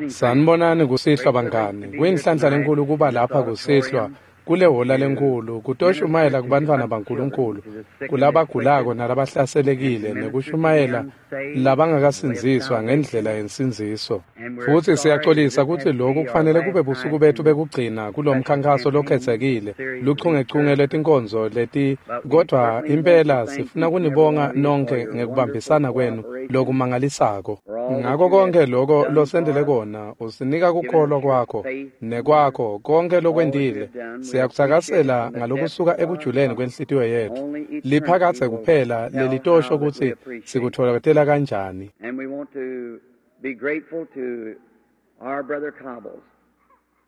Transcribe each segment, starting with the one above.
Sanibonani kusihlwa bangani. Kuyinhlanhla lenkulu kuba lapha kusihlwa kule hola lenkulu kutoshumayela kubantfwana baNkulunkulu, kulabagulako nalabahlaselekile, nekushumayela labangakasindziswa ngendlela yensindziso. Futsi siyaxolisa kutsi loku kufanele kube busuku bethu bekugcina kulomkhankaso lokhetsekile, luchungechunge lwetinkonzo leti, kodvwa impela sifuna kunibonga nonkhe ngekubambisana kwenu lokumangalisako. Ngako konke loko losentele kona, usinika kukholwa kwakho nekwakho konke lokwentile. Siyakutsakasela ngalokusuka ekujuleni kwenhlitiyo yetfu. Liphakadze kuphela lelitosho kutsi sikutfolakatela kanjani. And we want to be grateful to our brother Cobbles.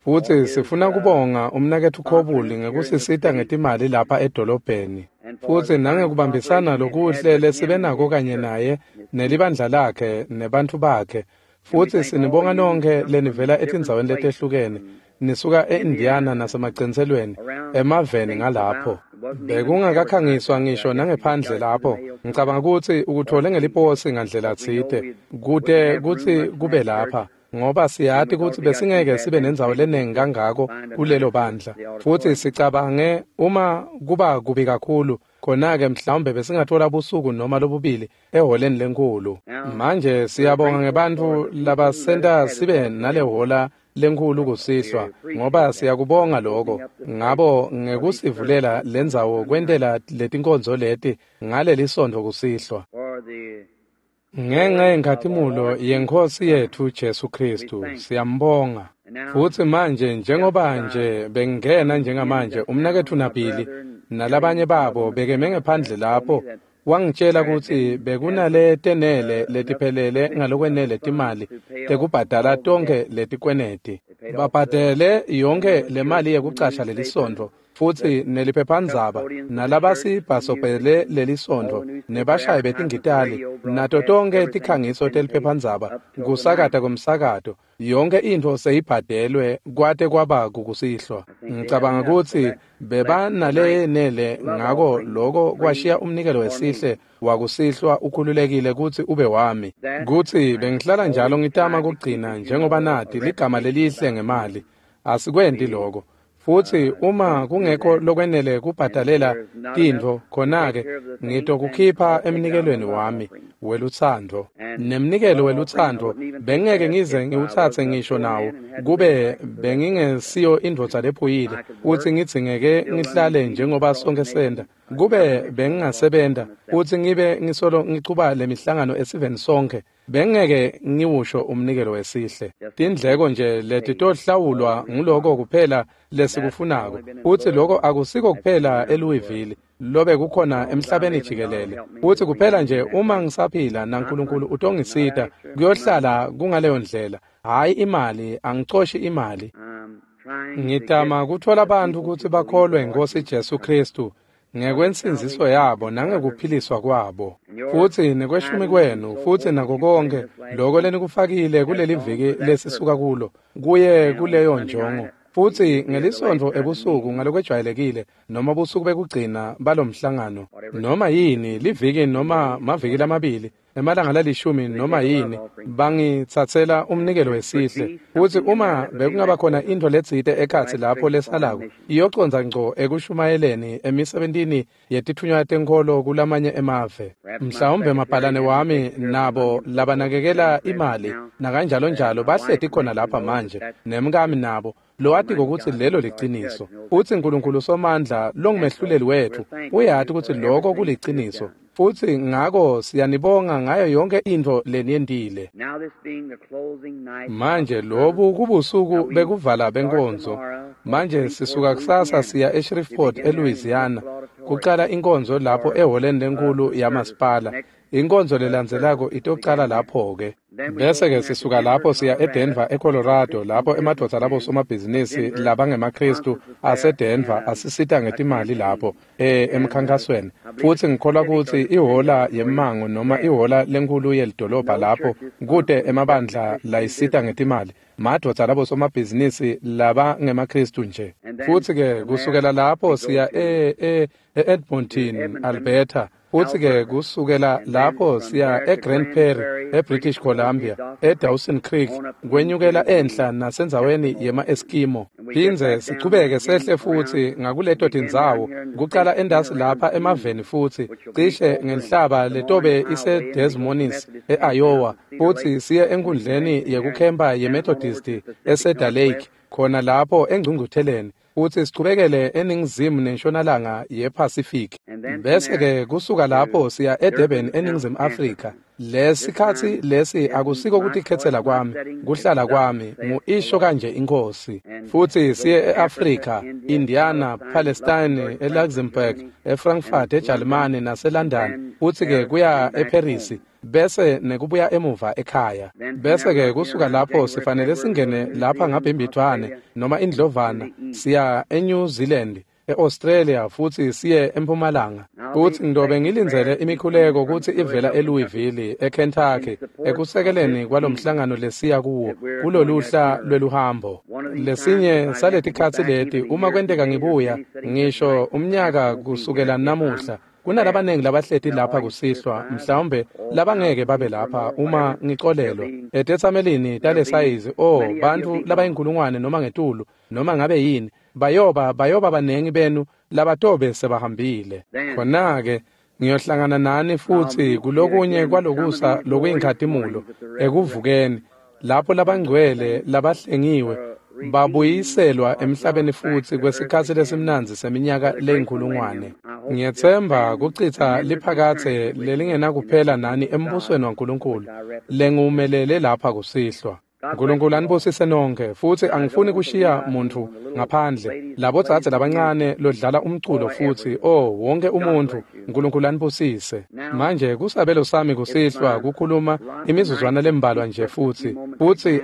Futsi sifuna kubonga umnaketfu Khobuli ngekusisita ngetimali lapha edolobheni, futsi nangekubambisana lokuhle lesibe nako kanye naye nelibandla lakhe nebantfu bakhe. Futsi sinibonga nonkhe lenivela etindzaweni letehlukene, nisuka e-Indiana nasemacentselweni emaveni ngalapho. Bekungakakhangiswa ngisho nangephandle lapho. Ngicabanga kutsi ukutfole ngeliposi ngandlela tsite kute kutsi kube lapha, ngoba siyati kutsi besingeke sibe nendzawo lenengi kangako kulelo bandla. Futsi sicabange uma kuba kubi kakhulu, khona-ke mhlawumbe besingatfola busuku noma lobubili eholeni lenkhulu. Manje siyabonga ngebantfu labasenta sibe nale hola lenkhulu kusihlwa, ngoba siyakubonga lokho ngabo ngekusivulela lendzawo kwentela letinkonzo leti ngalelisontfo kusihlwa. For the Ngenxa yenkhatimulo yeNkhosi yetfu Jesu Khristu, siyambonga. Futsi manje njengoba nje bengingena njengamanje, umnaketfu Nabili nalabanye babo bekeme ngephandle lapho, wangitjela kutsi bekunaletenele letiphelele ngalokwenele timali tekubhadala tonkhe letikweneti. Babhadele yonkhe lemali yekucasha lelisontfo, futsi neliphephandzaba, nalabasibhasobhele lelisontfo, nebashayi betingitali, nato tonkhe tikhangiso teliphephandzaba, kusakata kwemsakato, yonke intfo seyibhadelwe kwate kwaba kukusihlwa. Ngicabanga kutsi bebanalenele, ngako loko kwashiya umnikelo wesihle wakusihlwa ukhululekile kutsi ube wami. Kutsi bengihlala njalo ngitama kugcina njengoba nati ligama lelihle ngemali. Asikwenti loko. Futsi uma kungekho lokwenele kubhadalela tintfo, khona-ke ngitokukhipha emnikelweni wami welutsandvo. Nemnikelo welutsandvo bengeke ngize ngiwutsatse ngisho nawo, kube bengingesiyo indvodza lephuyile, futsi ngidzingeke ngihlale njengoba sonke senta. Kube bengingasebenta futsi ngibe ngisolo ngichuba lemihlangano esiveni sonkhe, bengeke ngiwusho umnikelo wesihle. Tindleko nje letitohlawulwa nguloko kuphela lesikufunako, futsi loko akusiko kuphela eLouisville, lobe kukhona emhlabeni jikelele. Futsi kuphela nje uma ngisaphila naNkulunkulu utongisita, kuyohlala kungaleyo ndlela. Hhayi imali, angicoshi imali. I'm trying to Ngitama get kutfola the bantfu people kutsi to believe bakholwe the Lord iNkhosi Jesus Jesu Christ Khristu ngekwensindziso yabo nangekuphiliswa kwabo. and your Futsi nekweshumi tithing and kwenu, so futsi forth nako that you put in konke this last loko week lenikufakile has kuleli gone viki for that lesisuka purpose. kulo, kuye And on kuleyo Sunday njongo. night, Futsi it will be the last ngelisontfo night of the ebusuku meeting. ngalokwejwayelekile noma busuku bekugcina balomhlangano, Whatever noma yini liviki noma days, maviki whatever. lamabili, emalanga lalishumi They noma take a love yini, offering. bangitsatsela And if umnikelo there would wesihle. be Futsi something in there uma that would be bekungaba left khona over, intfo letsite go ekhatsi right lapho straight to foreign lesalako, missions. iyocondza ngco ekushumayeleni emisebentini yetitfunywa tenkholo kulamanye emave. Perhaps my Mhlawumbe secretary mabhalane and them wami take care of the money nabo and so forth that's labanakekela down present imali now. nakanjalonjalo My bahleti wife khona and lapha them knows that manje, that's nemkami nabo lowatiko Almighty kutsi God, lelo who's our judge, liciniso. knows that's Futsi the truth. Nkulunkulu Somandla And so longumehluleli we're wetfu thankful to uyati you kutsi for loko everything that you've kuliciniso. done. Futsi ngako siyanibonga ngayo yonke intfo leniyentile. Now this being the closing night of Manje the service, lobu now kubusuku we bekuvala start benkonzo. tomorrow for Manje Shreveport, sisuka kusasa Louisiana, siya to eShreveport begin there in the eLouisiana municipal auditorium kucala inkonzo lapho for eholeni lenkulu the service. yamasipala. Next Inkonzo service lelandzelako will begin itocala there. lapho ke. Then we go Bese from ke there to sisuka Denver, lapho siya Colorado, eDenver for eColorado Christian lapho emadvodza labo businessmen of somabhizinisi Denver labangemaKhristu sponsors us there aseDenver in asisita a ngetimali campaign. lapho And emkhankasweni. I believe Futsi it's the ngikholwa Civic or kutsi the City ihola Auditorium yemmango noma there. ihola lenkhulu yelidolobha No lapho churches kute sponsor them, just the emabandla Christian layisita business. ngetimali. Madvodza labo somabhizinisi labangemaKhristu nje. And then Futsi ke from there kusukela lapho we go siya to e-Edmonton, Edmonton, Alberta. Futsi-ke kusukela lapho siya eGrand Prairie, eBritish Columbia, eDawson Creek, kwenyukela enhla nasendzaweni yema-Eskimo. Phindze sichubeke sehle futsi ngakuleto tindzawo, kucala endasi lapha emaveni futsi, cishe ngenhlaba letobe iseDes Moines, e-Iowa, futsi siye enkundleni yekukhempa yeMethodist eCedar Lake, khona lapho engcungcutheleni, futsi sichubekele eningizimu nentshonalanga yePacific. Bese-ke kusuka lapho siya eDurban eNingizimu Afrika. Lesikhatsi lesi akusiko kutikhetsela kwami, kuhlala kwami, ngu-isho kanje iNkhosi. Futsi siye e-Afrika, Indiana, Palestine, eLuxembourg, eFrankfurt, eJalimane naseLondon, futsi-ke kuya eParis, bese nekubuya emuva ekhaya. Bese-ke kusuka lapho sifanele singene lapha ngabhimbidvwane noma indlovana, siya eNew Zealand, e-Australia futsi siye eMpumalanga. Futsi ngidobe ngilindzele imikhuleko kutsi ivela eLouisville, eKentucky, ekusekeleni kwalomhlangano lesiya kuwo kuloluhla lweluhambo. Lesinye saletikhatsi leti uma kwenteka ngibuya, ngisho umnyaka kusukela namuhla, kunalabanengi labahleti lapha kusihlwa, mhlawumbe labangeke babe lapha uma ngicolelwa. Etetsamelini talesayizi, bantfu labayinkulungwane noma ngetulu, noma ngabe yini, bayoba banengi benu labatobe sebahambile. Khona-ke ngiyohlangana nani futsi kulokunye kwalokusa lokuyinkhatimulo ekuvukeni, lapho labangcwele labahlengiwe babuyiselwa emhlabeni futsi kwesikhatsi lesimnandzi seminyaka leyinkulungwane. Ngiyetsemba kuchitsa liphakatse lelingenakuphela nani embusweni waNkulunkulu lengiwumelele lapha kusihlwa. Nkulunkulu anibusise nonke, futsi angifuni kushiya muntfu ngaphandle. Labodzadze labancane lodlala umculo futsi, wonke umuntfu, Nkulunkulu anibusise. Manje kusabelo sami kusihlwa kukhuluma imizuzwana lembalwa nje futsi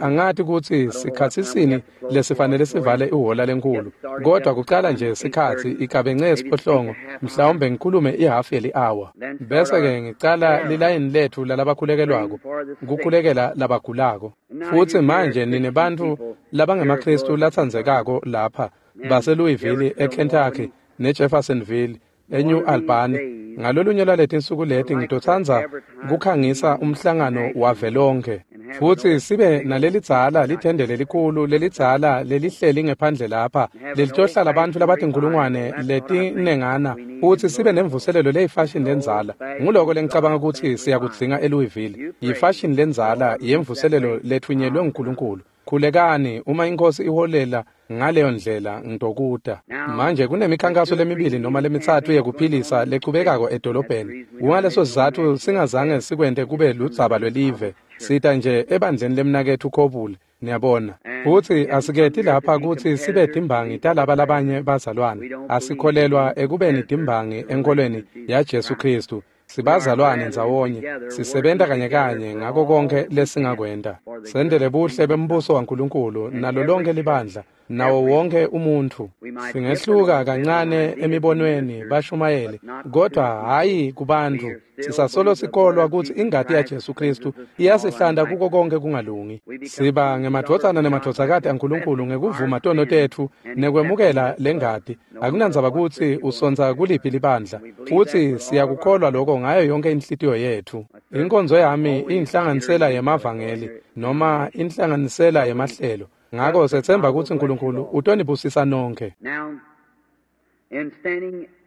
angati kutsi sikhatsi sini lesifanele sivale ihhola lenkulu, kodwa kucala nje sikhatsi igabence esiphohlongo, mhlawumbe ngikhulume ihafu yeli-hour. Bese-ke ngicala lilayini letfu lalabakhulekelwako, kukhulekela labagulako. Futsi manje nine bantfu labangemaKhristu latsandzekako lapha baseLouisville, eKentucky, neJeffersonville, eNew Albany, ngalolunye lwaletinsuku leti ngitotsandza kukhangisa umhlangano wavelonkhe. Futsi sibe nalelidzala lithende lelikhulu lelidzala lelihleli ngephandle lapha lelitohlala bantfu labatinkulungwane letinengana, futsi sibe nemvuselelo leyifashini lendzala. Nguloko lengicabanga kutsi siyakudzinga eLouisville, yifashini lendzala yemvuselelo letfunyelwe nguNkulunkulu. Khulekani uma iNkhosi iholela ngaleyo ndlela ngitokuta. Manje kunemikhankaso lemibili noma lemitsatfu yekuphilisa lechubekako edolobheni. Kungaleso sizatfu singazange sikwente kube ludzaba lwelive. Sita nje ebandleni lemnaketfu Kobule, niyabona. Futsi asiketi lapha kutsi sibe timbangi talaba labanye bazalwane. Asikholelwa ekubeni timbangi enkholweni yaJesu Khristu. Sibazalwane ndzawonye, sisebenta kanye kanye ngako konke lesingakwenta. Sendele buhle bembuso waNkulunkulu nalo lonke libandla, nawo wonke umuntfu. Singehluka kancane emibonweni bashumayeli, kodwa hhayi kubantfu. Sisasolo sikholwa kutsi ingati yaJesu Khristu iyasihlanta kuko konke kungalungi. Siba ngemadvodzana nemadvodzakati aNkulunkulu ngekuvuma tono tetfu nekwemukela lengati. Akunandzaba kutsi usontsa kuliphi libandla, futsi siyakukholwa lokho ngayo yonke inhlitiyo yetfu. Inkonzo yami iyinhlanganisela yemavangeli noma inhlanganisela yemahlelo. Ngako setsemba kutsi Nkulunkulu utonibusisa nonke.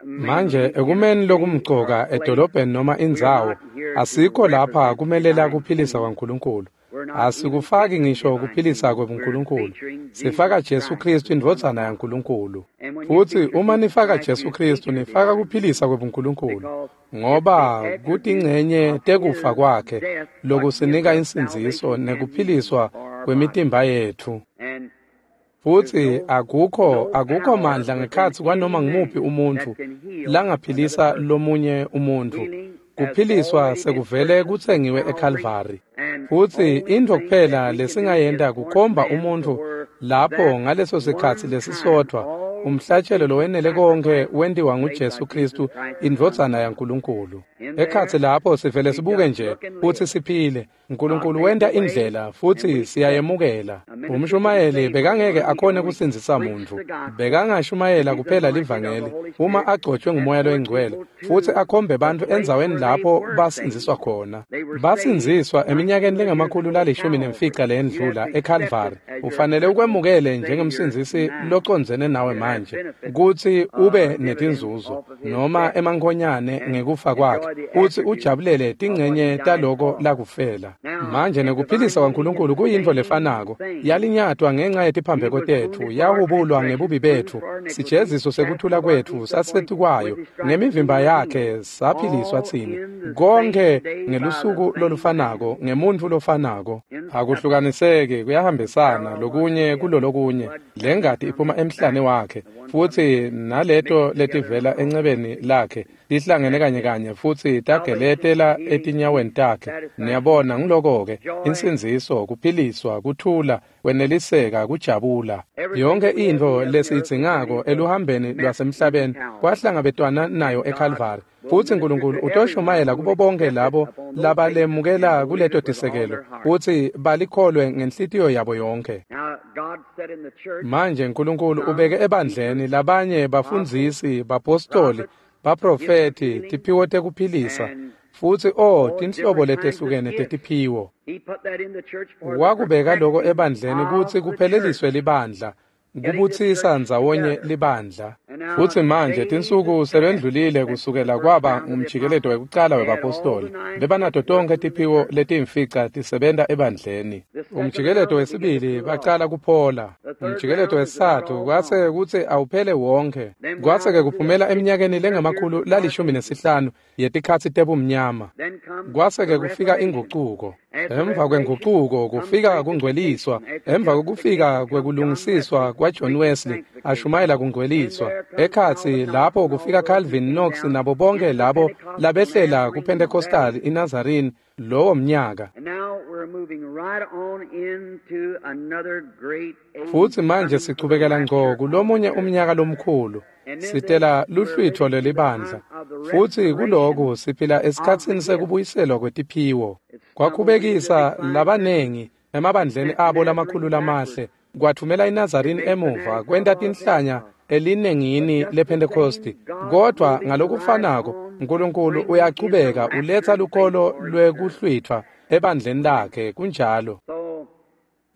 Manje ekumeni lokumcoka edolobheni noma indzawo, asikho lapha kumelela kuphilisa kwaNkulunkulu. Asikufaki ngisho kuphilisa kwebuNkulunkulu. Sifaka Jesu Khristu indvodzana yaNkulunkulu. Futsi uma nifaka Jesu Khristu nifaka kuphilisa kwebuNkulunkulu, ngoba kutingcenye tekufa kwakhe lokusinika insindziso nekuphiliswa kwemitimba yetfu. Futsi akukho mandla ngekhatsi kwanoma ngumuphi umuntfu langaphilisa lomunye umuntfu. Kuphiliswa sekuvele kutsengiwe eKalvari. Futsi intfo kuphela lesingayenta kukhomba umuntfu lapho ngaleso sikhatsi lesisodvwa Umhlatshelo lowenele konke wentiwa nguJesu Kristu, indvodzana yaNkulunkulu. Ekhatsi lapho sivele sibuke nje futsi siphile. Nkulunkulu wenta indlela futsi siyayemukela. Umshumayeli bekangeke akhone kusindzisa muntfu. Bekangashumayela kuphela livangeli uma agcotshwe nguMoya loyiNgcwele futsi akhombe bantfu endzaweni lapho basindziswa khona. Basindziswa eminyakeni lengama-115 leyendlula eCalvary. Ufanele ukwemukele njengemsindzisi locondzene nawe manje kutsi ube netinzuzo noma emankhonyane ngekufa kwakhe futsi ujabulele tincenye taloko lakufela. Manje nekuphilisa kwaNkulunkulu kuyintfo lefanako. Yalinyatwa ngenxa yetiphambeko tetfu, yahubulwa ngebubi betfu. Sijeziso sekuthula kwetfu sasetikwayo, ngemivimba yakhe saphiliswa tsine. Konke ngelusuku lolufanako, ngemuntfu lofanako. Akuhlukaniseki, kuyahambisana lokunye kulolokunye. Lengati iphuma emhlane wakhe, futsi naleto letivela encebeni lakhe tihlangene kanye kanye futsi tageletela etinyaweni takhe. Niyabona, ngiloko-ke insindziso, kuphiliswa, kuthula, kweneliseka, kujabula. Yonke intfo lesiyidzingako eluhambeni lwasemhlabeni kwahlangabetwana nayo eCalvary. Futsi Nkulunkulu utoshumayela kubo bonke labo labalemukela kuleto tisekelo futsi balikholwe ngenhlitiyo yabo yonke. Manje Nkulunkulu ubeke ebandleni labanye bafundzisi, bapostoli, baprofethi, tiphiwo tekuphilisa, futsi tinhlobo letehlukene tetiphiwo. Wakubeka loko ebandleni kutsi kupheleliswe libandla, kubutsisa ndzawonye libandla. Futsi manje tinsuku sebendlulile kusukela kwaba ngumjikeleto wekucala webapostoli. Bebanato tonkhe tiphiwo letiyimfica tisebenta ebandleni. Umjikeleto wesibili bacala kuphola. Umjikeleto wesitsatfu kwase kutsi awuphele wonke. Kwase-ke kuphumela eminyakeni lengama-115 yetikhatsi tebumnyama. Kwase-ke kufika ingucuko. Emva kwengucuko kufika kungcweliswa. Emva kokufika kwekulungisiswa kwaJohn Wesley ashumayela kungcweliswa. Ekhatsi lapho kufika Calvin, Knox nabo bonke labo labehlela kuPentecostal iNazarene lowo mnyaka. Futsi manje sichubekela ngco kulomunye umnyaka lomkhulu. Sitela luhlwitfo lelibandla. Futsi kuloku siphila esikhatsini sekubuyiselwa kwetiphiwo. Kwakhubekisa labanengi emabandleni abo lamakhulu lamahle, kwathumela iNazarene emuva kwenta tinhlanya elinengini lePentecosti. Kodwa ngalokufanako Nkulunkulu uyachubeka uletsa lukholo lwekuhlwitfwa ebandleni lakhe, kunjalo.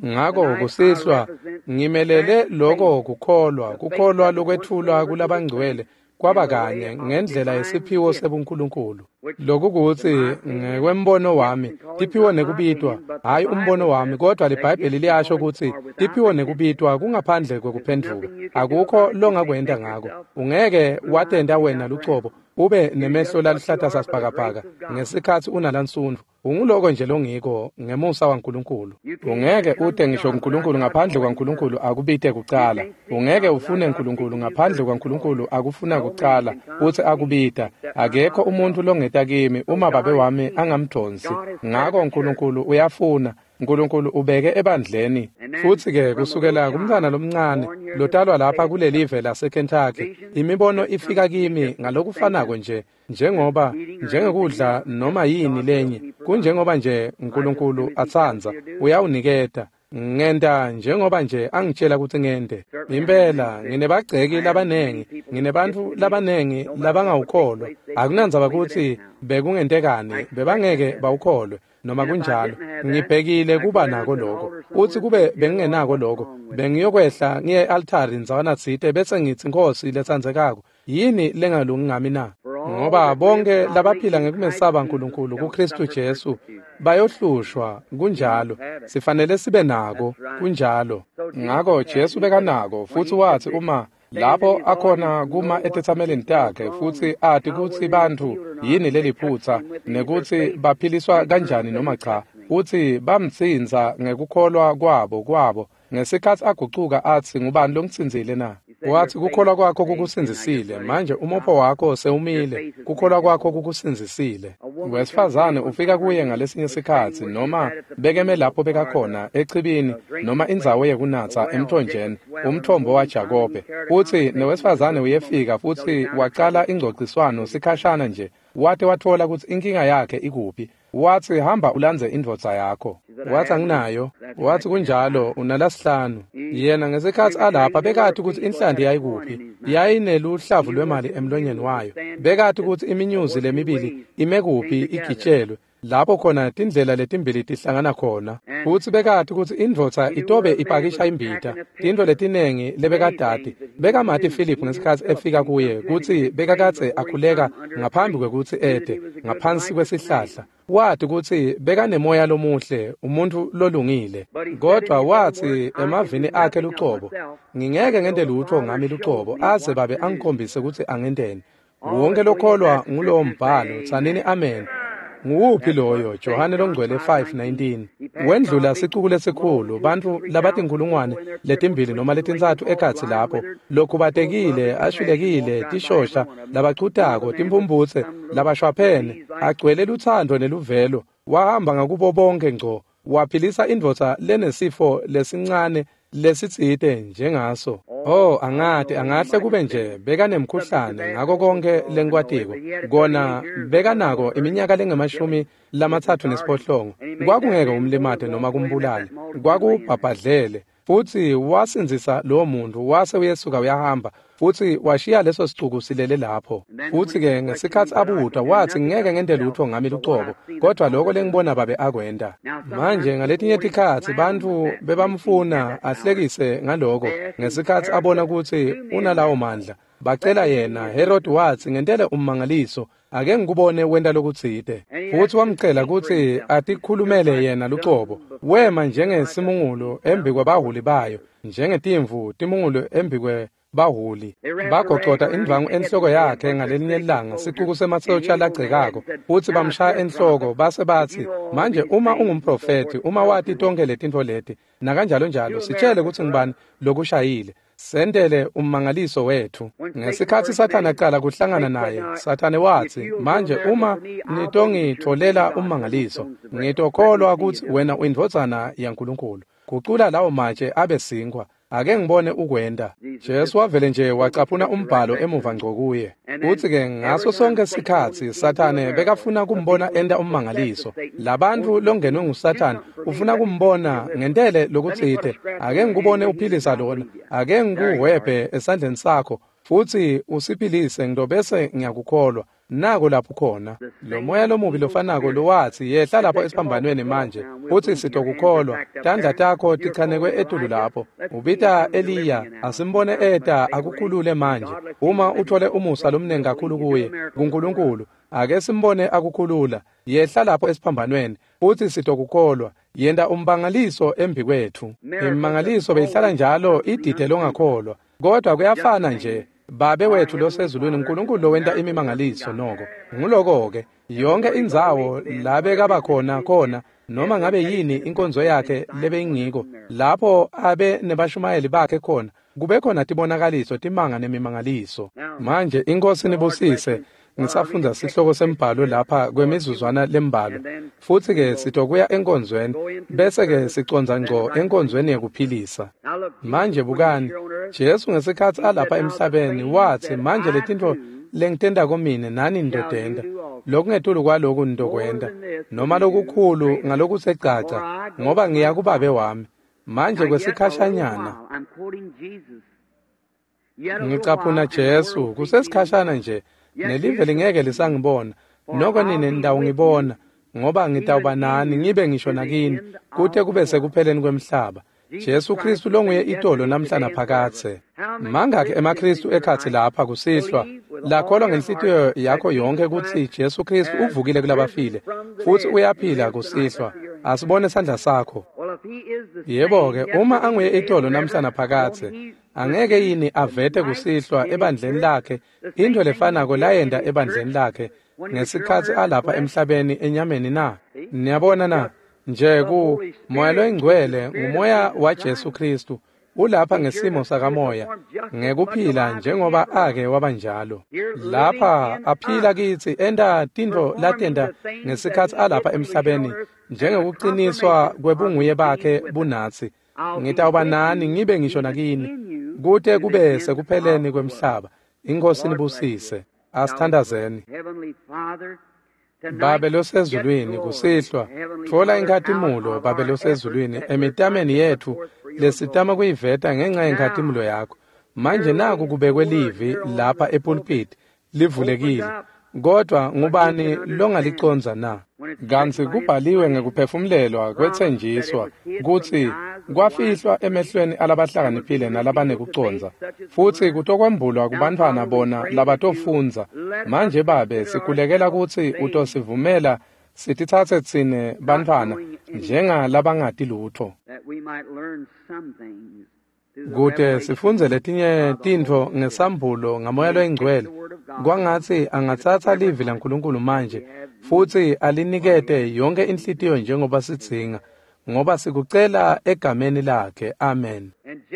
Ngako kusihlwa ngimelele loko kukholwa, kukholwa lokwetfulwa kulabangcwele kwaba kanye ngendlela yesiphiwo sebuNkulunkulu. Lokhu kutsi ngekwembono wami tiphiwo nekubitwa, hhayi umbono wami, kodwa liBhayibheli liyasho kutsi tiphiwo nekubitwa kungaphandle kwekuphendvuka. Akukho longakwenta ngako. Ungeke watenta wena lucobo ube nemehlo laluhlata sasibhakabhaka ngesikhatsi unalansundvu. Unguloko nje longiko ngemusa waNkulunkulu. Ungeke ute ngisho kuNkulunkulu ngaphandle kwaNkulunkulu akubite kucala. Ungeke ufune Nkulunkulu ngaphandle kwaNkulunkulu akufuna kucala futsi akubita. Akekho umuntu longeta kimi uma Babe wami angamdonsi. Ngako Nkulunkulu uyafuna. Nkulunkulu ubeke ebandleni. Futsi-ke kusukela kumntfwana lomncane lotalwa lapha kulelive laseKentucky, imibono ifika kimi ngalokufanako nje njengoba njengekudla noma yini lenye. Kunjengoba nje Nkulunkulu atsandza, uyawuniketa. Ngenta njengoba nje angitshela kutsi ngente. Impela nginebagceki labanengi, nginebantfu labanengi labangawukholwa. Akunandzaba kutsi bekungentekani, bebangeke bawukholwe. Noma kunjalo, ngibhekile kuba nako lokho. Uthi kube bengingenako lokho, bengiyokwehla ngiye e-altari ndzawana tsite bese ngitsi, Nkosi letsandzekako, yini lengalungi ngami na? Ngoba bonke labaphila ngekumesaba Nkulunkulu kuKristu Jesu bayohlushwa. Kunjalo, sifanele sibe nako. Kunjalo. Ngako Jesu bekanako, futsi watsi uma lapho akhona kuma etetsamelini takhe futsi ati kutsi bantfu yini leliphutsa nekutsi baphiliswa kanjani noma cha, utsi bamtsintsa ngekukholwa kwabo ngesikhatsi agucuka atsi, ngubani longitsintsile na? Watsi kukholwa kwakho kukusindzisile, manje umopho wakho sewumile, kukholwa kwakho kukusindzisile. Wesifazane ufika kuye ngalesinye sikhatsi, noma bekeme lapho bekakhona echibini noma indzawo yekunatsa emthonjeni, umthombo waJakobe. Futsi newesifazane uyefika futsi wacala ingcociswano sikhashana nje, wate watfola kutsi inkinga yakhe ikuphi. Watsi hamba ulandze indvodza yakho. Watsi anginayo. Watsi kunjalo, unalasihlanu. Yena ngesikhatsi alapha bekati kutsi inhlanti yayikuphi, yayineluhlavu lwemali emlonyeni wayo. Bekati kutsi iminyuzi lemibili ime kuphi igitshelwe, lapho khona tindlela letimbili tihlangana khona. Futsi bekati kutsi indvodza itobe ipakisha imbita, tintfo letinengi lebekadati. Bekamati Philip ngesikhatsi efika kuye kutsi bekakadze akhuleka ngaphambi kwekutsi ete ngaphansi kwesihlahla. Wati kutsi bekanemoya lomuhle, umuntfu lolungile. Kodwa watsi emavini akhe lucobo, ngingeke ngente lutfo ngami lucobo aze babe angikhombise kutsi angenteni. Wonke lokholwa ngulowo mbhalo, tsanini amen. Nguwuphi loyo? Johane Longcwele 5:19. Wendlula sicuku lesikhulu, bantfu labatinkhulungwane letimbili noma letintsatfu ekhatsi lapho, lokhubatekile, ashwilekile, tishosha, labachutako, timphumphutse, labashwaphene, agcwele lutsandvo neluvelo. Wahamba ngakubo bonke ngco, waphilisa indvodza lenesifo lesincane lesitsite njengaso. Oh, angati, angahle kube nje bekanemkhuhlane ngako konke lengikwatiko. Kona bekanako iminyaka lengama-38. Kwakungeke umlimate noma kumbulale, kwakubhabhadlele. Futsi wasindzisa lowo muntu, wase uyesuka uyahamba, futsi washiya leso sicuku silele lapho. Futsi-ke ngesikhatsi abutwa, watsi ngeke ngente lutfo ngami lucobo, kodwa lokho lengibona babe akwenta. Manje ngaletinye tikhatsi bantfu bebamfuna ahlekise ngaloko, ngesikhatsi abona kutsi unalawo mandla. Bacela yena, Herod watsi ngentele ummangaliso, ake ngikubone wenta lokutsite. Futsi wamcela kutsi atikhulumele yena lucobo. Wema njengesimungulu embi kwabaholi bayo, njengetimvu timungulu embi kwebaholi. Bagocota indvwangu enhloko yakhe ngalelinye ilanga, sicuku semasotja lagcekako, futsi bamshaya enhloko base batsi, manje uma ungumprofethi, uma wati tonkhe letintfo leti, nakanjalo njalo, sitshele kutsi ngubani lokushayile. Sentele ummangaliso wethu. Ngesikhatsi Sathane aqala kuhlangana naye, Sathane watsi, manje uma nitongitfolela ummangaliso, ngitokholwa kutsi wena uyindvodzana yaNkulunkulu. Gucula lawo matshe abe sinkhwa. Ake ngibone ukwenta. Jesu wavele nje wacaphuna umbhalo emuva ngco kuye. Futsi-ke ngaso sonke sikhatsi Sathane bekafuna kumbona enta ummangaliso. Labantfu longenwe nguSathane ufuna kumbona ngentele lokutsite. Ake ngikubone uphilisa lona. Ake ngikuhwebhe esandleni sakho futsi usiphilise ngitobese ngiyakukholwa. Nako lapho khona lo moya lomubi lofanako lowatsi yehla lapho esiphambanweni manje futsi sitokukholwa, tandla takho tichanekwe etulu lapho. Ubita Eliya, asimbone eta akukhulule manje. Uma uthole umusa lomnengi kakhulu kuye kuNkulunkulu, ake simbone akukhulula. Yehla lapho esiphambanweni futsi sitokukholwa. Yenta umbangaliso embi kwethu. Imangaliso beyihlala njalo idide longakholwa, kodwa kuyafana nje. Babe wethu losezulwini, uNkulunkulu lowenta imimangaliso noko. Nguloko-ke yonke indzawo la bekaba khona khona, noma ngabe yini inkonzo yakhe lebeyingiko, lapho abe nebashumayeli bakhe khona, kube khona tibonakaliso, timanga nemimangaliso. Manje iNkosi nibusise. Ngisafundza sihloko sembhalo lapha kwemizuzwana lembalwa, futsi-ke sitokuya enkonzweni, bese-ke sicondza ngco enkonzweni yekuphilisa. Manje bukani, Jesu ngesikhatsi alapha emhlabeni watsi, manje letintfo lengitentako mine nani nitotenta, lokungetulu kwaloku nitokwenta, noma lokukhulu ngalokusecaca, ngoba ngiya kuBabe wami. Manje kwesikhashanyana ngicaphuna Jesu, kusesikhashana nje, nelive lingeke lisangibona, noko nine nitawungibona, ngoba ngitawuba nani ngibe ngisho nakini kute kube sekupheleni kwemhlaba. Jesu Kristu longuye itolo namhla naphakadze. Mangakhi emaKristu ekhatsi lapha kusihlwa lakholwa ngenhlitiyo yakho yonke kutsi Jesu Kristu uvukile kulabafile futsi uyaphila kusihlwa? Asibone sandla sakho. Yebo-ke, uma anguye itolo namhla naphakadze, angeke yini avete kusihlwa ebandleni lakhe into lefanako layenta ebandleni lakhe ngesikhatsi alapha emhlabeni enyameni na? Niyabona na? Nje ku Moya loyiNgcwele ngumoya waJesu Kristu. Ulapha ngesimo sakamoya, ngekuphila njengoba ake wabanjalo. Lapha aphila kitsi enta tintfo latenta ngesikhatsi alapha emhlabeni, njengekuqiniswa kwebunguye bakhe bunatsi. Ngitawuba nani ngibe ngisho nakini, kute kube sekupheleni kwemhlaba. Inkosi nibusise. Asithandazeni. Babe losezulwini, kusihlwa tfola inkhatimulo, Babe losezulwini, emitameni yetfu lesitama kuyiveta ngenxa yenkhatimulo yakho. Manje naku kubekwe livi lapha epulpit livulekile, kodwa ngubani longaliconza na? Kantsi kubhaliwe ngekuphefumlelwa kwetsenjiswa kutsi kwafihlwa emehlweni alabahlakaniphile nalabanekucondza, futsi kutokwembulwa kubantfwana bona labatofundza. Manje Babe, sikhulekela kutsi utosivumela sititsatse tsine bantfwana njengalabangati lutfo, kute sifundze letinye tintfo ngesambulo ngaMoya loyiNgcwele. Kwangatsi angatsatsa livi laNkulunkulu manje futsi alinikete yonke inhlitiyo njengoba sidzinga, ngoba sikucela egameni lakhe. Amen.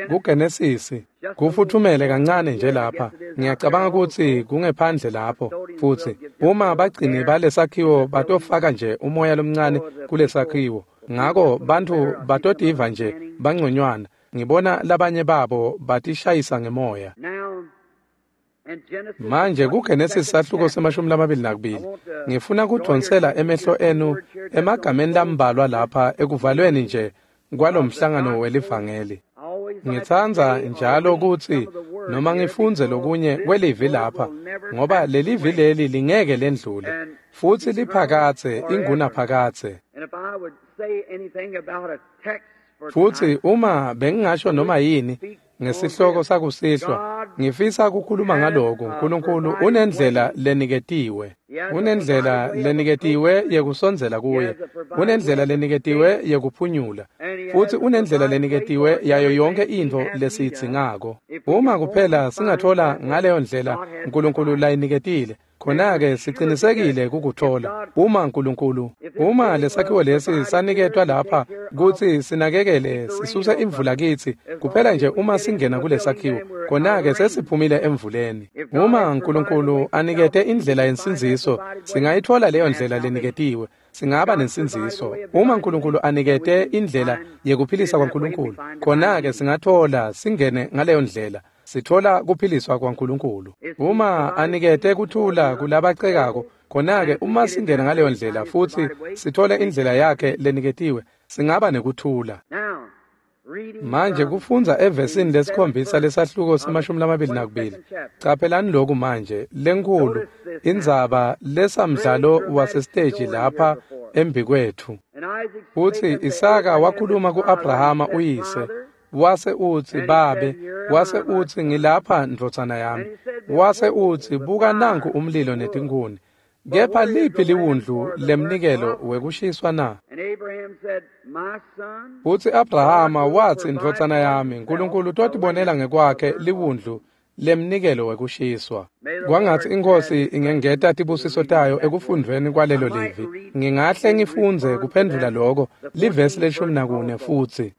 KuGenesisi kufuthumele kancane nje lapha. Ngiyacabanga kutsi kungephandle lapho, futsi uma bagcini balesakhiwo batofaka nje umoya lomncane kulesakhiwo, ngako bantfu batotiva nje bangconywana. Ngibona labanye babo batishayisa ngemoya. Manje kuGenesis sahluko se-22, ngifuna kudvonsela emehlo enu emagameni lambalwa lapha ekuvalweni nje kwalomhlangano welivangeli. Ngitsandza njalo kutsi noma ngifundze lokunye kwelivi lapha, ngoba lelivi leli lingeke lendlule, futsi liphakatse ingunaphakatse. Futsi uma bengingasho noma yini ngesihloko sakusihlwa, ngifisa ukukhuluma ngaloku. Nkulunkulu unendlela leniketiwe. Unendlela leniketiwe yekusondzela kuye. Unendlela leniketiwe yekuphunyula. Futsi unendlela leniketiwe yayo yonke intfo lesiyidzingako. Uma kuphela singathola ngaleyo ndlela Nkulunkulu layiniketile, khona-ke sicinisekile kukuthola. Uma Nkulunkulu, uma lesakhiwo lesi saniketwa lapha kutsi sinakekele sisuse imvula kitsi, kuphela nje uma singena kulesakhiwo, khona-ke sesiphumile emvuleni. Uma Nkulunkulu anikete indlela yensindziso, singayithola leyo ndlela leniketiwe, singaba nensindziso. Uma Nkulunkulu anikete indlela yekuphilisa kwaNkulunkulu, khona-ke singathola singene ngaleyo ndlela, sithola kuphiliswa kwaNkulunkulu. Uma anikete kuthula kulabacekako, khona-ke uma singena ngaleyo ndlela futsi sithole indlela yakhe leniketiwe, singaba nekuthula. Manje kufundza evesini lesikhombisa lesahluko se-22. Caphelani lokhu manje, lenkhulu indzaba lesamdlalo wasesiteji lapha embikwethu. Futsi Isaka wakhuluma ku-Abrahama uyise, wase utsi, Babe, wase utsi, ngilapha ndvodzana yami. Wase utsi, buka nanku umlilo netinkhuni, kepha liphi liwundlu lemnikelo wekushiswa na? Futsi Abrahama watsi, ndvodzana yami, Nkulunkulu utotibonela ngekwakhe liwundlu lemnikelo wekushiswa. Kwangatsi iNkhosi ingengeta tibusiso tayo ekufundvweni kwalelo livi. Ngingahle ngifundze kuphendvula loko, livesi le-14 futsi.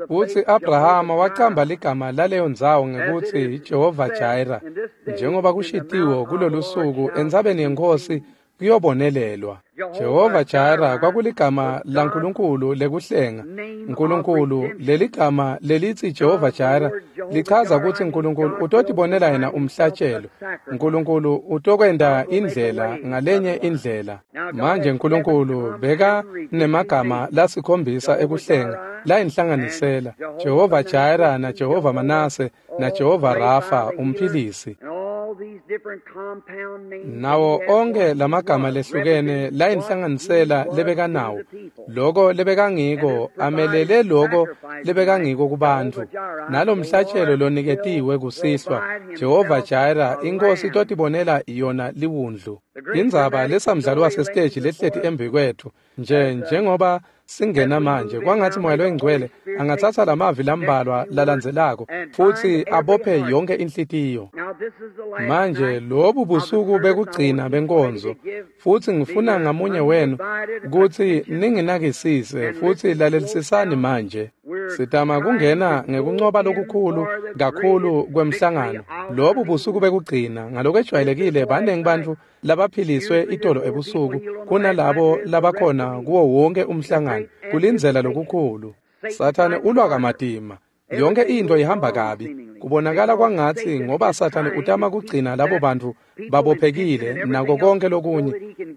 Futsi Abrahama wacamba ligama laleyo ndzawo ngekutsi Jehova Jireh, njengoba kushitiwo kulolusuku entsabeni yeNkhosi kuyobonelelwa. Jehova Jireh kwakuligama laNkulunkulu lekuhlenga. Nkulunkulu, leligama lelitsi Jehova Jireh lichaza kutsi Nkulunkulu utotibonela yena umhlatshelo. Nkulunkulu utokwenta indlela ngalenye indlela. Manje Nkulunkulu beka nemagama lasikhombisa ekuhlenga layinhlanganisela: Jehova Jireh na Jehova Manase na Jehova Rafa umphilisi. Nawo onke lamagama lehlukene layinhlanganisela lebekanawo, loko lebekangiko amelele loko lebekangiko kubantfu. Nalomhlatshelo loniketiwe kusihlwa, Jehova Jireh, iNkhosi itotibonela yona liwundlu. Indzaba lesamdlalo wasesiteji lehleti embikwetfu nje njengoba singena manje, kwangatsi Moya loyiNgcwele angatsatsa lamavi lambalwa lalandzelako futsi abophe yonke inhlitiyo. Manje lobu busuku bekugcina benkonzo, futsi ngifuna ngamunye wenu kutsi ninginakisise futsi lalelisisani manje. Sitama kungena ngekuncoba lokukhulu kakhulu kwemhlangano. Lobu busuku bekugcina ngalokwejwayelekile baningi bantfu labaphiliswe itolo ebusuku kunalabo labakhona kuwo wonke umhlangano. Kulindzela lokukhulu. Sathane ulwa kamatima. Yonke into ihamba kabi. Kubonakala kwangatsi ngoba Sathane utama kugcina labo bantfu babophekile nako konke lokunye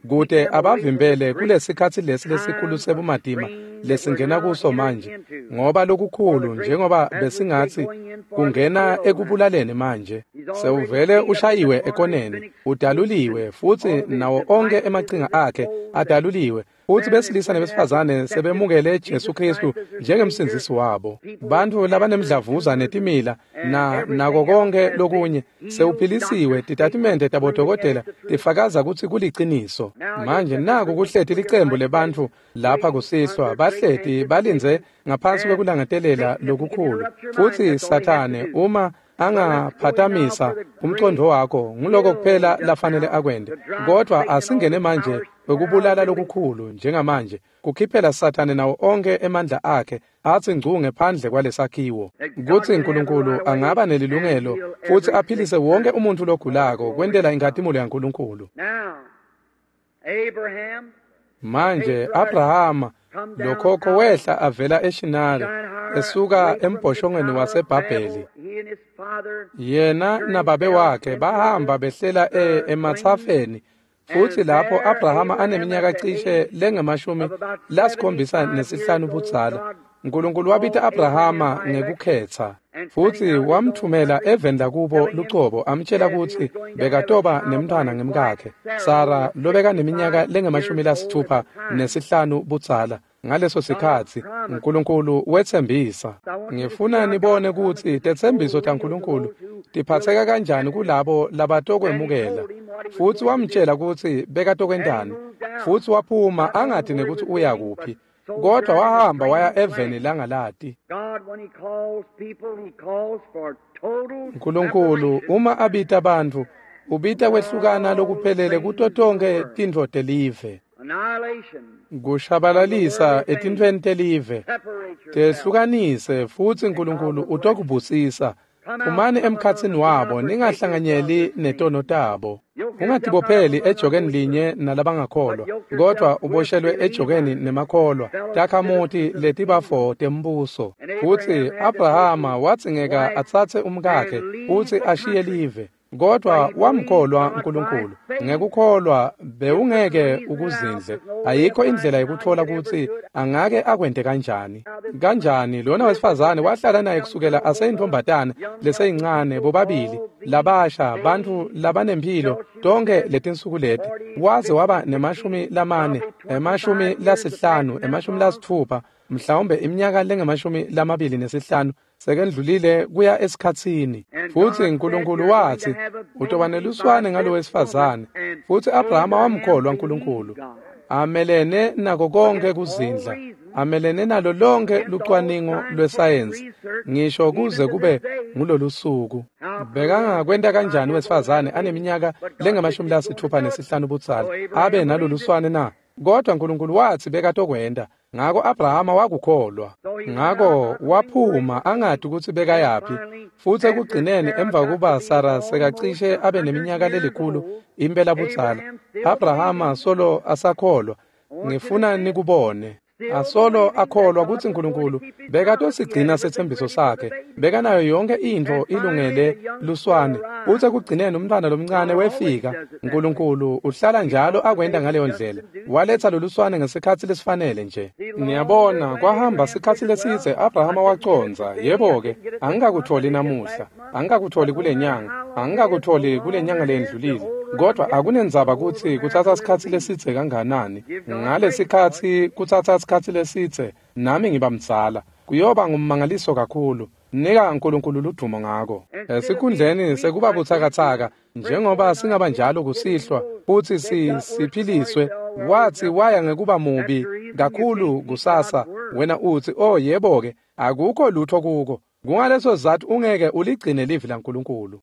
kute abavimbele kulesikhatsi lesi lesikhulu sebumatima lesingena kuso manje, ngoba lokukhulu njengoba besingatsi kungena ekubulaleni manje. Sewuvele ushayiwe ekoneni, udaluliwe futsi nawo onke emachinga akhe adaluliwe. Futsi besilisa nebesifazane sebemukele Jesu Kristu njengemsindzisi wabo. Bantfu labanemdlavuza netimila na nako konke lokunye sewuphilisiwe. Titatimende tabodokotela tifakaza kutsi kuliciniso. Manje naku kuhleti licembu lebantfu lapha kusihlwa, bahleti balindze ngaphansi kwekulangetelela lokukhulu. Futsi Sathane uma angaphatamisa umcondo wakho, nguloko kuphela lafanele akwente. Kodwa asingene manje kwekubulala lokukhulu njengamanje, kukhiphela Sathane nawo onke emandla akhe atsi ngcu ngephandle kwalesakhiwo, kutsi Nkulunkulu angaba nelilungelo futsi aphilise wonke umuntfu logulako kwentela inkhatimulo yaNkulunkulu. Manje Abrahama lokhokho wehla avela eShinari esuka embhoshongweni waseBhabheli. Yena nababe wakhe bahamba behlela ematsafeni, futsi lapho Abrahama aneminyaka cishe lengamashumi-75 budzala, Nkulunkulu wabita Abrahama ngekukhetsa futsi wamthumela eveni lakubo lucobo, amtjela kutsi bekatoba nemntfwana ngemkakhe Sara lobekaneminyaka lengamashumi-65 budzala. Ngaleso sikhatsi Nkulunkulu wetsembisa. Ngifuna nibone kutsi tetsembiso taNkulunkulu tiphatseka kanjani kulabo labatokwemukela. Futsi wamtjela kutsi bekatokwentani, futsi waphuma angati nekutsi uya kuphi, kodwa wahamba waya eveni langalati. Nkulunkulu uma abita bantfu, ubita kwehlukana lokuphelele kuto tonkhe tintfo telive, kushabalalisa etintfweni telive. Tehlukanise futsi Nkulunkulu utokubusisa. Phumani emkhatsini wabo, ningahlanganyeli netono tabo. Ungatibopheli ejokeni linye nalabangakholwa, kodwa uboshelwe ejokeni nemakholwa, takhamuti letibafo tembuso. Futsi Abrahama wadzingeka atsatse umkakhe futsi ashiye live, kodwa wamkholwa Nkulunkulu. Ngekukholwa bewungeke ukuzindle. Ayikho indlela yekutfola kutsi angake akwente kanjani. Kanjani lona wesifazane wahlala naye kusukela aseyintfombatana leseyincane, bobabili labasha, bantfu labanemphilo tonkhe letinsuku leti, waze waba nema-40, 50, 60, mhlawumbe iminyaka lengamashumi-25 sekendlulile kuya esikhatsini. Futsi Nkulunkulu watsi utoba neluswane ngalo wesifazane, futsi Abrahama wamkholwa Nkulunkulu. Amelene nako konke kuzindla, amelene nalo lonke lucwaningo lwesayensi, ngisho kuze kube ngulolusuku. Bekangakwenta kanjani wesifazane aneminyaka lengamashumi-65 budzala abe naloluswane na? Kodwa Nkulunkulu watsi bekatokwenta. Ngako Abrahama wakukholwa. Ngako waphuma angati kutsi bekayaphi. Futsi ekugcineni emva kuba Sara sekacishe abe neminyaka lelikhulu impela budzala, Abrahama solo asakholwa. Ngifuna nikubone. Asolo akholwa kutsi Nkulunkulu bekatosigcina setsembiso sakhe. Bekanayo yonke intfo ilungele luswane. Futsi ekugcineni umntfwana lomncane wefika. Nkulunkulu uhlala njalo akwenta ngaleyo ndlela. Waletsa loluswane ngesikhatsi lesifanele nje. Niyabona, kwahamba sikhatsi lesidze Abrahama wacondza, yebo-ke, angikakutholi namuhla, angikakutholi kule nyanga, angikakutholi kule nyanga leyendlulile. Kodwa akunendzaba kutsi kutsatsa sikhatsi lesidze kanganani. Ngalesikhatsi kutsatsa sikhatsi lesidze, nami ngiba mdzala. Kuyoba ngummangaliso kakhulu. Nika Nkulunkulu ludumo ngako. Esikhundleni sekuba butsakatsaka njengoba singaba njalo kusihlwa futsi siphiliswe, watsi waya ngekuba mubi kakhulu kusasa. Wena utsi, oh yebo-ke, akukho lutho kuko. Kungaleso sizatfu ungeke uligcine livi laNkulunkulu.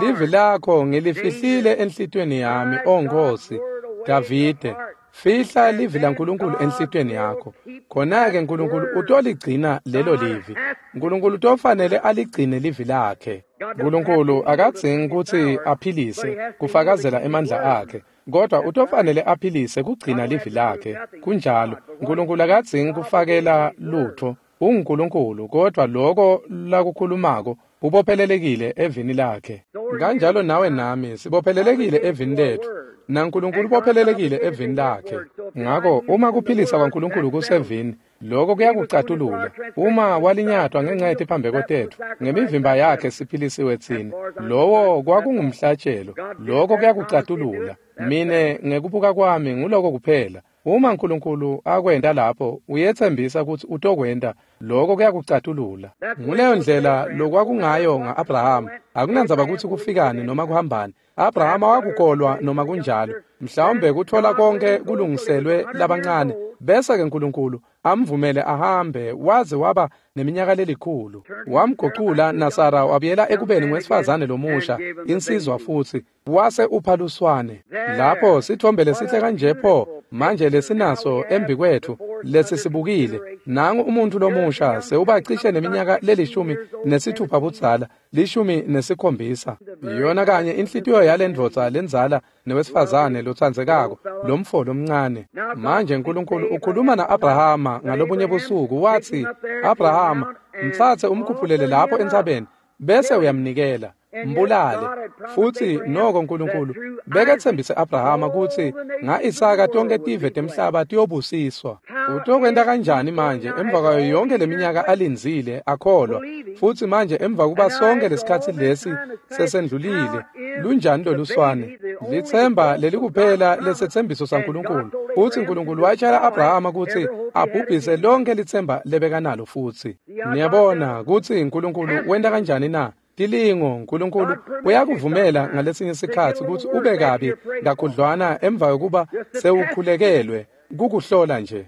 Livi lakho ngilifihlile enhlitiyweni yami, O Nkosi. Davide, Fihla livi laNkulunkulu enhlitiyweni yakho. Khona-ke Nkulunkulu utoligcina lelo livi. Nkulunkulu utofanele aligcine livi lakhe. Nkulunkulu akadzingi kutsi aphilise kufakazela emandla akhe, kodwa utofanele aphilise kugcina livi lakhe. Kunjalo, Nkulunkulu akadzingi kufakela lutho. UnguNkulunkulu, kodwa loko lakukhulumako ubophelelekile evini lakhe. Kanjalo nawe nami sibophelelekile evini letfu, naNkulunkulu ubophelelekile evini lakhe. Ngako uma kuphilisa kwaNkulunkulu kusevini, lokho kuyakucatulula. Uma walinyatwa ngenxa yetiphambeko tetfu, ngemivimba yakhe siphilisiwe tsine. Lowo kwakungumhlatshelo, lokho kuyakucatulula. Mine ngekubuka kwami nguloko kuphela. Uma Nkulunkulu akwenta lapho, uyetsembisa kutsi utokwenta, lokho kuyakucatulula. Nguleyo ndlela lokwakungayo nga-Abrahama. Akunandzaba kutsi kufikani noma kuhambani. Abrahama wakukholwa noma kunjalo. Mhlawumbe kutfola konke kulungiselwe labancane, bese-ke Nkulunkulu amvumele ahambe waze waba neminyaka lelikhulu. Wamgucula naSara wabuyela ekubeni ngwesifazane lomusha, insizwa futsi, wase upha luswane. Lapho sithombe lesihle kanje pho manje lesinaso embikwethu lesisibukile. Nangu umuntu lomusha sewubacishe neminyaka le-16 budzala, 17. Yona kanye inhlitiyo yalendvodza lendzala newesifazane lotsandzekako, lomfo lomncane. Manje Nkulunkulu ukhuluma na-Abrahama ngalobunye busuku, watsi, Abrahama, mtsatse umkhuphulele lapho entsabeni, bese uyamnikela, mbulale. Futsi noko Nkulunkulu beketsembise Abrahama kutsi nga-Isaka tonke tive temhlaba tiyobusiswa. Utokwenta kanjani manje emva kwayo yonke leminyaka alindzile akholwa, futsi manje emva kuba sonke lesikhatsi lesi sesendlulile, lunjani loluswane? Litsemba lelikuphela lesetsembiso saNkulunkulu. Futsi Nkulunkulu watjela Abrahama kutsi abhubhise lonke litsemba lebekanalo futsi. Niyabona kutsi Nkulunkulu wenta kanjani na? Tilingo Nkulunkulu uyakuvumela ngalesinye sikhatsi kutsi ube kabi kakhudlwana emva kokuba sewukhulekelwe, kukuhlola nje.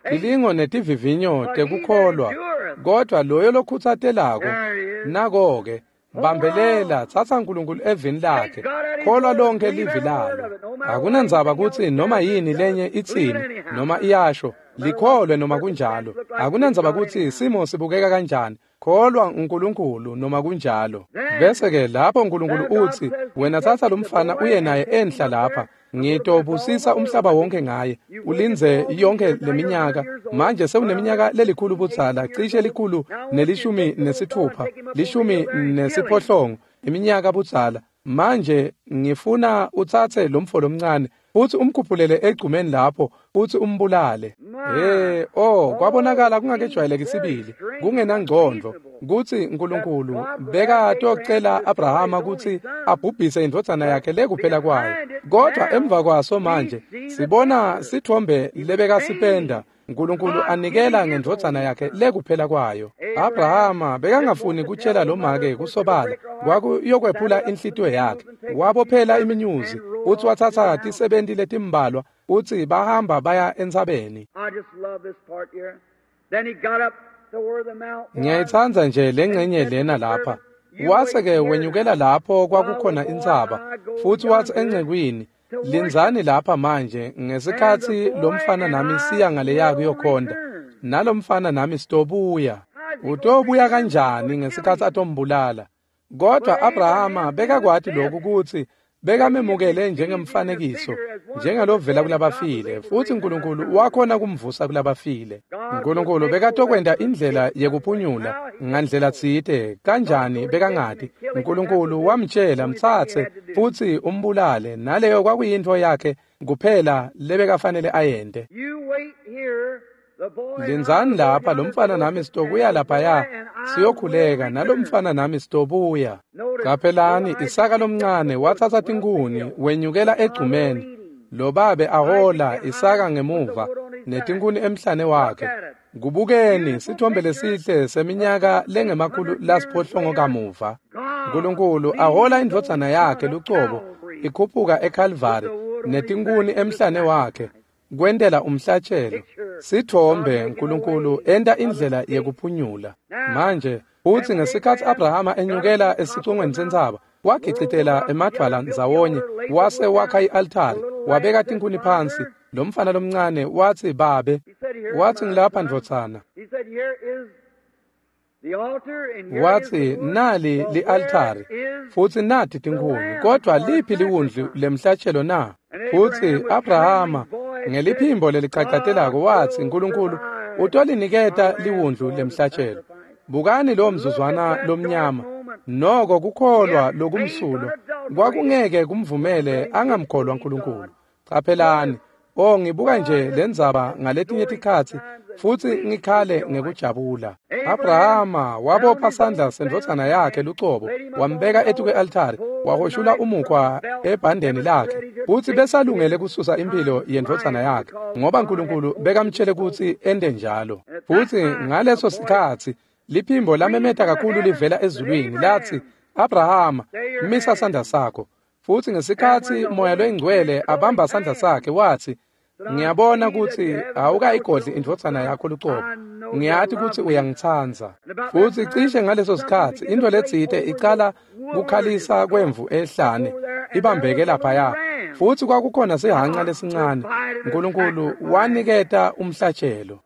Tilingo netivivinyo tekukholwa, kodwa loyo lokhutsatelako, nako-ke, bambelela, tsatsa Nkulunkulu evini lakhe, kholwa lonke livi lalo. Akunandzaba kutsi noma yini lenye itsini noma iyasho, likholwe noma kunjalo. Akunandzaba kutsi simo sibukeka kanjani, kholwa uNkulunkulu noma kunjalo. Bese-ke lapho Nkulunkulu utsi, wena tsatsa lomfana uye naye enhla lapha, ngitobusisa umhlaba wonke ngaye. Ulindze yonke leminyaka, manje sewuneminyaka lelikhulu budzala, cishe 116, 18 iminyaka budzala. Manje ngifuna utsatse lomfo lomncane futsi umkhuphulele egcumeni lapho futsi umbulale. Oh, kwabonakala kungakejwayeleki sibili, kungenangcondvo kutsi Nkulunkulu bekatocela Abrahama kutsi abhubhise indvodzana yakhe lekuphela kwayo. Kodwa emva kwaso manje sibona sithombe lebekasipenda, Nkulunkulu anikela ngendvodzana yakhe lekuphela kwayo. Abrahama bekangafuni kutshela lomake kusobala, kwakuyokwephula inhlitiyo yakhe. Wabophela iminyuzi futsi watsatsa tisebenti letimbalwa utsi bahamba baya entsabeni. Ngiyayitsandza nje lengcenye lena lapha. Wase-ke wenyukela lapho kwakukhona intsaba, futsi watsi encekwini, lindzani lapha manje ngesikhatsi lomfana nami siya ngaleya kuyokhonta, nalomfana nami sitobuya. Utobuya kanjani ngesikhatsi atombulala? Kodwa Abrahama bekakwati lokhu kutsi bekamemukele njengemfanekiso, njengalovela kulabafile, futsi Nkulunkulu wakhona kumvusa kulabafile. Nkulunkulu bekatokwenta indlela yekuphunyula ngandlela tsite, kanjani bekangati. Nkulunkulu wamtjela, mtsatse futsi umbulale, naleyo kwakuyintfo yakhe kuphela lebekafanele ayente. Lindzani lapha, lomfana nami sitobuya laphaya siyokhuleka, nalomfana nami sitobuya. Qaphelani, Isaka lomncane watsatsa tinkhuni wenyukela egcumeni. Lobabe ahola Isaka ngemuva netinkhuni emhlane wakhe. Kubukeni sithombe lesihle seminyaka lengama-800 kamuva. Nkulunkulu ahola indvodzana yakhe lucobo ikhuphuka eKalvari netinkhuni emhlane wakhe, kwentela umhlatshelo. Sithombe Nkulunkulu enta indlela yekuphunyula. Manje utsi ngesikhatsi Abrahama enyukela esicongweni sentsaba, Wagicitela emadvwala ndzawonye, wase wakha i-altari, wabeka tinkhuni phansi. Lo mfana lomncane watsi, "Babe," watsi, "Ngilapha ndvodzana." Watsi, "Nali li-altari futsi nati tinkhuni, kodvwa liphi liwundlu lemhlatshelo na?" Futsi Abrahama ngeliphimbo lelichacatelako watsi, "Nkulunkulu utoliniketa liwundlu lemhlatshelo." Bukani lo mzuzwana lomnyama, noko kukholwa lokumsulwa kwakungeke kumvumele angamkholwa Nkulunkulu. Caphelani, oh, ngibuka nje lendzaba ngaletinye tikhatsi futsi ngikhale ngekujabula. Abrahama wabopha sandla sendvodzana yakhe lucobo, wambeka etukwe-altari, wahoshula umukhwa ebhandeni lakhe, futsi besalungele kususa imphilo yendvodzana yakhe, ngoba Nkulunkulu bekamtshele kutsi ente njalo. Futsi ngaleso sikhatsi liphimbo lamemeta kakhulu livela ezulwini latsi, "Abrahama, misa sandla sakho." Futsi ngesikhatsi Moya loyiNgcwele abamba sandla sakhe watsi, "Ngiyabona kutsi awukayigodli indvodzana yakho lucobo. Ngiyati kutsi uyangitsandza." Futsi cishe ngaleso sikhatsi intfo letsite icala kukhalisa kwemvu ehlane ibambeke laphaya. Futsi kwakukhona sihhanca lesincane. Nkulunkulu waniketa umhlatshelo.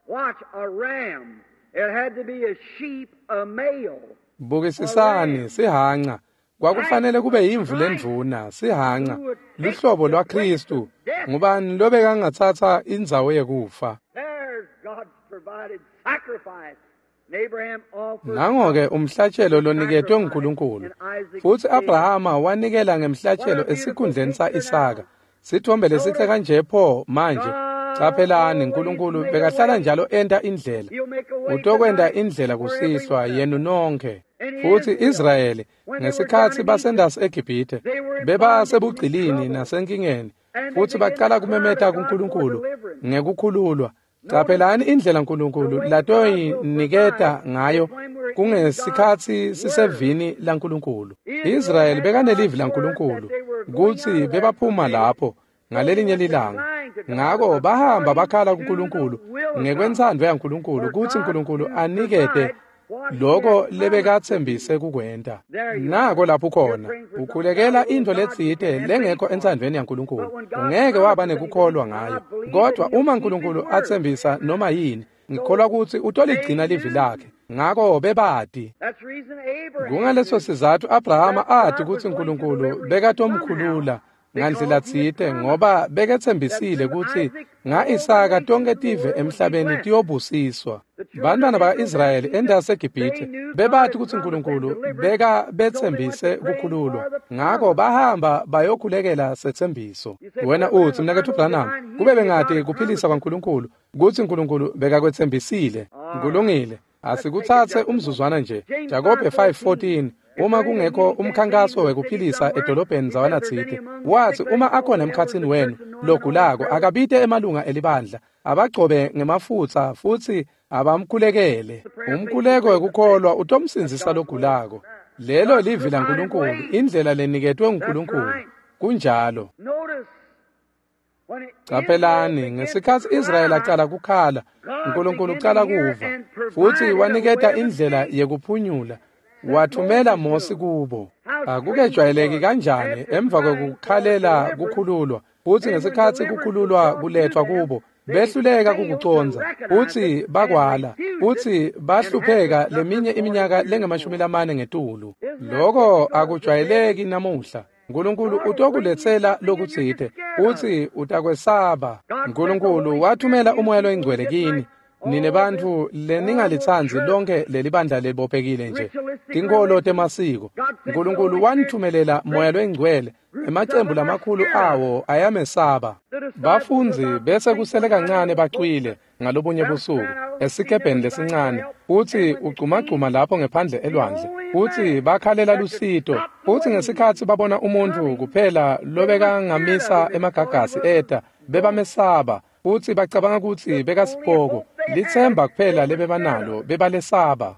Bukisisani sihhanca. Kwakufanele kube yimvu lendvuna, sihhanca, luhlobo lwaKhristu. Ngubani lobekangatsatsa indzawo yekufa? Nango-ke umhlatshelo loniketwe nguNkulunkulu. Futsi Abrahama wanikela ngemhlatshelo esikhundleni sa-Isaka. Sithombe lesihle kanje pho manje. Caphelani, Nkulunkulu bekahlala njalo enta indlela. Utokwenta indlela kusihlwa yenu nonkhe. Futsi Israyeli ngesikhatsi basendasi eGibhithe bebasebugcilini nasenkingeni, futsi bacala kumemeta kuNkulunkulu ngekukhululwa. Caphelani indlela Nkulunkulu latoyiniketa ngayo kungesikhatsi sisevini laNkulunkulu. Israyeli bekanelivi laNkulunkulu kutsi bebaphuma lapho ngalelinye lilanga. Ngako bahamba bakhala kuNkulunkulu ngekwentsandvo yaNkulunkulu kutsi Nkulunkulu anikete loko lebekatsembise kukwenta. Nako lapho khona ukhulekela intfo letsite lengekho entsandvweni yaNkulunkulu, ungeke waba nekukholwa ngayo. Kodvwa uma Nkulunkulu atsembisa noma yini, ngikholwa kutsi utoligcina livi lakhe. Ngako bebati. Kungaleso sizatfu Abrahama ati kutsi Nkulunkulu bekatomkhulula ngandlela tsite, ngoba beketsembisile kutsi nga-Isaka tonkhe tive emhlabeni tiyobusiswa. Bantwana baka-Israyeli endasi eGibhithe bebati kutsi Nkulunkulu bekabetsembise kukhululwa. Ngako bahamba bayokhulekela setsembiso. Wena utsi, "Mnaketfu Branham, kube bengati kuphilisa kwaNkulunkulu kutsi Nkulunkulu bekakwetsembisile." Kulungile, asikutsatse umzuzwana nje. Jakobe 5:14. Uma kungekho umkhankaso wekuphilisa edolobheni ndzawana tsite, watsi uma akhona emkhatsini wenu logulako, akabite emalunga elibandla, abagcobe ngemafutsa futsi abamkhulekele. Umkhuleko wekukholwa utomsindzisa logulako. Lelo livi laNkulunkulu, indlela leniketwe nguNkulunkulu. Kunjalo. Caphelani, ngesikhatsi Israyeli acala kukhala, Nkulunkulu ucala kuva, futsi waniketa indlela yekuphunyula. Wathumela Mosi kubo. Akukejwayeleki kanjani emva kwekukhalela kukhululwa, futsi ngesikhatsi kukhululwa kuletfwa kubo, behluleka kukucondza, futsi bakwala, futsi bahlupheka leminye iminyaka lengamashumi ngetulu. Loko akujwayeleki namuhla. Nkulunkulu utokuletsela lokutsite, futsi utakwesaba. Nkulunkulu wathumela uMoya loyiNgcwele kini. Nine bantfu leningalitsandzi lonke lelibandla lelibophekile nje, tinkholo temasiko. Nkulunkulu wanithumelela Moya loyiNgcwele, emacembu lamakhulu awo ayamesaba. Bafundzi bese kusele kancane bacwile ngalobunye busuku esikebheni lesincane, futsi ugcumagcuma lapho ngephandle elwandle, futsi bakhalela lusito. Futsi ngesikhatsi babona umuntfu kuphela lobekangamisa emagagasi eta, bebamesaba, futsi bacabanga kutsi bekasipoko. Litsemba kuphela lebebanalo bebalesaba.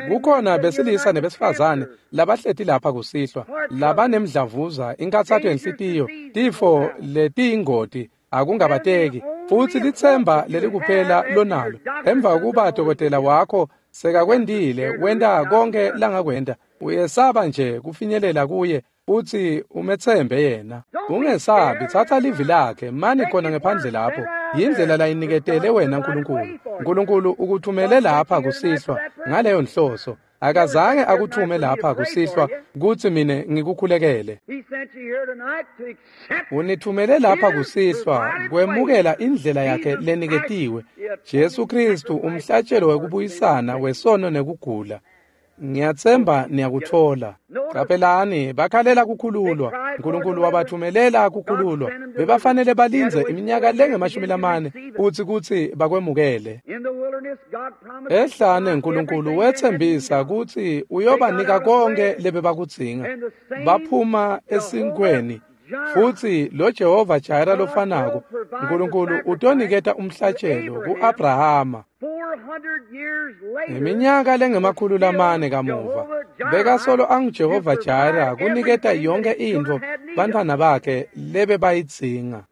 Kukhona besilisa nebesifazane labahleti lapha kusihlwa labanemdlavuza, inkhatsato yenhlitiyo, tifo letiyingoti, akungabateki. Futsi litsemba lelikuphela lonalo emva kokuba dokotela wakho sekakwentile wenta konke langakwenta, uyesaba nje kufinyelela kuye. Futsi umetsembe yena. Ungesabi, tsatsa livi lakhe, mani khona ngephandle lapho. Yindlela layiniketele wena Nkulunkulu. Nkulunkulu ukuthumele lapha kusihlwa ngaleyo nhloso. Akazange akuthume lapha kusihlwa kutsi mine ngikukhulekele. Unithumele lapha kusihlwa kwemukela indlela yakhe leniketiwe, Jesu Kristu, umhlatshelo wekubuyisana wesono nekugula. Ngiyatsemba niyakutfola. Caphelani, bakhalela kukhululwa. Nkulunkulu wabathumelela kukhululwa. Bebafanele balindze iminyaka lengama-40 futsi kutsi bakwemukele. Ehlane Nkulunkulu wetsembisa kutsi uyobanika konke lebebakudzinga. Baphuma esinkweni. Futsi lo Jehova Jireh lofanako, Nkulunkulu utoniketa umhlatshelo ku-Abrahama. Iminyaka lengama-400 kamuva, bekasolo anguJehova Jireh kuniketa yonke intfo bantfwana bakhe lebebayidzinga.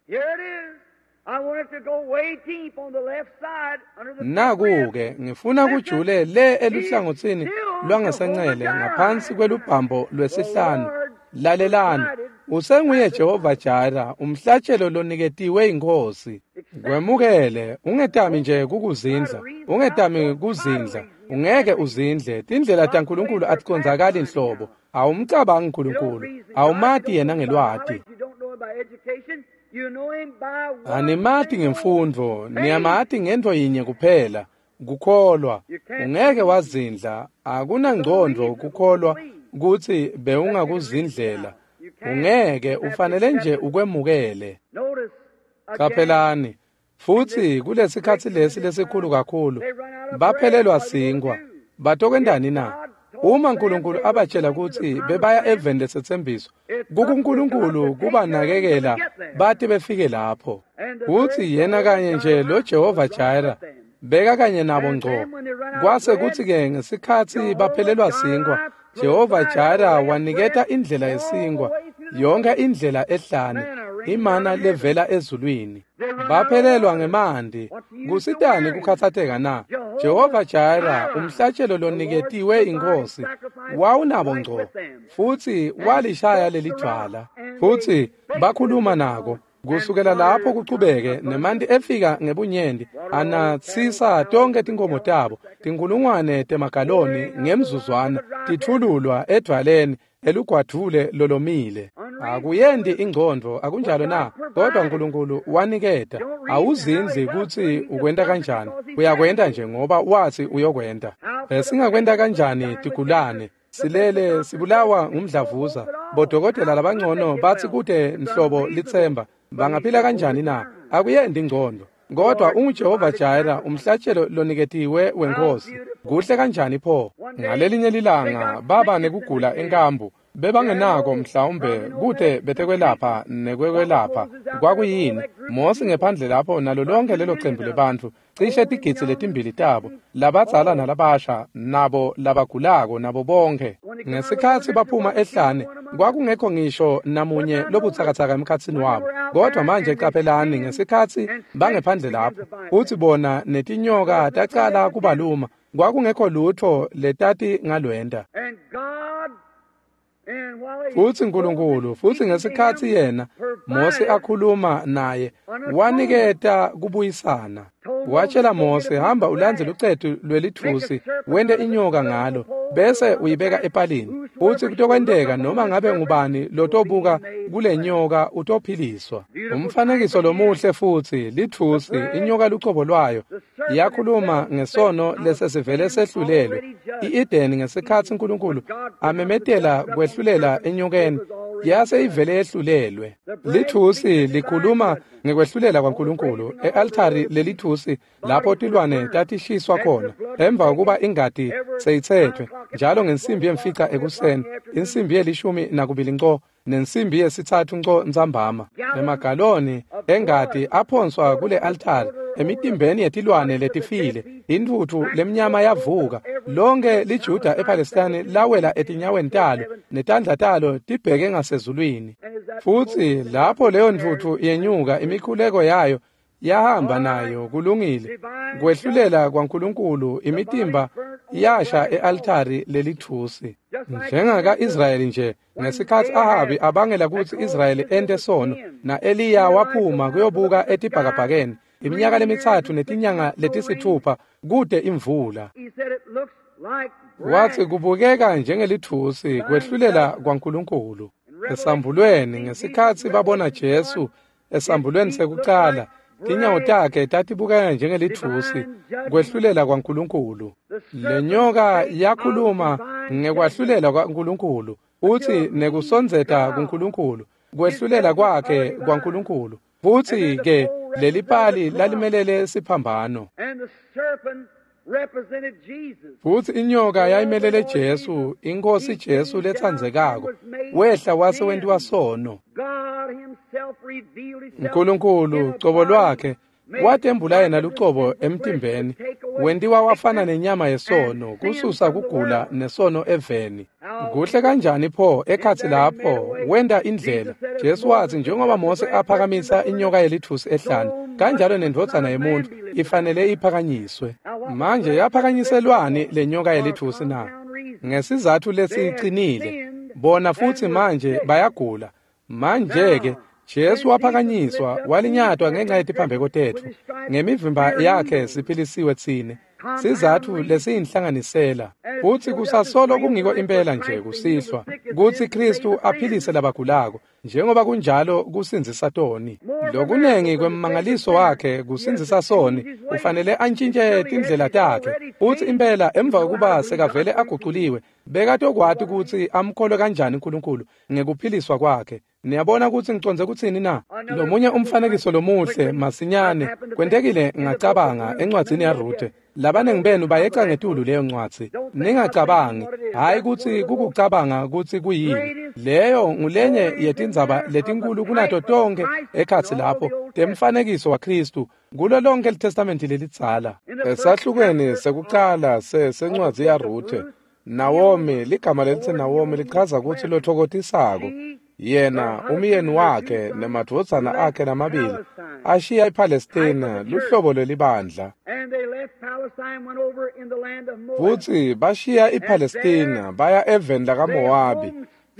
Naku-ke ngifuna kujule le eluhlangotsini lwangasencele ngaphansi kwelubhambo lwesihlanu. Lalelani, usenguye Jehova Jireh, umhlatshelo loniketiwe iNkhosi. Kwemukele, ungetami nje kukuzindla, ungetami kuzindla, ungeke uzindle. Tindlela taNkulunkulu aticondzakali nhlobo. Awumcabangi Nkulunkulu, awumati yena ngelwati. Animati ngemfundvo, niyamati ngentfo yinye kuphela, kukholwa. Ungeke wazindla, akunangcondvo kukholwa kutsi bewungakuzindlela. Ungeke, ufanele nje ukwemukele. Caphelani, futsi kulesikhatsi lesi lesikhulu kakhulu, baphelelwa sinkwa. Batokwentani na? Uma Nkulunkulu abatshela kutsi bebaya eveni lesetsembiso, kukuNkulunkulu kubanakekela bate befike lapho. Kutsi yena kanye nje lo Jehova Jireh beka kanye nabo ngco. Kwase kutsi-ke ngesikhatsi baphelelwa sinkwa, Jehova Jireh waniketa indlela yesinkwa, yonke indlela ehlane, imana levela ezulwini. Baphelelwa ngemanti. Kusitani kukhatsateka na? Jehova Jireh, umhlatshelo loniketiwe iNkhosi, wawunabo ngco, futsi walishaya lelidvwala. Futsi bakhuluma nako. Kusukela lapho kuchubeke nemanti efika ngebunyenti anatsisa tonke tinkomo tabo, tinkulungwane temagaloni ngemzuzwana titfululwa edvwaleni elugwadvule lolomile. Akuyendi ingcondvo, akunjalo na? Kodwa Nkulunkulu waniketa. Awuzindli kutsi ukwenta kanjani, uyakwenta nje ngoba watsi uyokwenta. Besingakwenta kanjani tigulane? Silele sibulawa ngumdlavuza. Bodokotela labangcono batsi kute nhlobo litsemba. Bangaphila kanjani na? Akuyendi ingcondvo. Kodwa unguJehova Jireh, umhlatshelo loniketiwe weNkhosi. Kuhle kanjani pho? Ngalelinye lilanga baba nekugula enkambu. Bebangenako mhlawumbe kute betekwelapha nekwekwelapha. Kwakuyini? Mosi ngephandle lapho nalo lonke lelo cembu lebantfu, cishe tigidzi letimbili tabo, labadzala nalabasha, nabo labagulako, nabo bonke. Ngesikhatsi baphuma ehlane, kwakungekho ngisho namunye lobutsakatsaka emkhatsini wabo. Kodwa manje caphelani, ngesikhatsi bangephandle lapho, futsi bona netinyoka tacala kubaluma, kwakungekho lutfo letati ngalwenta. Futsi Nkulunkulu, futsi ngesikhatsi yena Mose akhuluma naye, waniketa kubuyisana. Watshela Mose, hamba ulandze lucetu lwelitfusi, wente inyoka ngalo, bese uyibeka epalini. Futsi kutokwenteka noma ngabe ngubani lotobuka kule nyoka utophiliswa. Umfanekiso lomuhle futsi, litfusi, inyoka lucobo lwayo, yakhuluma ngesono lesesivele sehlulelwe. I-Edeni ngesikhatsi Nkulunkulu amemetela kwehlulela enyokeni, yase ivele yehlulelwe. Lithusi likhuluma ngekwehlulela kwaNkulunkulu e-altari lelithusi lapho tilwane tatishiswa khona emva kokuba ingati seyitsetfwe njalo ngensimbi yemfica ekuseni, insimbi ye-12 nco nensimbi yesithathu nco ntsambama. Emagaloni engati aphonswa kule altari emitimbeni yetilwane letifile. Intfutfu lemnyama yavuka. Lonke liJuda ePalestine lawela etinyaweni talo netandla talo tibheke ngasezulwini. Futsi lapho leyo ntfutfu yenyuka, imikhuleko yayo yahamba nayo. Kulungile. Kwehlulela kwaNkulunkulu, imitimba Yasha e-altari lelithusi. Njengaka-Israyeli nje, ngesikhatsi Ahabi abangela kutsi Israyeli ente sono, na-Eliya waphuma kuyobuka etibhakabhakeni iminyaka 3 netinyanga 6 kute imvula. Wathi kubukeka njengelithusi kwehlulela kwaNkulunkulu. Esambulweni ngesikhatsi babona Jesu esambulweni sekucala, tinyawo takhe tatibukeka njengelithusi kwehlulela kwaNkulunkulu. Lenyoka yakhuluma ngekwahlulela kwaNkulunkulu, uthi nekusondzeta kuNkulunkulu, kwehlulela kwakhe kwaNkulunkulu. Futhi ke lelipali lalimelele siphambano. Futhi inyoka yayimelele Jesu, iNkosi Jesu letsandzekako, wehla wase wentiwa sono. Nkulunkulu cobo lwakhe watembula yena lucobo emtimbeni, wentiwa wafana nenyama yesono, kususa kugula nesono eveni. Kuhle kanjani pho ekhatsi lapho wenta indlela. Jesu wathi njengoba Mose aphakamisa inyoka yelithusi ehlane, kanjalo nendvodzana yemuntu ifanele iphakanyiswe. Manje yaphakanyiselwani lenyoka yelithusi na? Ngesizathu lesiqinile. Bona futhi manje bayagula. Manje-ke Jesu waphakanyiswa, walinyatwa ngenxa yetiphambeko tetfu. Ngemivimba yakhe siphilisiwe tsine. Sizatfu lesiyinhlanganisela. Futsi kusasolo kungiko impela nje kusihlwa kutsi Kristu aphilise labagulako, njengoba kunjalo kusindzisa toni. Lokunengi kwemmangaliso wakhe kusindzisa soni, ufanele antshintje tindlela takhe. Futsi impela emva kokuba sekavele aguculiwe, bekatokwati kutsi amkholwe kanjani uNkulunkulu ngekuphiliswa kwakhe. Niyabona kutsi ngicondze kutsini na? Lomunye umfanekiso lomuhle masinyane kwentekile ngacabanga encwadzini yaRuthe. Labanengi benu bayeca ngetulu leyo ncwadzi. Ningacabangi, hhayi kutsi kukucabanga kutsi kuyini. Leyo ngulenye yetindzaba letinkulu kunato tonkhe ekhatsi lapho temfanekiso waKristu kulo lonke liTestamenti lelidzala. Esahlukweni sekucala sencwadzi yaRuthe, Nawomi, ligama lelitsi Nawomi lichaza kutsi lothokotisako. Yena umyeni wakhe nemadvodzana akhe lamabili ashiya iPalestina, luhlobo lwelibandla. Futsi bashiya iPalestina baya eveni lakaMowabi,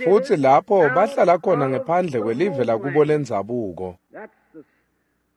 futsi lapho bahlala khona ngephandle kwelive lakubo lendzabuko.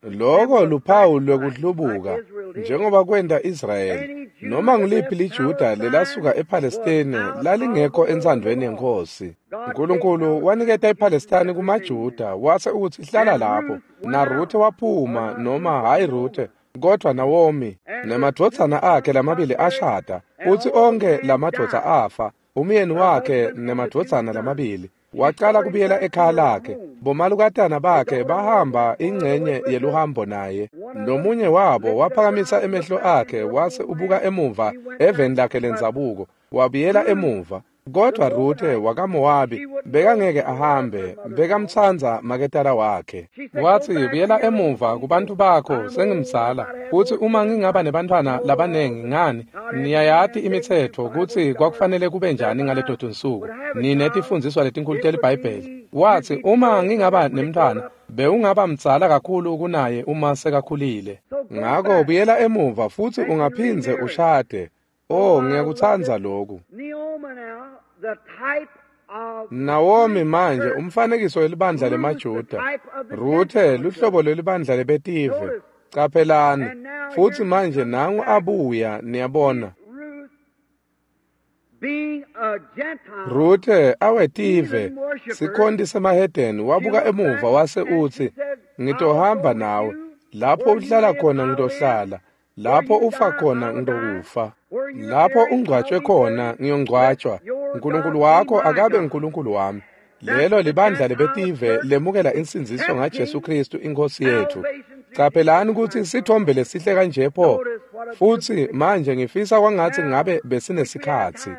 Loko luphawu lwekuhlubuka, njengoba kwenta Israyeli. Noma nguliphi liJuda lelasuka ePalestine lalingekho entsandvweni yeNkhosi. Nkulunkulu waniketa iPalestine kumaJuda, wase utsi hlala lapho. NaRuthe waphuma, noma hhayi Ruthe, kodvwa Nawomi nemadvodzana akhe lamabili ashada, futsi onkhe lamadvodza afa, umyeni wakhe nemadvodzana lamabili. Wacala kubuyela ekhaya lakhe. Bomalukatana bakhe bahamba ingcenye yeluhambo naye. Lomunye wabo waphakamisa emehlo akhe wase ubuka emuva eveni lakhe lendzabuko, wabuyela emuva. Kodvwa Ruthe wakaMowabi bekangeke ahambe, bekamtsandza maketala wakhe. Watsi, buyela emuva kubantu bakho, sengimdzala. Futsi uma ngingaba nebantfwana labanengi ngani, niyayati imitsetfo kutsi kwakufanele kube njani ngaleto tinsuku. Ninetifundziswa letinkulu teliBhayibheli. Watsi, uma ngingaba nemntfwana, bewungaba mdzala kakhulu kunaye uma sekakhulile. Ngako buyela emuva futsi ungaphindze ushade. Oh, ngiyakutsandza lokhu. Nawomi manje umfanekiso welibandla lemaJuda. Ruthe luhlobo lwelibandla lebetive. Caphelani, futsi manje nangu abuya, niyabona. Ruthe awetive, sikhonti semahedeni, wabuka emuva wase utsi, ngitohamba nawe, lapho uhlala khona ngitohlala, lapho ufa khona ngitokufa, lapho ungcwatshwe khona ngiyongcwatshwa. Nkulunkulu wakho akabe uNkulunkulu wami. Lelo libandla lebetive lemukela insindziso ngaJesu Kristu iNkhosi yethu. Caphelani kutsi sithombe lesihle kanje pho. Futsi manje ngifisa kwangatsi ngabe besinesikhatsi.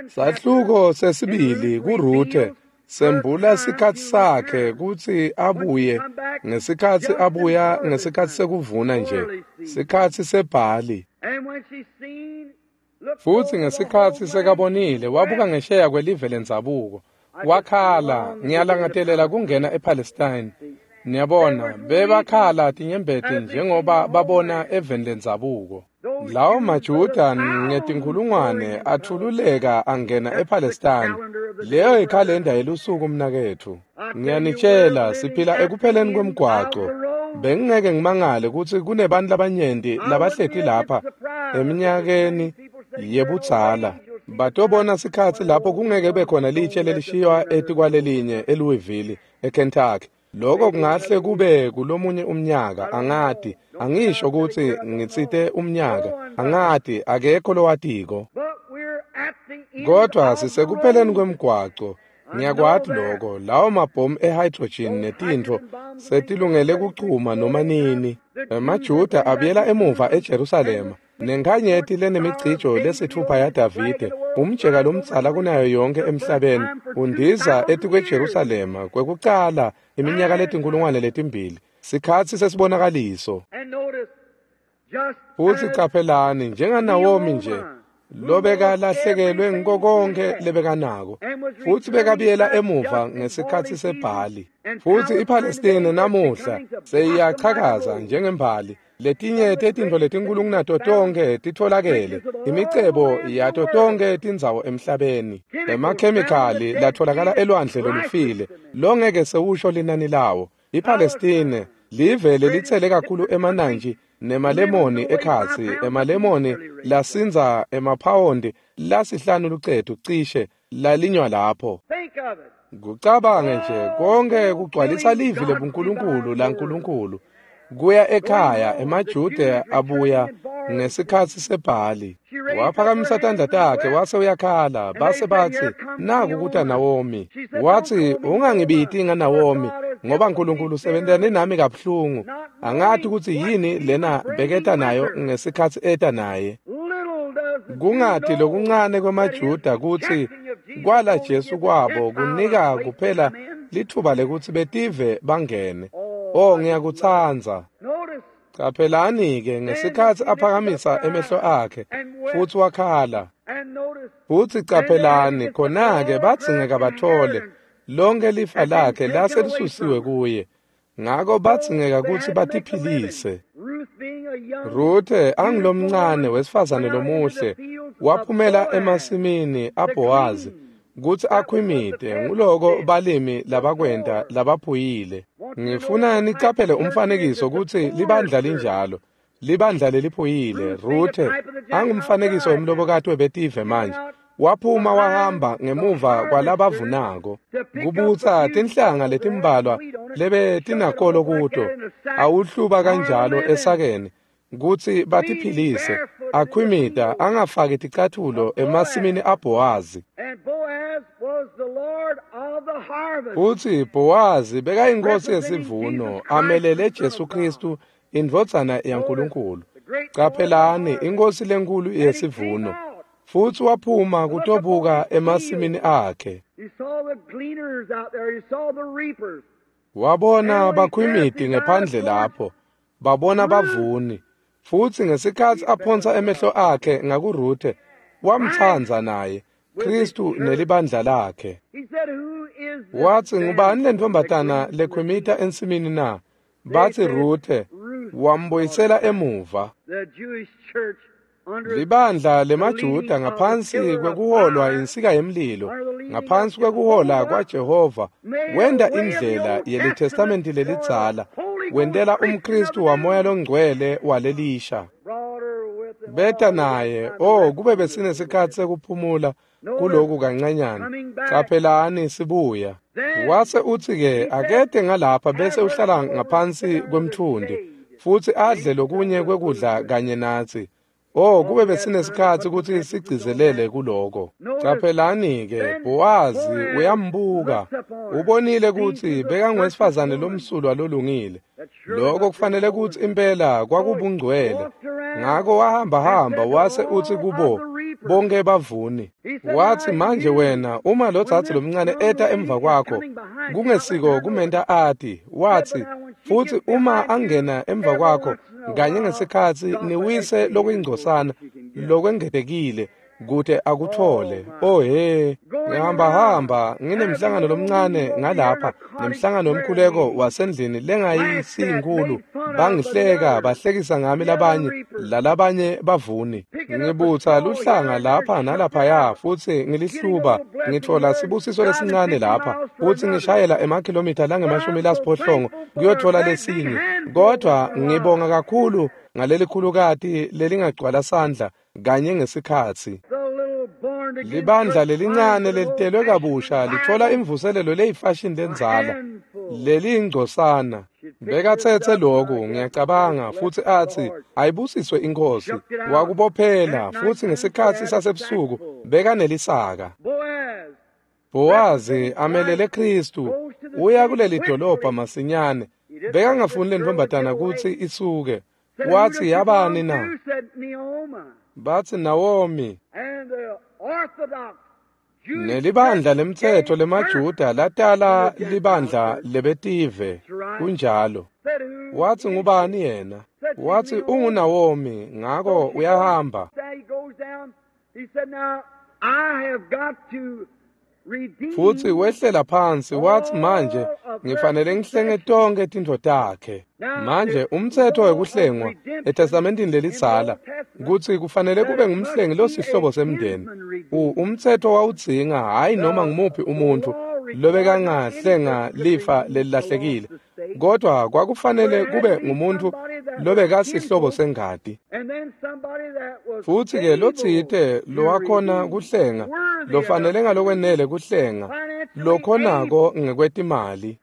Sahluko sesibili kuRuthe sembula sikhatsi sakhe kutsi abuye ngesikhatsi abuya ngesikhatsi sekuvuna nje, sikhatsi sebhali. Futsi ngesikhatsi sekabonile wabuka ngesheya kwelive lendzabuko, wakhala, ngiyalangatelela kungena ePalestine. Niyabona, bebakhala tinyembeti njengoba babona eveni lendzabuko. Lawo maJuda ngetinkhulungwane athululeka angena ePalestine. Leyo ikhalenda yelusuku mnaketfu. Ngiyanitshela, siphila ekupheleni kwemgwaco. Bengingeke ngimangale kutsi kunebantu labanyenti labahleti lapha eminyakeni yebudzala. Batobona sikhatsi lapho kungeke kube khona litshe lelishiywa etikwalelinye eLouisville, eKentucky. Lokho kungahle kube kulomunye umnyaka, angati. Angisho kutsi ngitsite umnyaka, angati, akekho lowatiko. Kodwa sisekupheleni kwemgwaco. Ngiyakwati lokho, lawo mabhomu ehydrogen netintfo setilungele kuchuma noma nini. EmaJuda abuyela emuva eJerusalema nenkhanyeti lenemicijo lesitfupha yaDavide, umjeka lomdzala kunayo yonke emhlabeni, undiza etikweJerusalema kwekucala iminyaka letinkhulungwane letimbili, sikhatsi sesibonakaliso. Futsi caphelani, njengaNawomi nje lobekalahlekelwe ngiko konkhe lebekanako, futsi bekabuyela emuva ngesikhatsi sebhali. Futsi iPalestine namuhla seyiyachakaza njengembali. Letinye tetintfo letinkulu kunato tonkhe titfolakele, imicebo yato tonkhe tindzawo emhlabeni, emakhemikhali latfolakala elwandle lolufile longeke sewusho linani lawo. IPalestine live lelitsele kakhulu emanantji nemalemoni ekhatsi, emalemoni lasindza emaphawondi lasihlanu lucetu cishe lalinywa lapho. Kucabange nje konke kugcwalisa livi lebuNkulunkulu laNkulunkulu. Kuya ekhaya emaJuda abuya ngesikhatsi sebhali. Waphakamisa tandla takhe wase uyakhala, base batsi, naku kuta Nawomi. Watsi, ungangibiti ngaNawomi, ngoba uNkulunkulu usebentane nami kabuhlungu. Angati kutsi yini lena beketa nayo ngesikhatsi eta naye. Kungati lokuncane kwemaJuda kutsi kwala Jesu kwabo kunika kuphela litfuba lekutsi betive bangene. Oh, ngiyakutsandza. Caphelani-ke ngesikhatsi aphakamisa emehlo akhe futsi wakhala. Futsi caphelani khona-ke badzingeka batfole lonke lifa lakhe lase lisusiwe kuye. Ngako badzingeka kutsi batiphilise. Ruthe angulomncane wesifazane lomuhle waphumela emasimini aBhowazi kutsi akhwimite, nguloko balimi labakwenta labaphuyile. Ngifuna nicaphele umfanekiso kutsi libandla linjalo, libandla leliphuyile. Ruthe angumfanekiso wemlobokati webetive manje, waphuma wahamba ngemuva kwalabavunako kubutsa tinhlanga letimbalwa lebetinakolo kuto, awuhluba kanjalo esakeni kutsi batiphilise, akhwimita angafaki ticatfulo emasimini aBhowazi. Futsi Bhowazi bekayinkosi yesivuno, amelele Jesu Khristu, indvodzana yaNkulunkulu. Caphelani, inkosi lenkulu yesivuno. Futsi waphuma kutobuka emasimini akhe. Wabona bakhwimiti ngephandle lapho, babona bavuni. Futsi ngesikhatsi aphonsa emehlo akhe ngakuRuthe, wamtsandza naye, Khristu nelibandla lakhe. Watsi, ngubani lentfombatana lekhwimita ensimini na? Batsi Ruthe. Wambuyisela emuva. Libandla lemaJuda ngaphansi kwekuholwa insika yemlilo, ngaphansi kwekuhola kwaJehova, wenta indlela yeliTestamenti lelidzala, wentela umKhristu wamoya longcwele walelisha. Beta naye, oh, kube besinesikhatsi sekuphumula kuloku kancanyana. Caphelani sibuya. Wase utsi-ke akete ngalapha bese uhlala ngaphansi kwemtfundi futsi adle lokunye kwekudla kanye natsi. Oh, kube besinesikhatsi kutsi sigcizelele kuloko. Caphelani-ke, Bhowazi uyambuka. Ubonile kutsi bekangowesifazane lomsulwa lolungile. Lokho kufanele kutsi impela kwakubungcwele. Ngako wahamba wase utsi kubo bonke bavuni. Watsi, manje wena, uma lo dzadze lomncane eta emva kwakho, kungesiko kumenta ati. Watsi, futsi uma angena emva kwakho kanye ngesikhatsi niwise lokuyingcosana lokwengetekile, kute akuthole. Oh he, ngihamba nginemhlangano lomncane ngalapha, nemhlangano wemkhuleko wasendlini lengayisinkulu. Bangihleka, bahlekisa ngami labanye, lalabanye bavuni. Ngibutsa luhlanga lapha nalaphaya futsi ngilihluba, ngitfola sibusiso lesincane lapha, futsi ngishayela emakhilomitha langama-80 kuyotfola lesinye. Kodwa ngibonga kakhulu ngalelikhulukati lelingagcwala sandla kanye ngesikhatsi. Libandla lelincane lelitelwe kabusha litfola imvuselelo leyifashini lendzala leliyingcosana. Bekatsetse loku, ngiyacabanga, futsi atsi ayibusiswe inkosi. Wakubophela, futsi ngesikhatsi sasebusuku bekanelisaka. Bowazi amelele Khristu uya kuleli dolobha masinyane. Bekangafuni lentombatana kutsi isuke. Watsi yabani na? Batsi Nawomi. Nelibandla lemtsetfo lemaJuda latala libandla lebetive. Kunjalo. Watsi ngubani yena? Watsi unguNawomi, ngako uyahamba. Futsi wehlela phansi, watsi manje ngifanele ngihlenge tonkhe tintfo takhe. Manje umtsetfo wekuhlengwa eTestamentini lelidzala kutsi kufanele kube ngumhlengi losihlobo semndeni. Umtsetfo wawudzinga hhayi noma ngumuphi umuntfu lobekangahlenga lifa lelilahlekile, kodwa kwakufanele kube ngumuntfu lobekasihlobo sengati. Futsi-ke lotsite lowakhona kuhlenga, lofanele ngalokwenele kuhlenga, lokhonako ngekwetimali.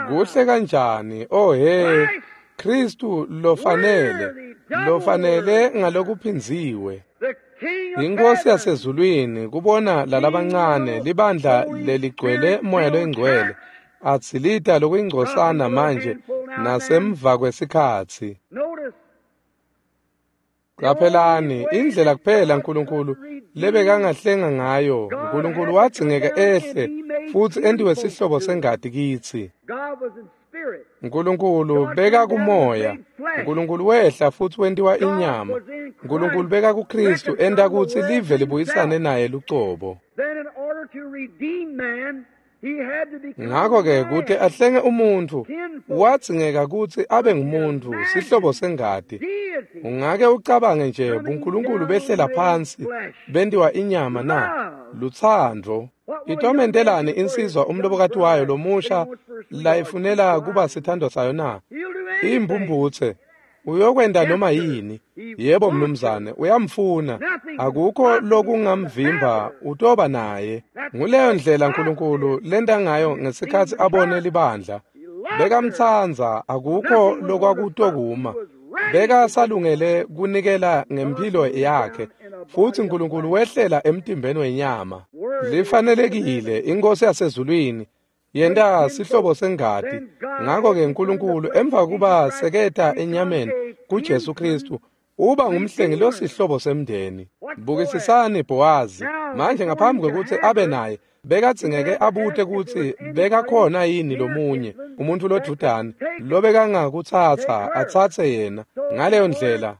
Kuhle kanjani, oh he, Khristu lofanele, lofanele ngalokuphindziwe. Inkosi yasezulwini kubona lalabancane libandla leligcwele moya loyingcwele atsilita lokuyingcosana manje nasemva kwesikhatsi. Qaphelani indlela kuphela uNkulunkulu lebekangahlenga ngayo. uNkulunkulu wadzingeka ehle futsi entiwe sihlobo sengati kitsi. uNkulunkulu beka kumoya, uNkulunkulu wehla futsi wentiwa inyama. uNkulunkulu beka kuKristu enta kutsi live libuyisane naye lucobo. Ngakho-ke kute ahlenge umuntfu wadzingeka kutsi abe ngumuntfu sihlobo sengati. Ungake ucabange nje buNkulunkulu behlela phansi bentiwa inyama na? Lutsandvo. Itomentelani insizwa umlobokati wayo lomusha layifunela kuba sithandwa sayo na? Imphumphutse. Uyokwenta noma yini. Yebo mnumzane, uyamfuna. Akukho lokungamvimba, utoba naye. Nguleyo ndlela uNkulunkulu lenta ngayo ngesikhatsi abone libandla. Bekamtsandza, akukho lokwakutokuma. Bekasalungele kunikela ngemphilo yakhe, futsi uNkulunkulu wehlela emtimbeni wenyama. Lifanelekile inkosi yasezulwini yenta sihlobo sengati. Ngakho-ke uNkulunkulu emva kuba seketa enyameni kuJesu Kristu uba ngumhlengi losihlobo semndeni. Bukisisani Bowazi manje ngaphambi kwekutsi abe naye bekadzingeke abute kutsi bekakhona yini lomunye umuntfu lodvudane lobekangakutsatsa atsatse yena. Ngaleyo ndlela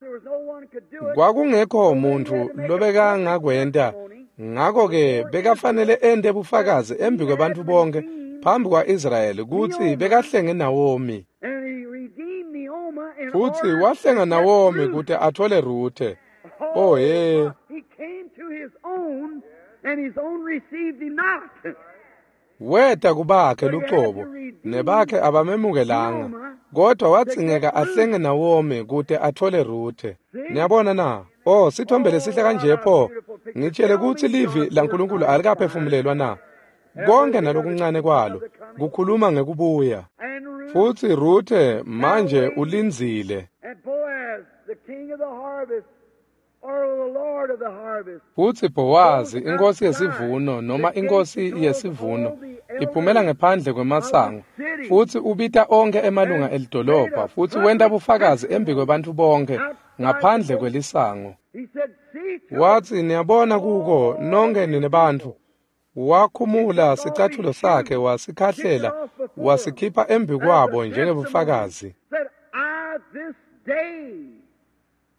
kwakungekho muntfu lobekangakwenta. Ngakho-ke bekafanele ente bufakazi embi kwebantfu bonke phambi kwa-Israyeli kutsi bekahlenge Nawomi. Futsi wahlenga Nawomi kute atfole Ruthe. Oh he. Weta kubakhe lucobo, nebakhe abamemukelanga, kodwa wadzingeka ahlenge Nawomi kute atfole Ruthe. Niyabona na? Oh, sithombe lesihle kanje pho. Ngitshele kutsi livi laNkulunkulu alikaphefumulelwa na? Konke nalokuncane kwalo kukhuluma ngekubuya. Futsi Ruthe manje ulindzile. Futsi Bowazi inkosi yesivuno noma inkosi yesivuno iphumela ngephandle kwemasango futsi ubita onkhe emalunga elidolobha futsi wenta bufakazi embi kwebantfu bonke ngaphandle kwelisango. Watsi niyabona kuko nonke nine bantfu. Wakhumula sicatfulo sakhe wasikhahlela wasikhipha embi kwabo njengebufakazi.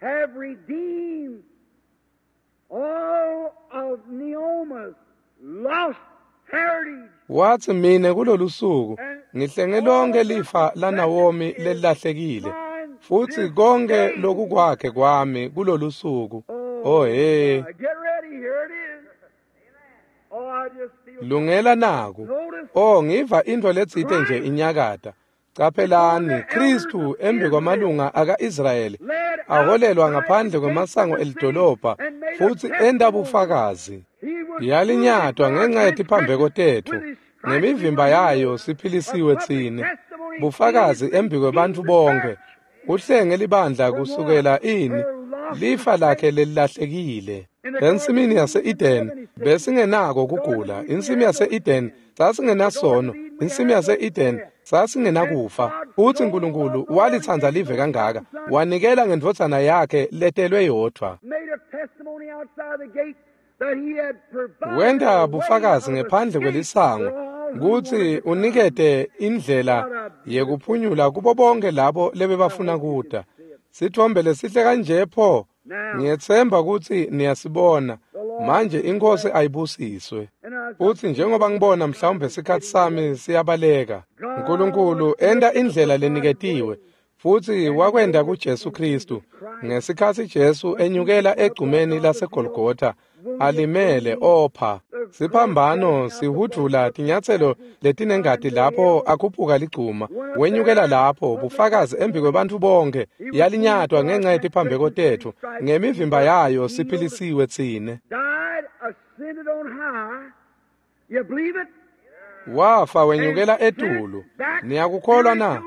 Have redeemed all of Naomi's lost heritage. Wathi mina kulolu suku ngihlenge lonke lifa laNawomi lelilahlekile futhi konke lokukwakhe kwami kulolu suku. Oh hey. Get ready, here it is. Oh, I just feel Lungela naku. Oh, ngiva into letsite nje inyakata. Caphelani, Kristu embi kwamalunga aka-Israyeli aholelwa ngaphandle kwemasango elidolobha futhi enta bufakazi. Yalinyatwa ngenxa yetiphambeko tetfu, ngemivimba yayo siphilisiwe tsine. Bufakazi embi kwebantfu bonke. Uhlenge libandla kusukela ini lifa lakhe lelilahlekile. Ensimini yase-Eden besingenako kugula. Insimi yase-Eden sasingenasono. Insimi yase-Eden sasingenakufa. Futhi uNkulunkulu walithanda live kangaka, wanikela ngendvodzana yakhe letelwe yodvwa. Made a testimony outside the gate that he had provided Wenta a way bufakazi of ngephandle escape kwelisango for all who kutsi wanted to come. unikete indlela yekuphunyula kubo bonke labo lebebafuna kuta. Sithombe lesihle kanje pho, ngiyetsemba kutsi niyasibona. Manje inkosi ayibusiswe. Futhi njengoba ngibona mhlawumbe isikhathi sami siyabaleka. uNkulunkulu enta indlela leniketiwe futhi wakwenda kuJesu Kristu. Ngesikhathi Jesu enyukela egcumeni laseGolgotha alimele opha. Siphambano sihudvula tinyatselo letinengati lapho akhuphuka ligcuma. Wenyukela lapho bufakazi embi kwebantfu bonke. Yalinyatwa ngenxa yetiphambeko tetfu. Ngemivimba yayo siphilisiwe tsine. Died, ascended on high. You believe it? Wafa wenyukela etulu. Niyakukholwa na?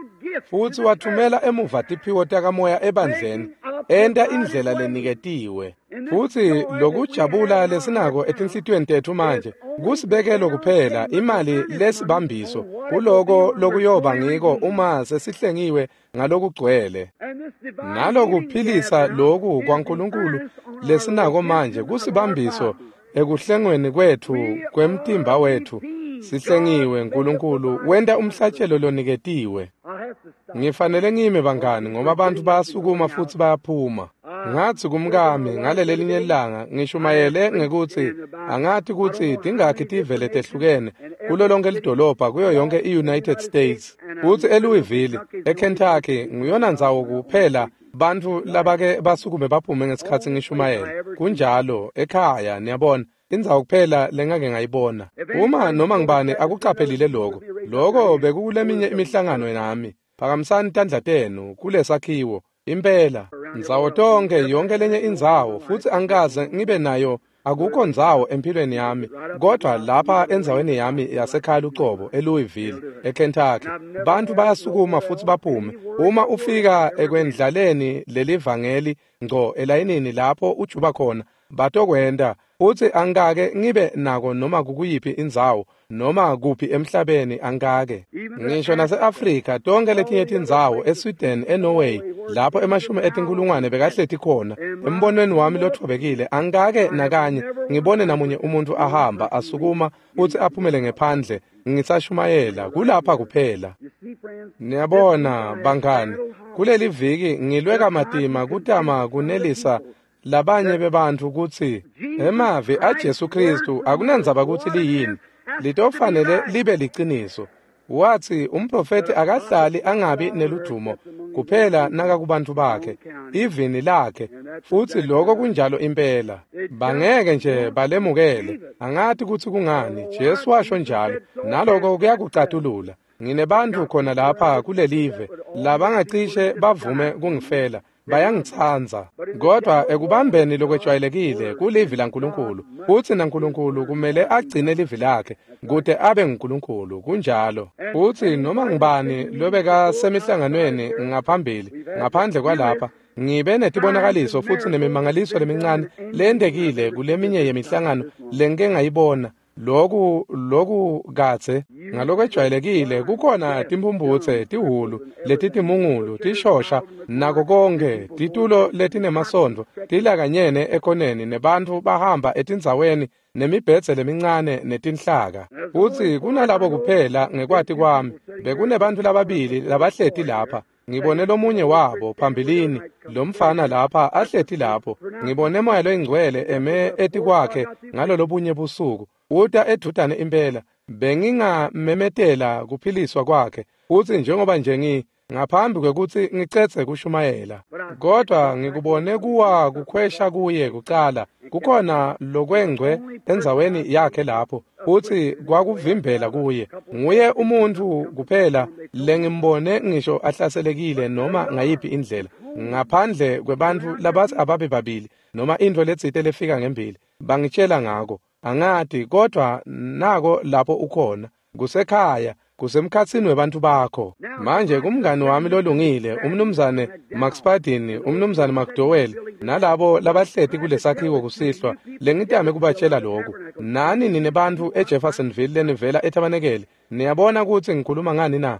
Futhi wathumela emuva tiphiwo takamoya ebandleni, enta indlela leniketiwe. Futhi lokujabula lesinako etinhlitiyweni tetfu manje kusibekelo kuphela imali lesibambiso kuloko lokuyoba ngiko uma sesihlengiwe ngalokugcwele. And this divine Nalokuphilisa healing we have now loku is the kwaNkulunkulu earnest on our lesinako manje redemption of our kusibambiso bodies. ekuhlengweni kwetfu kwemtimba wetfu. Sihlengiwe uNkulunkulu wenta umhlatshelo loniketiwe. I'll have to stop. Ngifanele ngime bangani ngoba abantu bayasukuma futhi bayaphuma. Ngathi kumkami ngalelelinye ilanga ngishumayele ngekuthi angathi kutsi tingakhi tive letehlukene kulo lonke lidolobha kuyo yonke i-United States. Futhi eLouisville, eKentucky nguyona ndzawo kuphela bantfu labake basukume baphume ngesikhatsi ngishumayela. Kunjalo ekhaya niyabona indzawo kuphela lengake ngayibona. Uma noma ngibani akucaphelile lokho, lokho bekukuleminye imihlangano nami. Phakamisani tandla tenu kulesakhiwo. Impela, ndzawo tonke yonke lenye indzawo futhi angikaze ngibe nayo akukho ndzawo empilweni yami kodwa lapha endzaweni yami yasekhaya lucobo eLouisville eKentucky bantu bayasukuma futhi baphume uma ufika ekwendlaleni lelivangeli ngco elayinini lapho ujuba khona batokwenta futhi angikake ngibe nako noma kukuyiphi indzawo noma kuphi emhlabeni angikake ngisho nase-Afrika tonke letinye tindzawo eSweden eNorway lapho emashumi etinkulungwane bekahleti khona embonweni wami lothobekile angikake nakanye ngibone namunye umuntu ahamba asukuma futhi aphumele ngephandle ngisashumayela kulapha kuphela. You see, friends, Niyabona bangani, kuleli viki ngilwe kamatima kutama kunelisa labanye bebantfu kutsi emavi aJesu Kristu akunandzaba kutsi liyini, litofanele libe liciniso. Wathi umprofethi akahlali angabi neludumo kuphela nakakubantfu bakhe, ivini lakhe, futhi lokho kunjalo impela. Bangeke nje balemukele, angathi kutsi kungani, Jesu washo njalo, naloko kuyakucatulula. Nginebantfu khona lapha kulelive labangacishe bavume kungifela, bayangitsandza. Kodwa ekubambeni lokwejwayelekile kulivi laNkulunkulu, futsi naNkulunkulu kumele agcine livi lakhe kute abe nguNkulunkulu, kunjalo. Futsi noma ngubani lobekasemihlanganweni ngaphambili, ngaphandle kwalapha, ngibe netibonakaliso futsi nemimangaliso lemincane lentekile kuleminye yemihlangano lengike ngayibona. Loku kadze ngalokwejwayelekile kukhona timphumphutse, tihhulu, letitimungulu, tishosha nako konke, titulo letinemasondvo tilakanyene ekoneni nebantfu bahamba etindzaweni nemibhedze lemincane netinhlaka. Futsi kunalabo kuphela ngekwati kwami bekunebantfu lababili labahleti lapha. Ngibone lomunye wabo phambilini, lomfana lapha ahleti lapho. Ngibone Moya loyiNgcwele eme etikwakhe ngalolobunye busuku. Uta edvutane impela. Bengingamemetela kuphiliswa kwakhe. Futsi njengoba nje ngaphambi kwekutsi ngicedze kushumayela, kodwa ngikubone kuwa kukhwesha kuye kucala. Kukhona lokwengcwe endzaweni yakhe lapho, futsi kwakuvimbela kuye. Nguye umuntfu kuphela lengimbone ngisho ahlaselekile noma ngayiphi indlela, ngaphandle kwebantfu labatsi ababe babili noma intfo letsite lefika ngembili. Bangitshela ngako, angati, kodwa nako lapho ukhona, kusekhaya, kusemkhatsini webantfu bakho. Manje kumngani wami lolungile, umnumzane McSpadden, umnumzane McDowell, nalabo labahleti kulesakhiwo kusihlwa, lengitame kubatshela lokhu. Nani nine bantfu eJeffersonville lenivela eTabanekele, niyabona kutsi ngikhuluma ngani na?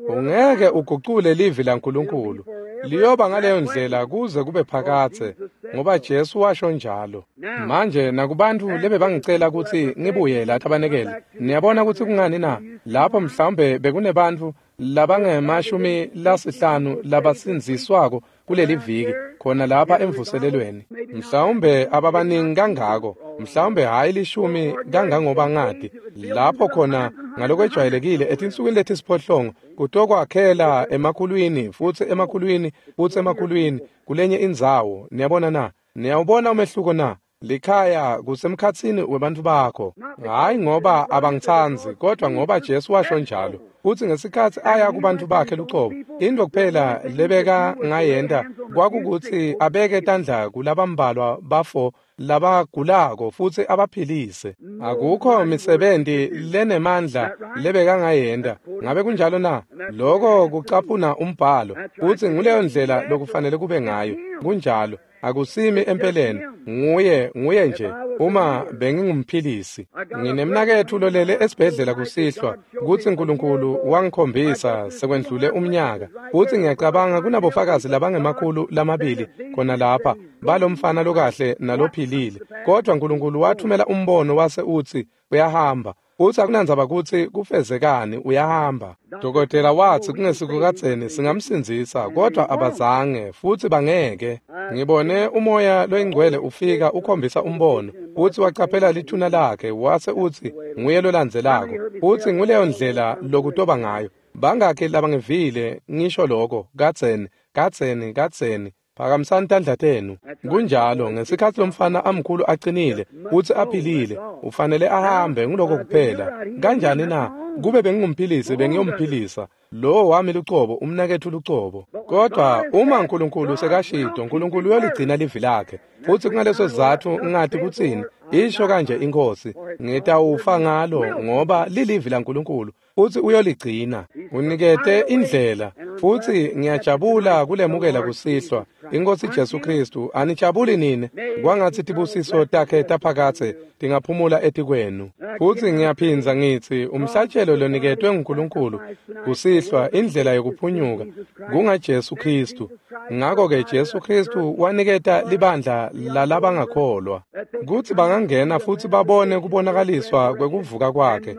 Ungeke ugucule livi laNkulunkulu. Liyoba ngaleyo ndlela kuze kube phakadze, ngoba Jesu washo njalo. Manje nakubantfu lebebangicela kutsi ngibuye la Tabanekele, niyabona kutsi kungani na? Lapho mhlawumbe bekunebantfu labange-50 labasindziswako kuleli viki, khona lapha emvuselelweni. Mhlawumbe ababaningi kangako, mhlawumbe hhayi 10 kangangoba ngati. Lapho khona ngalokwejwayelekile etinsukwini letisiphohlongo kutokwakhela emakhulwini futsi emakhulwini futsi emakhulwini kulenye indzawo. Niyabona na? Niyawubona umehluko na? Likhaya kusemkhatsini webantfu bakho. Hhayi ngoba abangitsandzi, kodwa ngoba Jesu washo njalo. Futsi ngesikhatsi aya kubantfu bakhe lucobo, intfo kuphela lebeka ngayenta kwakukutsi abeke tandla kulabambalwa bafo labagulako futsi abaphilise. Akukho misebenti lenemandla lebeka ngayenta. Ngabe kunjalo na? Loko kucaphuna umbhalo. Futsi nguleyo ndlela lokufanele kube ngayo. Kunjalo. Akusimi empeleni, nguye nje uma bengingumphilisi. Nginemnaketfu lolele esibhedlela kusihlwa, kutsi Nkulunkulu wangikhombisa sekwendlule umnyaka. Futsi ngiyacabanga kunabofakazi labangema-200 khona lapha balomfana lokahle nalophilile. Kodwa Nkulunkulu wathumela umbono wase utsi uyahamba. Futsi akunandzaba kutsi kufezekani, uyahamba. Dokotela watsi kungesikukadzeni singamsindzisa, kodwa abazange futsi bangeke. Ngibone umoya loyingcwele ufika ukhombisa umbono, futsi wacaphela lithuna lakhe wase utsi nguye lolandzelako. Futsi nguleyo ndlela lokutoba ngayo. Bangakhi labangivile ngisho lokho kadzeni, kadzeni, kadzeni. Phakamisani tandla tenu. Kunjalo, ngesikhatsi lomfana amkhulu acinile futsi aphilile, ufanele ahambe, nguloko kuphela. Kanjani na? Kube bengingumphilisi bengiyomphilisa. Lowo wami lucobo, umnaketfu lucobo. Kodwa uma Nkulunkulu sekashito, Nkulunkulu uyoligcina livi lakhe. Futsi kungaleso sizatfu ngati kutsini, isho kanje iNkhosi, ngitawufa ngalo ngoba lilivi laNkulunkulu. Futsi uyoligcina. Unikete indlela, futsi ngiyajabula kulemukela kusihlwa. Inkosi Jesu Kristu, anijabuli nini? Kwangatsi tibusiso takhe taphakadze tingaphumula etikwenu. Futsi ngiyaphindza ngitsi umhlatshelo loniketwe nguNkulunkulu kusihlwa, indlela yokuphunyuka kungaJesu Kristu. Ngako-ke Jesu Kristu waniketa libandla lalabangakholwa kutsi bangangena futsi babone kubonakaliswa kwekuvuka kwakhe.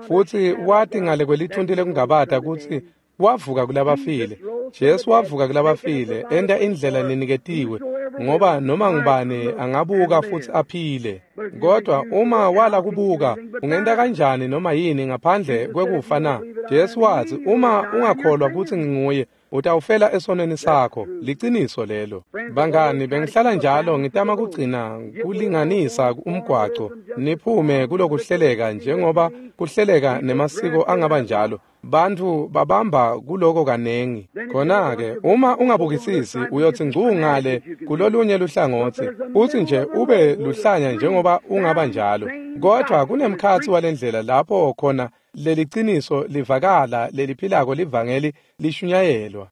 Futsi wati ngale kwelithunti lekungabata kutsi wavuka kulabafile. Jesu wavuka kulabafile, enta indlela leniketiwe, ngoba noma ngubani angabuka futsi aphile. Kodwa uma wala kubuka, ungenta kanjani noma yini ngaphandle kwekufa na? Jesu watsi, uma ungakholwa kutsi nginguye, utawufela esonweni sakho. Liciniso lelo. Bangani, bengihlala njalo ngitama kugcina kulinganisa umgwaco, niphume kulokuhleleka njengoba kuhleleka nemasiko angaba njalo. Bantfu babamba kuloko kanengi. Khona-ke uma ungabukisisi uyotsi ngcu ngale kulolunye luhlangotsi, futsi nje ube luhlanya njengoba ungaba njalo. Kodwa kunemkhatsi walendlela lapho khona leliciniso livakala leliphilako livangeli lishunyayelwa.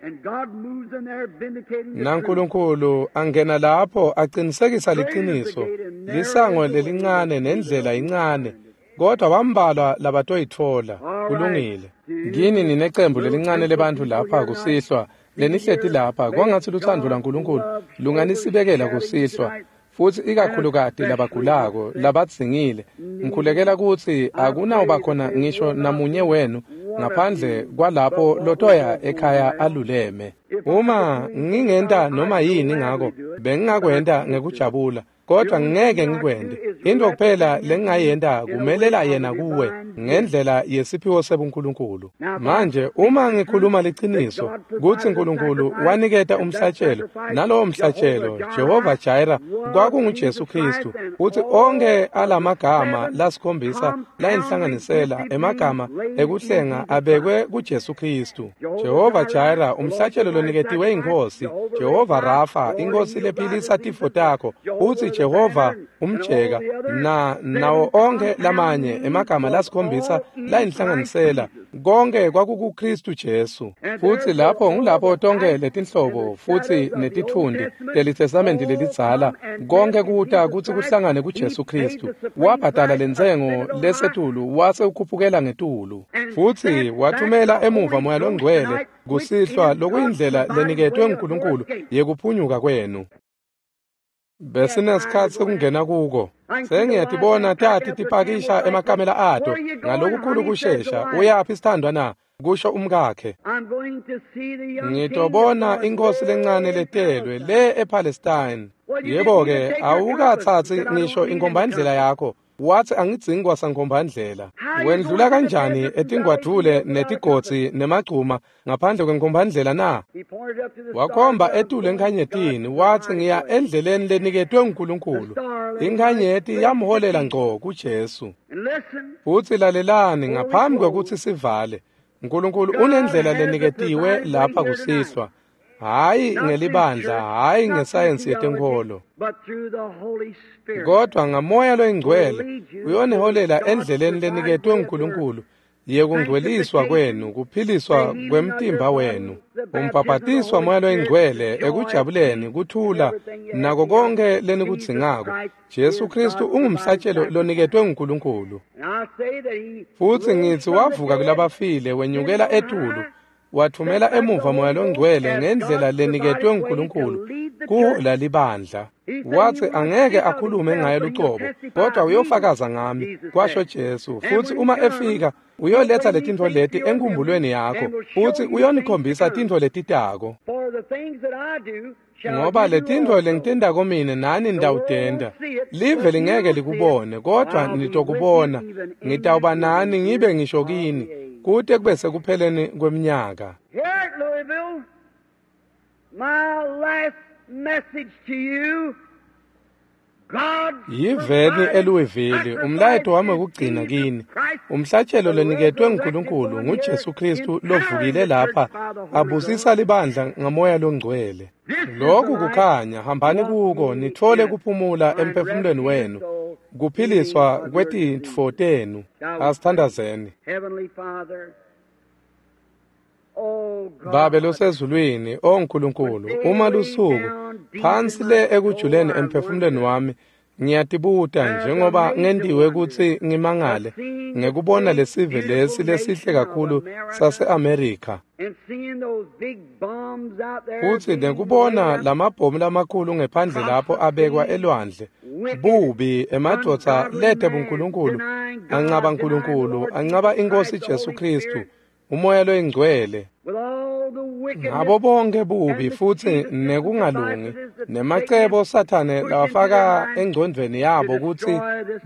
NaNkulunkulu angena lapho aqinisekisa liciniso, lisango lelincane nendlela incane, kodwa bambalwa labatoyitfola. Kulungile. Kini ninecembu lelincane lebantfu lapha kusihlwa lenihleti lapha, kwangatsi lutsandvo lwaNkulunkulu lunganisibekela kusihlwa, futsi ikakhulukati labagulako labadzingile. Ngikhulekela kutsi akunawuba khona ngisho namunye wenu ngaphandle kwalapho lotoya ekhaya aluleme. Uma ngingenta noma yini ngako, bengingakwenta ngekujabula, kodwa ngeke ngikwente. Into kuphela lengingayenta kumelela yena kuwe ngendlela yesiphiwo sebuNkulunkulu. Manje uma ngikhuluma liciniso kutsi uNkulunkulu waniketa umhlatshelo, nalowo mhlatshelo Jehova Jireh kwakunguJesu Kristu, utsi onke alamagama lasikhombisa layinhlanganisela emagama ekuhlenga abekwe kuJesu Kristu. Jehova Jireh, umhlatshelo loniketiwe inkosi, Jehova Rafa, inkosi lephilisa tifo takho, utsi Jehova umjeka, na nawo onke lamanye emagama lasikhombisa layinhlanganisela, konke kwakukuKristu Jesu. Futsi lapho ngulapho tonke letinhlobo futsi netitfundi leliTestamenti lelidzala konke kuta kutsi kuhlangane kuJesu Kristu. Wabhadala lentsengo lesetulu wase ukhuphukela ngetulu, futsi wathumela emuva Moya Longcwele kusihlwa, lokuyindlela leniketwe nguNkulunkulu yekuphunyuka kwenu. Besinesikhatsi sekungena kuko. Sengiyatibona tati tipakisha emakamela ato ngalokukhulu kushesha. Uyaphi sithandwa na? Kusho umkakhe. Ngitobona inkosi lencane letelwe le ePalestine. Yebo-ke, awukathatsi ngisho inkombandlela yakho. Wathi angidzingi kwasankombandlela. Wendlula kanjani etingwadvule netigodzi nemagcuma ngaphandle kwenkombandlela na? Wakhomba etulu enkhanyetini, wathi ngiya endleleni leniketwe nguNkulunkulu. Inkhanyeti yamholela ngco kuJesu. Futsi lalelani, ngaphambi kwekutsi sivale, uNkulunkulu unendlela leniketiwe lapha kusihlwa. Hayi ngelibandla, hayi ngesayensi yetenkholo, kodwa ngaMoya Loyingcwele uyoniholela endleleni leniketwe nguNkulunkulu yekungcweliswa kwenu, kuphiliswa kwemtimba wenu. Umbhabhatiswa Moya Loyingcwele ekujabuleni, kuthula nako konke lenikudzingako. Jesu Kristu ungumhlatshelo loniketwe nguNkulunkulu. Futsi ngitsi wavuka kulabafile, wenyukela etulu, wathumela emuva Moya Longcwele ngendlela leniketwe nguNkulunkulu kuhola libandla. Wathi angeke akhulume ngaye lucobo, kodwa uyofakaza ngami, kwasho Jesu. Futsi uma efika uyoletha letintfo leti enkumbulweni yakho, futsi uyonikhombisa tintfo letitako. Ngoba letintfo lengitentako mine nani nitawutenta. Live lingeke likubone, kodwa nitokubona. Ngitawuba nani ngibe ngisho kini, kute kube sekupheleni kweminyaka. Here at Louisville, my last message to you, God Yiveni eLouisville, umlayeto wami wekugcina kini. Umhlatshelo leniketwe nguNkulunkulu nguJesu Kristu lovukile lapha, abusisa libandla ngaMoya Longcwele. Lokhu kukhanya, hambani kuko nitfole kuphumula emphefumulweni wenu, kuphiliswa kwetitfo tenu. Asithandazeni. Heavenly Father, oh God, Babe losezulwini, o Nkulunkulu, uma lusuku phansi le ekujuleni emphefumulweni wami, ngiyatibuta njengoba ngentiwe kutsi ngimangale ngekubona lesive lesi lesihle kakhulu sase-Amerika, and seeing those big bombs out there futsi being nekubona laid up, lamabhomu lamakhulu ngephandle lapho abekwa elwandle, bubi emadvodza lete buNkulunkulu, ancaba Nkulunkulu, ancaba iNkosi Jesu Kristu, uMoya Loyingcwele, with all the wickedness ngabo bonke bubi futsi nekungalungi nemacebo Sathane lawafaka engcondvweni yabo kutsi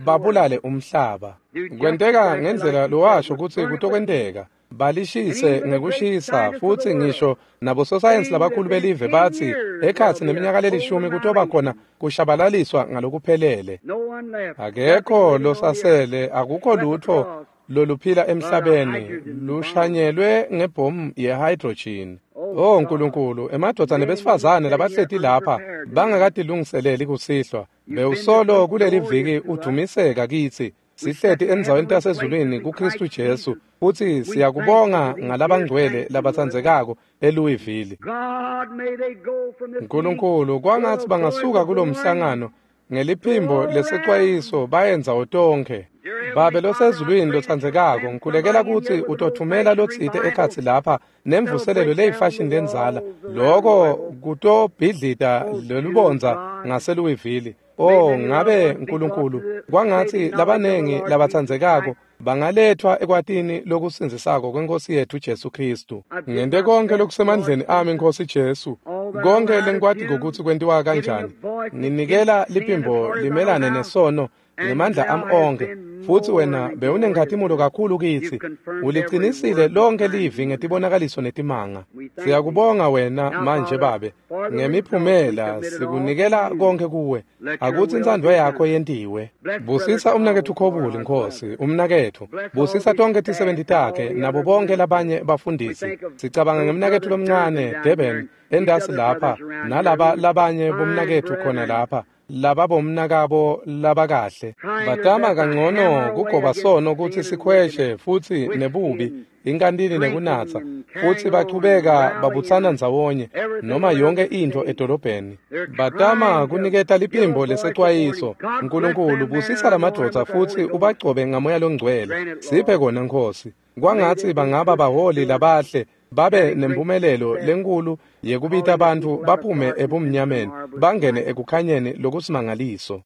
babulale umhlaba. Kwenteka ngendlela lowasho kutsi kutokwenteka. Balishise ngekushisa, futsi ngisho nabososayensi labakhulu belive batsi ekhatsi neminyaka lelishumi kutoba khona kushabalaliswa ngalokuphelele. no one left. Akekho losasele, akukho lutfo loluphila emhlabeni lushanyelwe ngebhomu ye-hydrogen. Oh Nkulunkulu, emadvodza nebesifazane labahleti lapha bangakatilungiseleli kusihlwa, bewusolo kuleli viki udumiseka kitsi. Sihleti endzaweni tasezulwini kuKristu Jesu, futsi siyakubonga ngalabangcwele labatsandzekako eLouisville. God, may they go from this Nkulunkulu, kwangatsi bangasuka kulomhlangano ngeliphimbo lesexwayiso baye ndzawo tonkhe. Babe losezulwini lotsandzekako, ngikhulekela kutsi utothumela lotsite ekhatsi lapha nemvuselelo leyifashini lendzala, loko kutobhidlita lolubondza ngaseLouisville. Oh, ngabe Nkulunkulu, kwangatsi labanengi labatsandzekako bangalethwa ekwatini lokusindzisako kweNkosi yethu Jesu Kristu. Ngente konke lokusemandleni ami, Nkosi Jesu, konke lengikwatiko kutsi kwentiwa kanjani. Nginikela liphimbo limelane nesono ngemandla ami onkhe, futsi wena bewunenkhatimulo kakhulu kitsi. Ulicinisile lonke livi ngetibonakaliso netimanga. Siyakubonga wena manje Babe ngemiphumela, sikunikela konke kuwe. Akutsi intsandvo yakho yentiwe. Busisa umnaketfu Khobuli, Nkosi, umnaketfu. Busisa tonke tisebenti takhe nabo bonke labanye bafundisi. Sicabanga ngemnaketfu lomncane Durban endasi lapha, nalaba labanye bomnaketfu khona lapha, laba bomnakabo labakahle. Batama kangcono kugoba sono kutsi sikhweshe futsi nebubi, inkantini nekunatsa, futsi bachubeka babutsana ndzawonye noma yonke intfo edolobheni. Batama kuniketa liphimbo lesecwayiso. Nkulunkulu, busisa lamadvodza futsi ubagcobe ngaMoya Longcwele. Siphe kona, Nkosi. Kwangatsi bangaba baholi labahle, babe nempumelelo lenkulu yekubita bantfu baphume ebumnyameni bangene ekukhanyeni lokusimangaliso.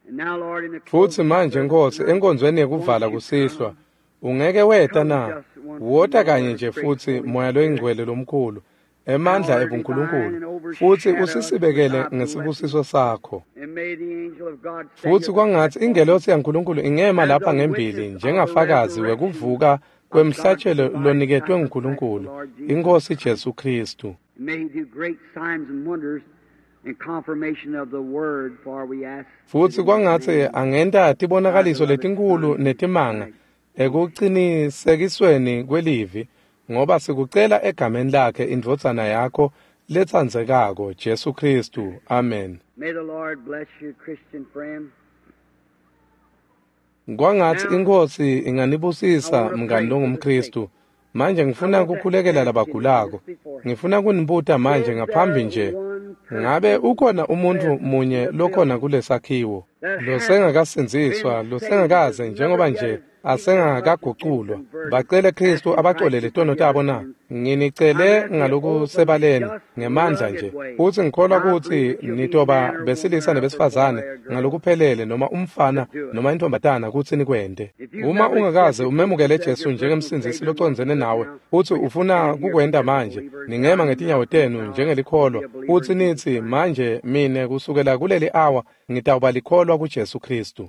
Futsi manje, Nkosi, enkonzweni yekuvala kusihlwa, ungeke weta na? Wota kanye nje futsi, Moya Loyingcwele lomkhulu, emandla ebuNkulunkulu, futsi usisibekele ngesibusiso sakho. Futsi kwangatsi ingelosi yaNkulunkulu ingema lapha ngembili njengafakazi wekuvuka kwemhlatshelo loniketwe nguNkulunkulu, iNkosi Jesu Kristu. Futsi kwangatsi angenta tibonakaliso letinkhulu netimanga ekucinisekisweni kwelivi, ngoba sikucela egameni lakhe, indvodzana yakho letsandzekako, Jesu Kristu. Amen. Kwangatsi iNkhosi inganibusisa, mngani longumKristu. Manje ngifuna kukhulekela labagulako. Ngifuna kunibuta manje ngaphambi nje, ngabe ukhona umuntfu munye lokhona kulesakhiwo losengakasindziswa, losengakaze njengoba nje asengakaguculwa, bacele Kristu abacolele tono tabo na? Nginicele ngalokusebaleni ngemandla nje, futsi ngikholwa kutsi nitoba besilisa nebesifazane ngalokuphelele, noma umfana noma intombatana, kutsi nikwente. Uma ungakaze umemukele Jesu njengemsindzisi locondzene nawe, futsi ufuna kukwenta manje, ningema ngetinyawo tenu njengelikholwa, futsi nitsi, manje mine kusukela kuleli awa ngitawuba likholwa kuJesu Kristu.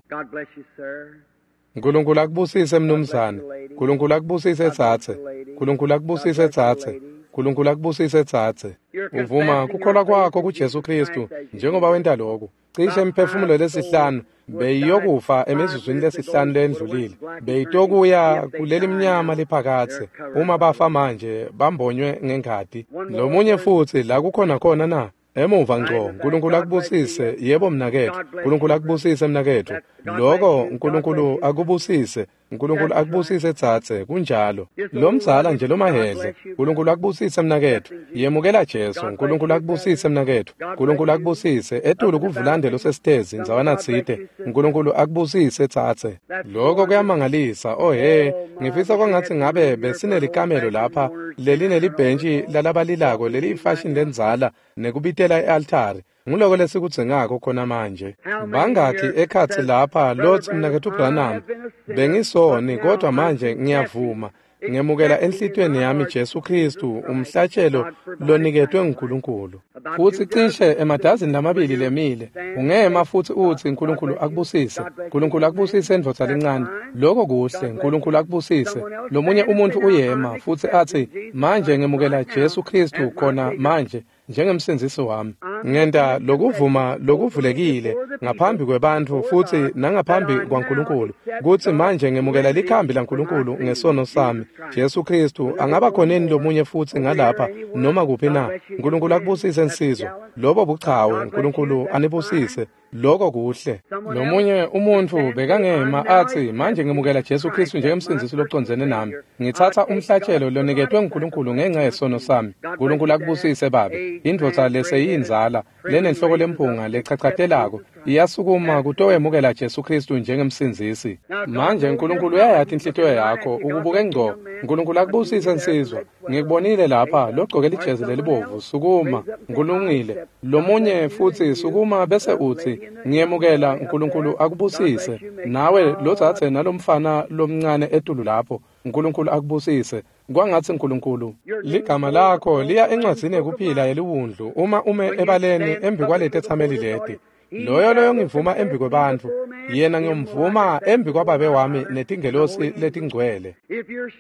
Nkulunkulu akubusise, mnumzane. Nkulunkulu akubusise, dzadze. Nkulunkulu akubusise, dzadze. Nkulunkulu akubusise, dzadze. Uvuma kukholwa kwakho kuJesu Kristu njengoba wenta lokhu. Cishe imiphefumulo lesihlanu beyiyokufa emizuzwini lesihlanu lendlulile, beyitokuya kuleli mnyama liphakatse uma bafa manje bambonywe ngengati. Lomunye futsi la kukhona khona na? Emuva ngco. Nkulunkulu akubusise, yebo mnaketfu. Nkulunkulu akubusise, mnaketfu. Loko, Nkulunkulu akubusise. Nkulunkulu akubusise, dzadze, kunjalo. Lomdzala nje lomahedle. Nkulunkulu akubusise, mnaketfu. Yemukela Jesu. Nkulunkulu akubusise, mnaketfu. Nkulunkulu akubusise. Etulu kuvulande losesitezi ndzawana tsite. Nkulunkulu akubusise, dzadze. Loko kuyamangalisa. Oh he, ngifisa kwangatsi ngabe besinelikamelo lapha lelinelibhentshi lalabalilako leliyifashini lendzala nekubitela e-altari. Nguloko lesikudzingako khona manje. Bangakhi ekhatsi lapha lotsi, mnaketfu Branham, bengisoni, kodwa manje ngiyavuma, ngemukela enhlitiyweni yami Jesu Kristu, umhlatshelo loniketwe nguNkulunkulu? Futsi cishe emadazini lamabili lemile, ungema futsi utsi, Nkulunkulu akubusise. Nkulunkulu akubusise, ndvodza lencane. Loko kuhle. Nkulunkulu akubusise. Lomunye umuntfu uyema futsi atsi, manje ngemukela Jesu Kristu khona manje njengemsindzisi wami. Ngenta lokuvuma lokuvulekile ngaphambi kwebantfu futsi nangaphambi kwaNkulunkulu, kutsi manje ngemukela likhambi laNkulunkulu ngesono sami, Jesu Kristu. Angaba khoneni lomunye futsi ngalapha noma kuphi na? Nkulunkulu akubusise, nsizwa. Lobo buchawe. Nkulunkulu anibusise. Loko kuhle. Lomunye umuntfu bekangema atsi, manje ngemukela Jesu Kristu njengemsindzisi locondzene nami. Ngitsatsa umhlatshelo loniketwe nguNkulunkulu ngenca yesono sami. Nkulunkulu akubusise, babe. Indvodza leseyindzala lenenhloko lemphunga lechachatelako iyasukuma kutowemukela Jesu Kristu njengemsindzisi. Manje Nkulunkulu uyayati inhlitiyo yakho, ukubuke ngco. Nkulunkulu akubusise, nsizwa. Ngikubonile lapha logcoke lijezi lelibovu, sukuma. Kulungile. Lomunye futsi sukuma bese utsi ngiyemukela, uNkulunkulu akubusise. Nawe lodzadze nalomfana lomncane etulu lapho, uNkulunkulu akubusise. Kwangatsi uNkulunkulu ligama lakho liya encwadzini yekuphila yeliwundlu uma ume ebaleni embi kwaletetsameli leti. Loyo loyongivuma embi kwebantfu, yena ngiyomvuma embi kwaBabe wami netingelosi letingcwele.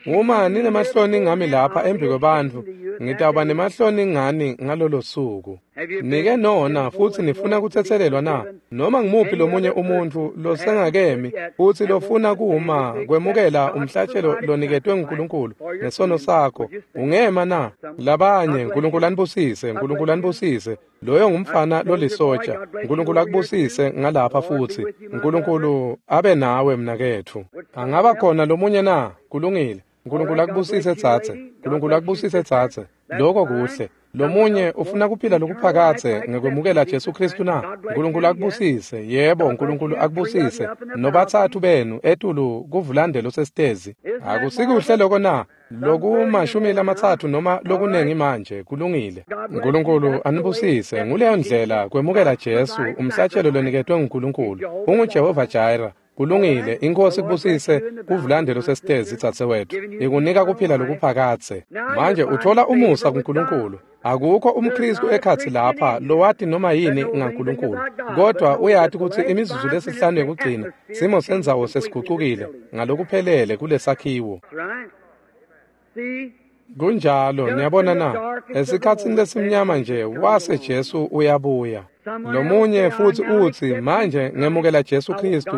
Uma ninemahloni ngami lapha embi kwebantfu, ngitawuba nemahloni ngani ngalolo suku. Nike nona futsi nifuna kutsetselelwa na? Noma ngimuphi lomunye umuntfu losengakemi futsi lofuna kuma kwemukela umhlatshelo loniketwe nguNkulunkulu ngesono sakho, ungema na? Labanye, uNkulunkulu anibusise, uNkulunkulu anibusise. Loyo ngumfana lolisotsha. uNkulunkulu akubusise ngalapha futsi. uNkulunkulu abe nawe mnaketfu. Angaba khona lomunye na? Kulungile. uNkulunkulu akubusise dzadze. uNkulunkulu akubusise dzadze. Lokho kuhle. Lomunye ufuna kuphila lokuphakadze ngekwemukela Jesu Kristu na? uNkulunkulu akubusise. Yebo, uNkulunkulu akubusise. Nobathathu benu etulu kuvulandelo sesitezi. Akusikuhle lokho na? Lokumashumi lamatsatfu noma lokunengi manje. Kulungile. uNkulunkulu anibusise. Nguleyo ndlela kwemukela Jesu, umhlatshelo loniketwe nguNkulunkulu. UnguJehova Jireh. Kulungile. Inkosi kubusise kuvulandelo sesitezi dzadzewethu. Ikunika kuphila lokuphakadze. Manje uthola umusa kuNkulunkulu. Akukho umKristu ekhatsi lapha lowati noma yini ngaNkulunkulu, kodwa uyati kutsi imizuzu lesihlanu yekugcina simo sendzawo sesigucukile ngalokuphelele kulesakhiwo. Kunjalo, niyabona na? Esikhatsini lesimnyama nje wase Jesu uyabuya. Lomunye futsi utsi manje ngemukela Jesu Kristu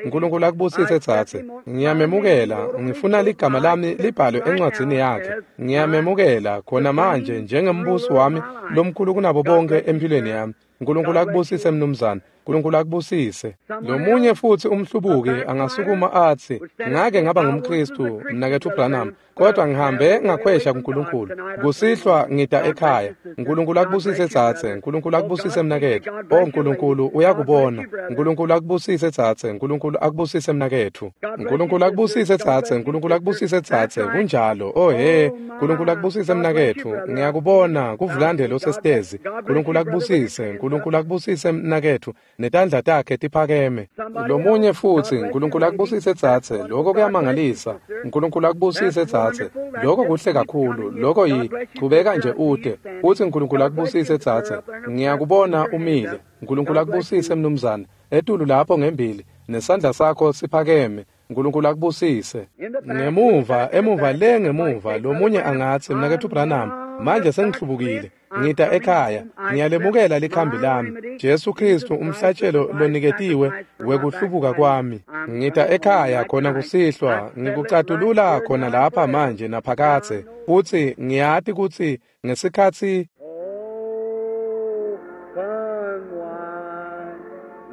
uNkulunkulu akubusise dzadze. Ngiyamemukela, ngifuna ligama lami libhalwe encwadzini yakhe. Ngiyamemukela khona manje njengembusi wami lomkhulu kunabo bonke empilweni yami. uNkulunkulu akubusise mnumzane. uNkulunkulu akubusise. Lomunye futsi umhlubuki angasukuma atsi ngake ngaba ngumKristu mnaketfu Branham, kodwa ngihambe ngakhwesha kuNkulunkulu. Kusihlwa ngita ekhaya. uNkulunkulu akubusise dzadze. uNkulunkulu akubusise mnaketfu. O uNkulunkulu uyakubona. uNkulunkulu akubusise dzadze. uNkulunkulu akubusise mnaketfu. uNkulunkulu akubusise dzadze. uNkulunkulu akubusise dzadze. Kunjalo. Oh he, uNkulunkulu akubusise mnaketfu. Ngiyakubona kuvulandelo sesitezi. uNkulunkulu akubusise. uNkulunkulu akubusise mnaketfu. Netandla takhe tiphakeme. Lomunye futsi, uNkulunkulu akubusise dzadze. Lokho kuyamangalisa. uNkulunkulu akubusise dzadze. Lokho kuhle kakhulu. Lokho chubeka nje ute. Utsi uNkulunkulu akubusise dzadze. Ngiyakubona umile. uNkulunkulu akubusise mnumzane. Etulu lapho ngembili nesandla sakho siphakeme. uNkulunkulu akubusise. Ngemuva, emuva le ngemuva, lomunye angatsi mnaketfu Branham, manje sengihlubukile. Ngita ekhaya, ngiyalemukela likhambi lami, Jesu Kristu umhlatshelo loniketiwe wekuhlubuka kwami. Ngita ekhaya khona kusihlwa, ngikucatulula khona lapha manje naphakadze. Futsi ngiyati kutsi ngesikhatsi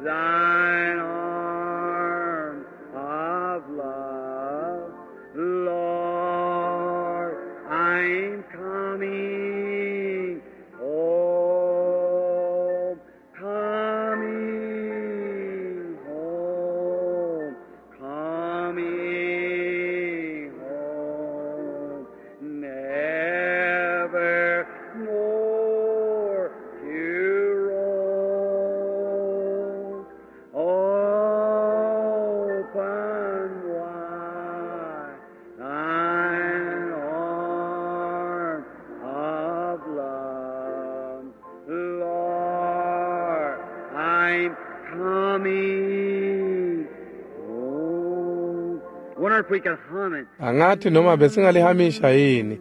Thine arm of love, Lord, I'm coming home, coming home, coming home, never more to roam. Open wide thine arm of love, Lord, I'm coming home. Wonder if we could hum it. Angathi noma besingalihamisha yini.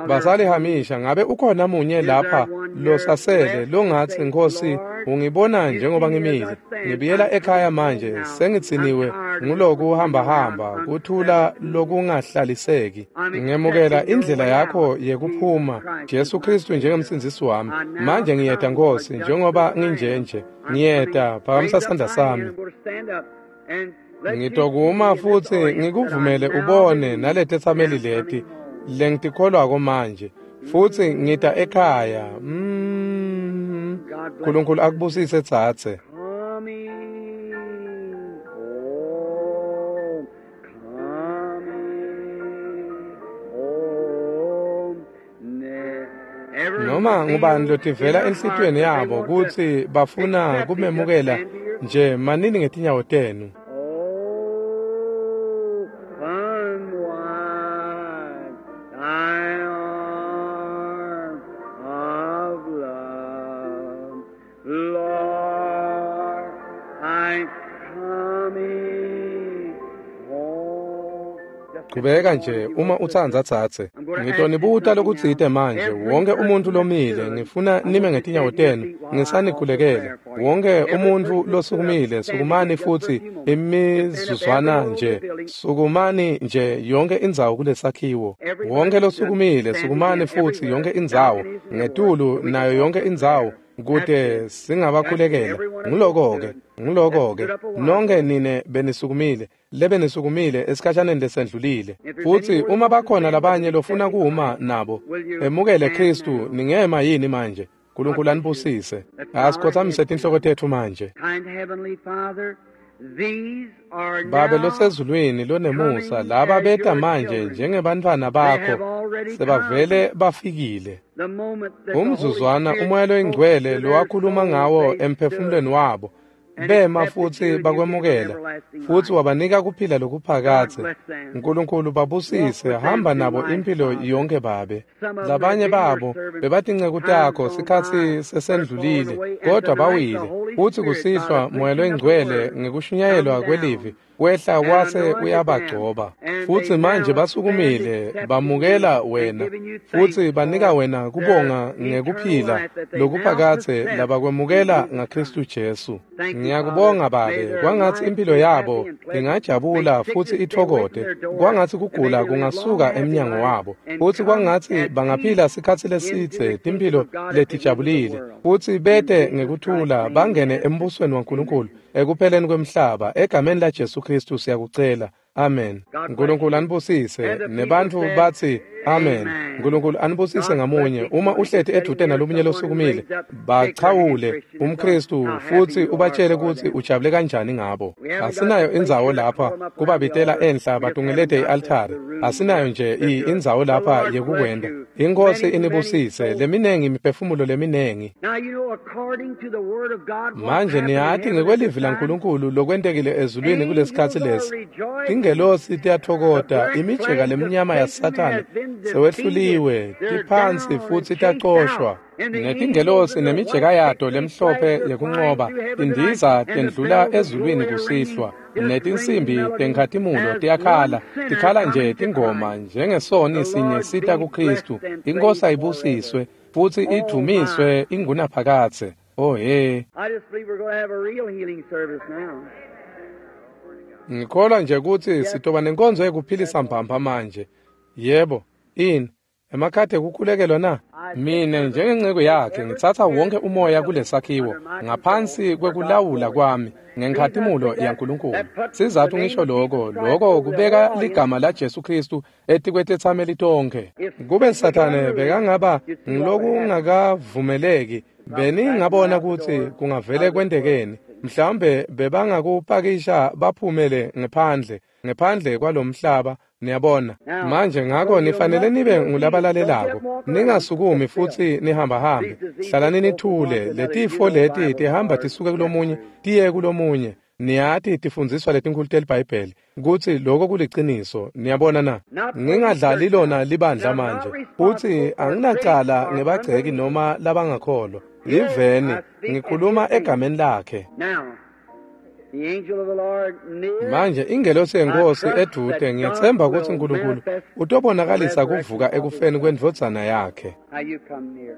Basalihamisha. Ngabe ukhona munye lapha losasele longatsi Nkosi ungibona njengoba ngimile, ngibuyela ekhaya manje sengitsiniwe nguloku hamba hamba kuthula lokungahlaliseki. Ngemukela indlela yakho yekuphuma, Jesu Kristu njengemsindzisi wami. Manje ngiyeta Nkosi njengoba nginjenje. Ngiyeta, phakamisa sandla sami. Ngitokuma futsi ngikuvumele ubone naletetsameli leti lengitikholwako manje, futsi ngita ekhaya. uNkulunkulu akubusise dzadze. Coming home, coming Noma ngubani lotivela enhlitiyweni yabo kutsi bafuna kumemukela nje, manini ngetinyawo tenu. Open wide thy arms of love, Lord, I'm coming home. Chubeka nje uma utsandza tsatse. Ngitonibuta lokutsite manje, wonke umuntu lomile, ngifuna nime ngetinyawo tenu, ngisanikhulekele. Wonke umuntfu losukumile, sukumani futsi imizuzwana nje, sukumani nje yonke indzawo kulesakhiwo. Wonke losukumile, sukumani futsi yonke indzawo, ngetulu nayo yonke indzawo, kute singabakhulekela. Nguloko-ke, nguloko-ke. Nonke nine benisukumile, lebenisukumile esikhashaneni lesendlulile. Futsi uma bakhona labanye lofuna kuma nabo, emukele Khristu, ningema yini manje? Nkulunkulu anibusise. Asikhothamise tinhloko tetfu manje. Kind Heavenly Father, these are Babe now losezulwini lonemusa, laba beta manje njengebantfwana bakho, sebavele bafikile. the moment that the Holy Umzuzwana Spirit umoya loyingcwele spoke to their lowakhuluma souls, ngawo they emphefumulweni stood wabo, and bema accepted futhi you and you gave them bakwemukela, everlasting futhi life. wabanika kuphila God lokuphakadze. bless them. Nkulunkulu Walk babusise, with them hamba through nabo life, impilo Father. yonke Babe. Some of them have Labanye been your babo servants bebatinceku times takho gone sikhatsi by, but have fallen sesendlulile, away. And kodwa tonight the bawile. Holy Futsi Spirit, by the kusihlwa Moya preaching of the loyingcwele word, come ngekushunyayelwa kwelivi down wehla and wase anointed them, uyabagcoba. and Futsi they manje now stand basukumile accepting you bamukela and wena, giving you futsi thanks banika for wena their kubonga eternal ngekuphila life that they now lokuphakadze possess in labakwemukela Jesus ngaKhristu Christ. Jesu. Thank you, Father. Ngiyakubonga May Babe, their kwangatsi lives impilo be happy yabo and pleasant. May ingajabula futhi sickness stay away from ithokote, their door, kwangatsi and may kugula they live long, kungasuka happy emnyango lives wabo, and futsi come kwangatsi at peace bangaphila sikhatsi into lesidze the kingdom timphilo of God at the end of the letijabulile, world. futsi In bete Jesus Christ's ngekuthula name we bangene ask it. embusweni waNkulunkulu Amen. ekupheleni kwemhlaba. Egameni laJesu Khristu siyakucela. Amen. God bless Nkulunkulu you. anibusise. And the people Nebantfu said, bathi amen. Amen. Nkulunkulu anibusise God bless ngamunye. each Uma one. If uhleti you're sitting edvute near nalomunye someone who losukumile, raised up, shake their hand, bachawule Christian, and tell them umKhristu how happy futhi you are ubatshele for kutsi them. ujabule kanjani ngabo. We haven't got the Asinayo place indzawo here to call lapha them up around the kubabitela altar. enhla We just haven't batungelete got the i-altari. room Asinayo nje to do it. indzawo The lapha Lord bless yekukwenta. you. Inkosi Many, many inibusise. souls. Leminengi imiphefumulo leminengi. Now you know, according to the word of God, what's Manje happened in niyati heaven at this ngekwelivi time? laNkulunkulu lokwentekile ezulwini kulesikhatsi Angels are lesi. rejoicing. Tingelosi The tiyatfokota, black imijeka flags of lemnyama Satan yaSathane has been defeated. sewehluliwe, They're tiphansi down and futsi chased out. tacoshwa. And the angels Netingelosi with the nemijeka white yato victory lemhlophe flags are flying yekunqoba through heaven tonight, tindiza and the tendlula bells of ezulwini glory are ringing, kusihlwa. just ringing Netinsimbi melodies tenkhatimulo as one tiyakhala, sinner tikhala nje coming to tingoma Christ. njengesoni The sinye Lord sita be kuKhristu. blessed and Inkosi praised forever. ayibusiswe futsi Oh my. idvumiswe ingunaphakadze. Oh he. I just believe we're going to have a real healing service now. Ngikholwa nje kutsi Yes, sitoba nenkonzo yekuphilisa mbamba manje. Yebo, ini emakhadi ekukhulekelwa na? I take Mine servant njengenceku take yakhe every ngitsatsa spirit wonke umoya that's kulesakhiwo under my control ngaphansi for God's kwekulawula glory. kwami Reason I ngenkhatimulo say that, yaNkulunkulu. that puts the Sizathu name ngisho of Jesus lokho, Christ lokho over the kubeka whole audience. ligama laJesu Khristu etikwethethameli tonkhe. If Kube Satan was Sathane unruly, bekangaba you'd see what would happen. ngilokungakavumeleki, Probably back them beningabona out the kutsi door kungavele out of this world. kwentekeni. Mhlawumbe bebangakupakisha baphumele ngephandle, ngephandle kwalomhlaba, niyabona. Now, Manje so ngako you nifanele must nibe be obedient. Don't get ngulabalalelako. and walk around. Ningasukumi Sit still. futhi nihambahambe. These diseases Hlalani go from one nithule. to another. You Letifo know leti Bible tihamba scholars tisuke that's kulomunye true. tiye kulomunye. Niyati tifundziswa letinkulu teliBhayibheli kutsi lokho kuliciniso. Niyabona na? Not playing Ngingadlali church lona now. And libandla I'm not manje. responsible Futhi for critics anginacala or ngebagceki unbelievers. noma labangakholwa. Here Liveni I speak in ngikhuluma his name. egameni lakhe. Now, the angel of the Lord near, Manje ingelosi I yenkosi trust edude that God ngiyethemba kutsi will uNkulunkulu manifest the utobonakalisa resurrection kuvuka of his ekufeni Son. kwendvodzana yakhe. Now you come near.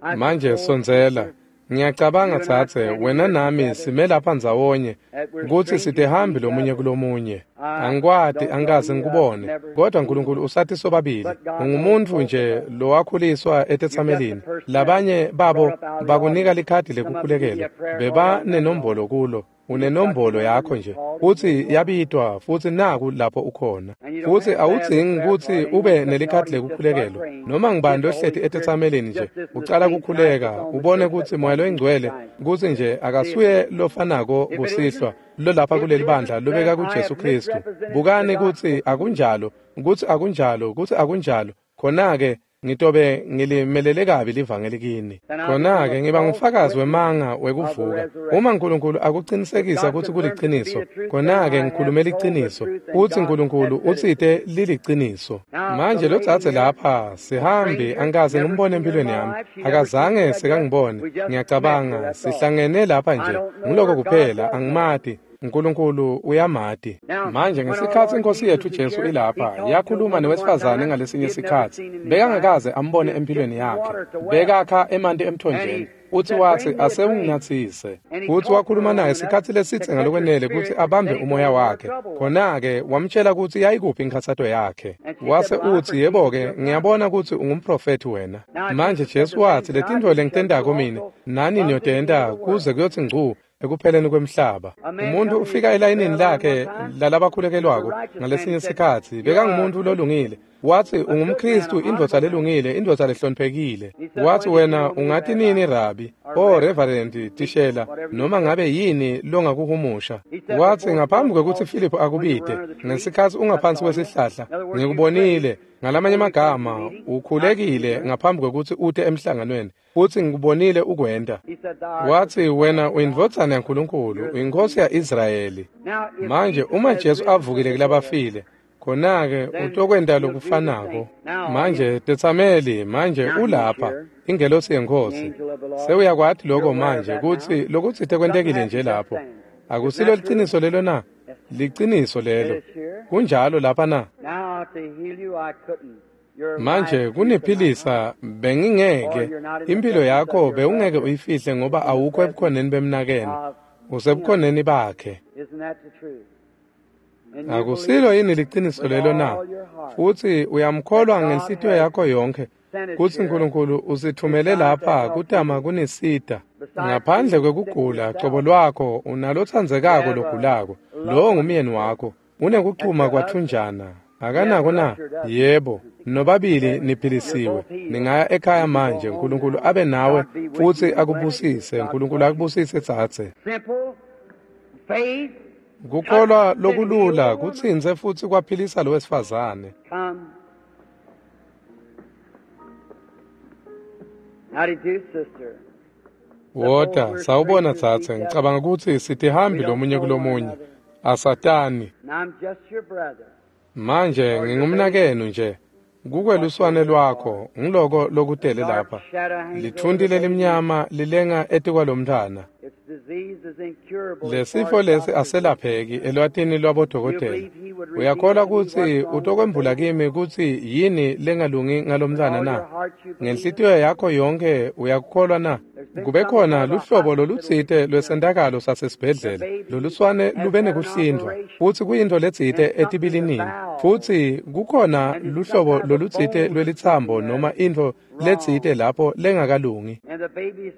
I Manje suppose, sondzela. sister, Ngiyacabanga you and I tsatse standing wena here nami together, sime lapha ndzawonye that we're kutsi strangers to sitihambi each lomunye other. kulomunye. I Angikwati, don't know angikaze you, I've ngikubone, never kodwa seen you, uNkulunkulu usathi sobabili. but God knows Ungumuntfu both of nje us. lowakhuliswa You're just a etetsamelini. person that Labanye was babo brought up out of the bakunika audience. likhadi Come up and give you lekukhulekelwa, a prayer card beba and that's all. nenombolo kulo. You just got your Unenombolo number yakho and you nje called and futsi here you are. yabitwa futsi naku lapho ukhona. And you don't Futsi have to have a awudzingi prayer kutsi card. Anyone ube except the nelikhadi audience just start lekukhulekelwa. praying. Noma ngubani Get the lohleti Holy Spirit etetsamelini nje just this in the ucala same time kukhuleka puts on the ubone church kutsi that Moya one Jesus loyingcwele Christ. kutsi nje See it. akasuye lofanako If it kusihlwa isn't, lolapha if it kuleli isn't, bandla then lobeka I kuJesu have Khristu. misrepresented the Bukani kutsi gospel. akunjalo, kutsi akunjalo, kutsi akunjalo. Khona-ke Ngitobe ngilimelele kabi livangeli kini. Khona-ke ngiba ngufakazi wemanga wekuvuka. Uma uNkulunkulu akuqinisekisa ukuthi kuliciniso, khona-ke ngikhulume liciniso. Uthi uNkulunkulu utsite liliciniso. Manje lo dzadze lapha, sihambi, angikaze ngimbone empilweni yami. Akazange sekangibone. Ngiyacabanga sihlangene lapha nje. Ngiloko kuphela, angimati. uNkulunkulu uyamati. Manje ngesikhatsi inkosi yethu Jesu ilapha, yakhuluma newesifazane ngalesinye sikhatsi. Bekangakaze ambone empilweni yakhe. Bekakha emanti emthonjeni. Uthi wathi asewunginathise. Uthi wakhuluma naye sikhatsi lesitse ngalokwenele kutsi abambe umoya wakhe. Khona-ke wamtshela kutsi yayikuphi inkhatsato yakhe. Wase utsi, yebo-ke, ngiyabona kutsi ungumprofethi wena. Manje Jesu watsi, letintfo lengitentako mine, nani niyotenta kuze kuyotsi ngcu ekupheleni kwemhlaba. Umuntu ufika elayinini lakhe lalabakhulekelwako ngalesinye sikhatsi, bekangumuntu lolungile. Watsi ungumKristu, indvodza lelungile, indvodza lehloniphekile. Watsi wena ungati nini rabi, o reverend, tishela, noma ngabe yini longakuhumusha. Watsi ngaphambi kwekutsi Philip akubite, ngesikhatsi ungaphansi kwesihlahla, ngikubonile. Ngalamanye amagama, ukhulekile ngaphambi kwekutsi ute emhlanganweni. Futsi ngikubonile ukwenta. Watsi wena uyindvodzana yaNkulunkulu, uyinkosi ya-Israyeli. Manje uma Jesu avukile kulabafile, khona-ke utokwenta lokufanako. Manje tetsameli, manje ulapha, ingelosi yeNkhosi. Sewuyakwati lokho manje kutsi lokutsite kwentekile nje lapho. Akusilo liciniso lelo na? Liciniso lelo. Kunjalo lapha na? Manje kuniphilisa bengingeke, impilo yakho bewungeke uyifihle ngoba awukho ebukhoneni bemnakenu, usebukhoneni bakhe. Akusilo yini liciniso lelo na? Futsi uyamkholwa ngenhlitiyo yakho yonkhe kutsi uNkulunkulu usithumele lapha kutama kunisita. Ngaphandle kwekugula cobo lwakho unalotsandzekako logulako, lowo ngumyeni wakho, unekuchuma kwathunjana. Akanako na? Yebo, nobabili niphilisiwe. Ningaya ekhaya manje. uNkulunkulu abe nawe futsi akubusise. uNkulunkulu akubusise tsatse. Kukholwa lokulula kutsintse futsi kwaphilisa lo wesifazane. Wota, sawubona tsatse. Ngicabanga kutsi sitihambi lomunye kulomunye. Asatani. Manje ngingumnakenu nje. Kukweluswane lwakho, ngiloko lokutele lapha. Lithunti lelimnyama lilenga etikwalomntfwana. Lesifo lesi aselapheki elwatini lwabodokotela. Uyakholwa kutsi utokwembula kimi kutsi yini lengalungi ngalomntfwana na? Ngenhlitiyo yakho yonkhe uyakukholwa na? Kube khona luhlobo lolutsite lwesentakalo sasesibhedlela, loluswane lube nekuhlindvwa, futsi kuyintfo letsite etibilinini, futsi kukhona luhlobo lolutsite lwelitsambo noma intfo letsite lapho lengakalungi.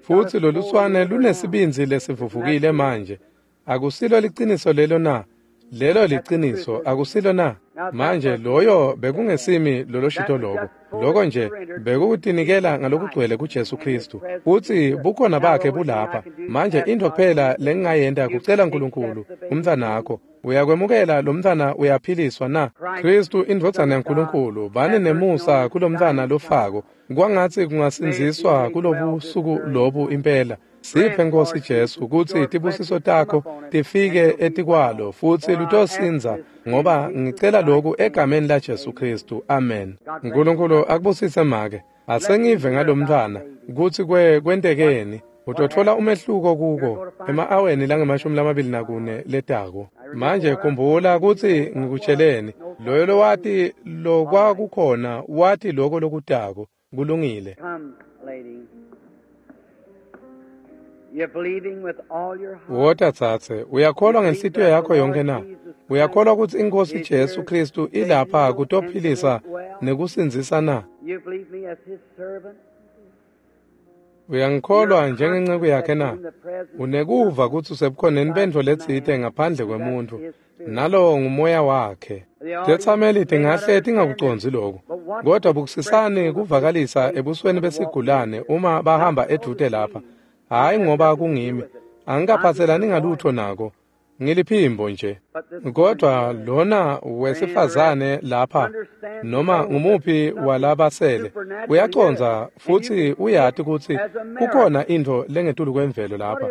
Futsi loluswane lunesibindzi lesivuvukile manje. Akusilo liciniso lelo na? Lelo liciniso, akusilo na? Manje loyo bekungesimi loloshito loko. Loko nje bekukutinikela ngalokugcwele kuJesu Kristu. Futsi bukhona bakhe bulapha. Manje intfo kuphela lengingayenta kucela uNkulunkulu, umntfwanakho. Uyakwemukela lo mntfwana uyaphiliswa na? Kristu indvodzana yaNkulunkulu, bani nemusa kulomntfwana lofako. Kwangatsi kungasindziswa kulobusuku lobu impela. Siphe Nkosi Jesu kutsi tibusiso takho tifike etikwalo futsi lutosindza, ngoba ngicela lokhu egameni la Jesu Kristu. Amen. uNkulunkulu akubusise make. Asengive ngalomntfwana kutsi kwentekeni. Utotfola umehluko kuko ema-aweni lange-24 letako. Manje khumbula kutsi ngikutsheleni, loyo lowati lokwakukhona wati loko lokutako. Kulungile. Wota tsatse, uyakholwa ngenhlitiyo yakho yonke na? Uyakholwa kutsi iNkhosi Jesu Kristu ilapha kutophilisa nekusindzisa na? Uyangikholwa njengenceku yakhe na? Unekuva kutsi usebukhoneni bentfo letsite ngaphandle kwemuntfu, nalowo ngumoya wakhe. Tetsameli tingahle tingakucondzi lokhu, kodwa bukusisani kuvakalisa ebusweni besigulane uma bahamba edvute lapha. Hhayi ngoba kungimi, angikaphatselani ngalutho nako. Ngiliphimbo nje. Kodwa lona wesifazane lapha, noma ngumuphi walabasele, uyacondza futsi uyati kutsi kukhona intfo lengetulu kwemvelo lapha,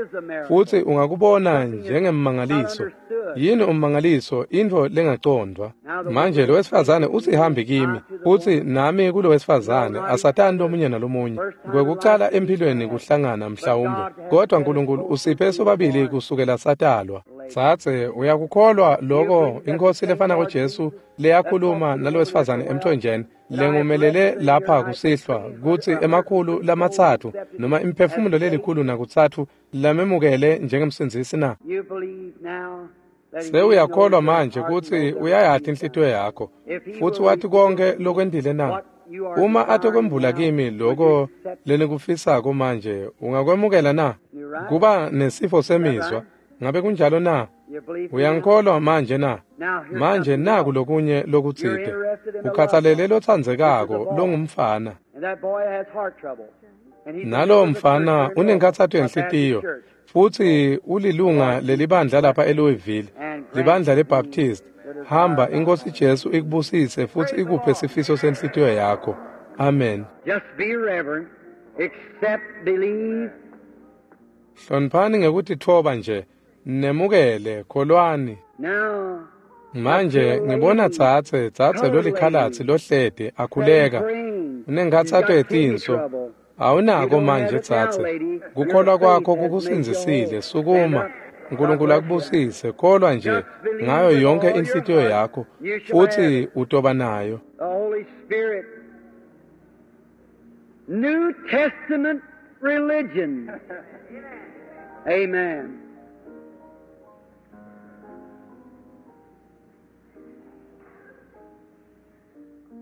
futsi ungakubona njengemmangaliso. Yini ummangaliso? Intfo lengacondvwa. Manje lo wesifazane usihambi kimi, futsi nami kulo wesifazane asatani lomunye nalomunye. Kwekucala emphilweni kuhlangana mhlawumbe, kodwa Nkulunkulu usiphe sobabili kusukela satalwa. Tsatse, uyakukholwa lokho iNkhosi lefanako Jesu leyakhuluma nalowesifazane emthonjeni lengumelele lapha kusihlwa, kutsi 300 noma imiphefumulo 103 lamemukele njengemsindzisi na? Sewuyakholwa manje kutsi uyayati inhlitiyo yakho, futsi wati konke lokwentile na? Uma atokwembula kimi lokho lenikufisako manje, ungakwemukela na? Kuba nesifo semizwa. Ngabe kunjalo na? Uyangikholwa manje na? Manje naku lokunye lokutsite. Ukhathalele lotsandzekako longumfana. Nalowo mfana unenkhatsato yenhlitiyo, futsi ulilunga lelibandla lapha eLouisville, libandla leBaptist. Hamba, iNkhosi Jesu ikubusise futsi ikuphe sifiso senhlitiyo yakho. Amen. Just be reverent, accept, believe. Hloniphani ngekutitfoba nje, nemukele, kholwani. Manje ngibona tsatse lolikhalatsi lohlede akhuleka. Unenkhatsato yetinso. Awunako manje tsatse. Kukholwa kwakho kukusindzisile. Sukuma. Nkulunkulu akubusise. Kholwa nje ngayo yonke inhlitiyo yakho, futsi utoba nayo. The Holy Spirit. New Testament religion. Amen.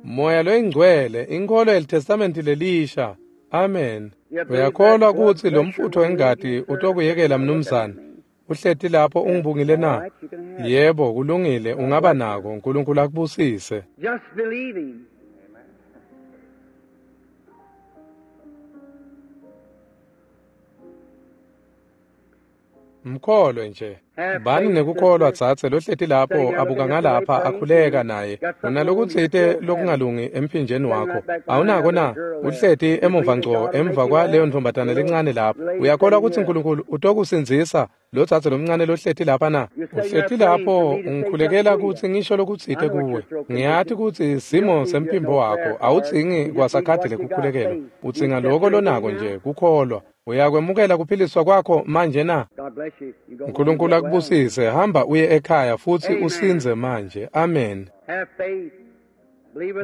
Moya loyingcwele, inkholo yeliTestamenti lelisha. Amen. Uyakholwa kutsi lo mfutho wengati utokuyekela mnumzane? Uhleti lapho ungibungile na? Yebo, kulungile, ungaba nako. Nkulunkulu akubusise. Just believe him. Mkholwe nje. Bani nekukholwa tsatse lohleti lapho abuka ngalapha akhuleka naye. Unalokutsite lokungalungi emphinjeni wakho. Awunako na? Uhleti emuva ngco emva kwaleyo ntombatana lencane lapho. Uyakholwa kutsi Nkulunkulu utokusindzisa lo tsatse lomncane lohleti lapha na? Uhleti lapho ungikhulekela kutsi ngisho lokutsite kuwe. Ngiyati kutsi simo semphimbo wakho awudzingi kwasakhadi lekukhulekelwa. Udzinga loko lonako nje kukholwa. Uyakwemukela kuphiliswa kwakho manje na? Nkulunkulu akubusise. Hamba uye ekhaya futsi usindze manje. Amen.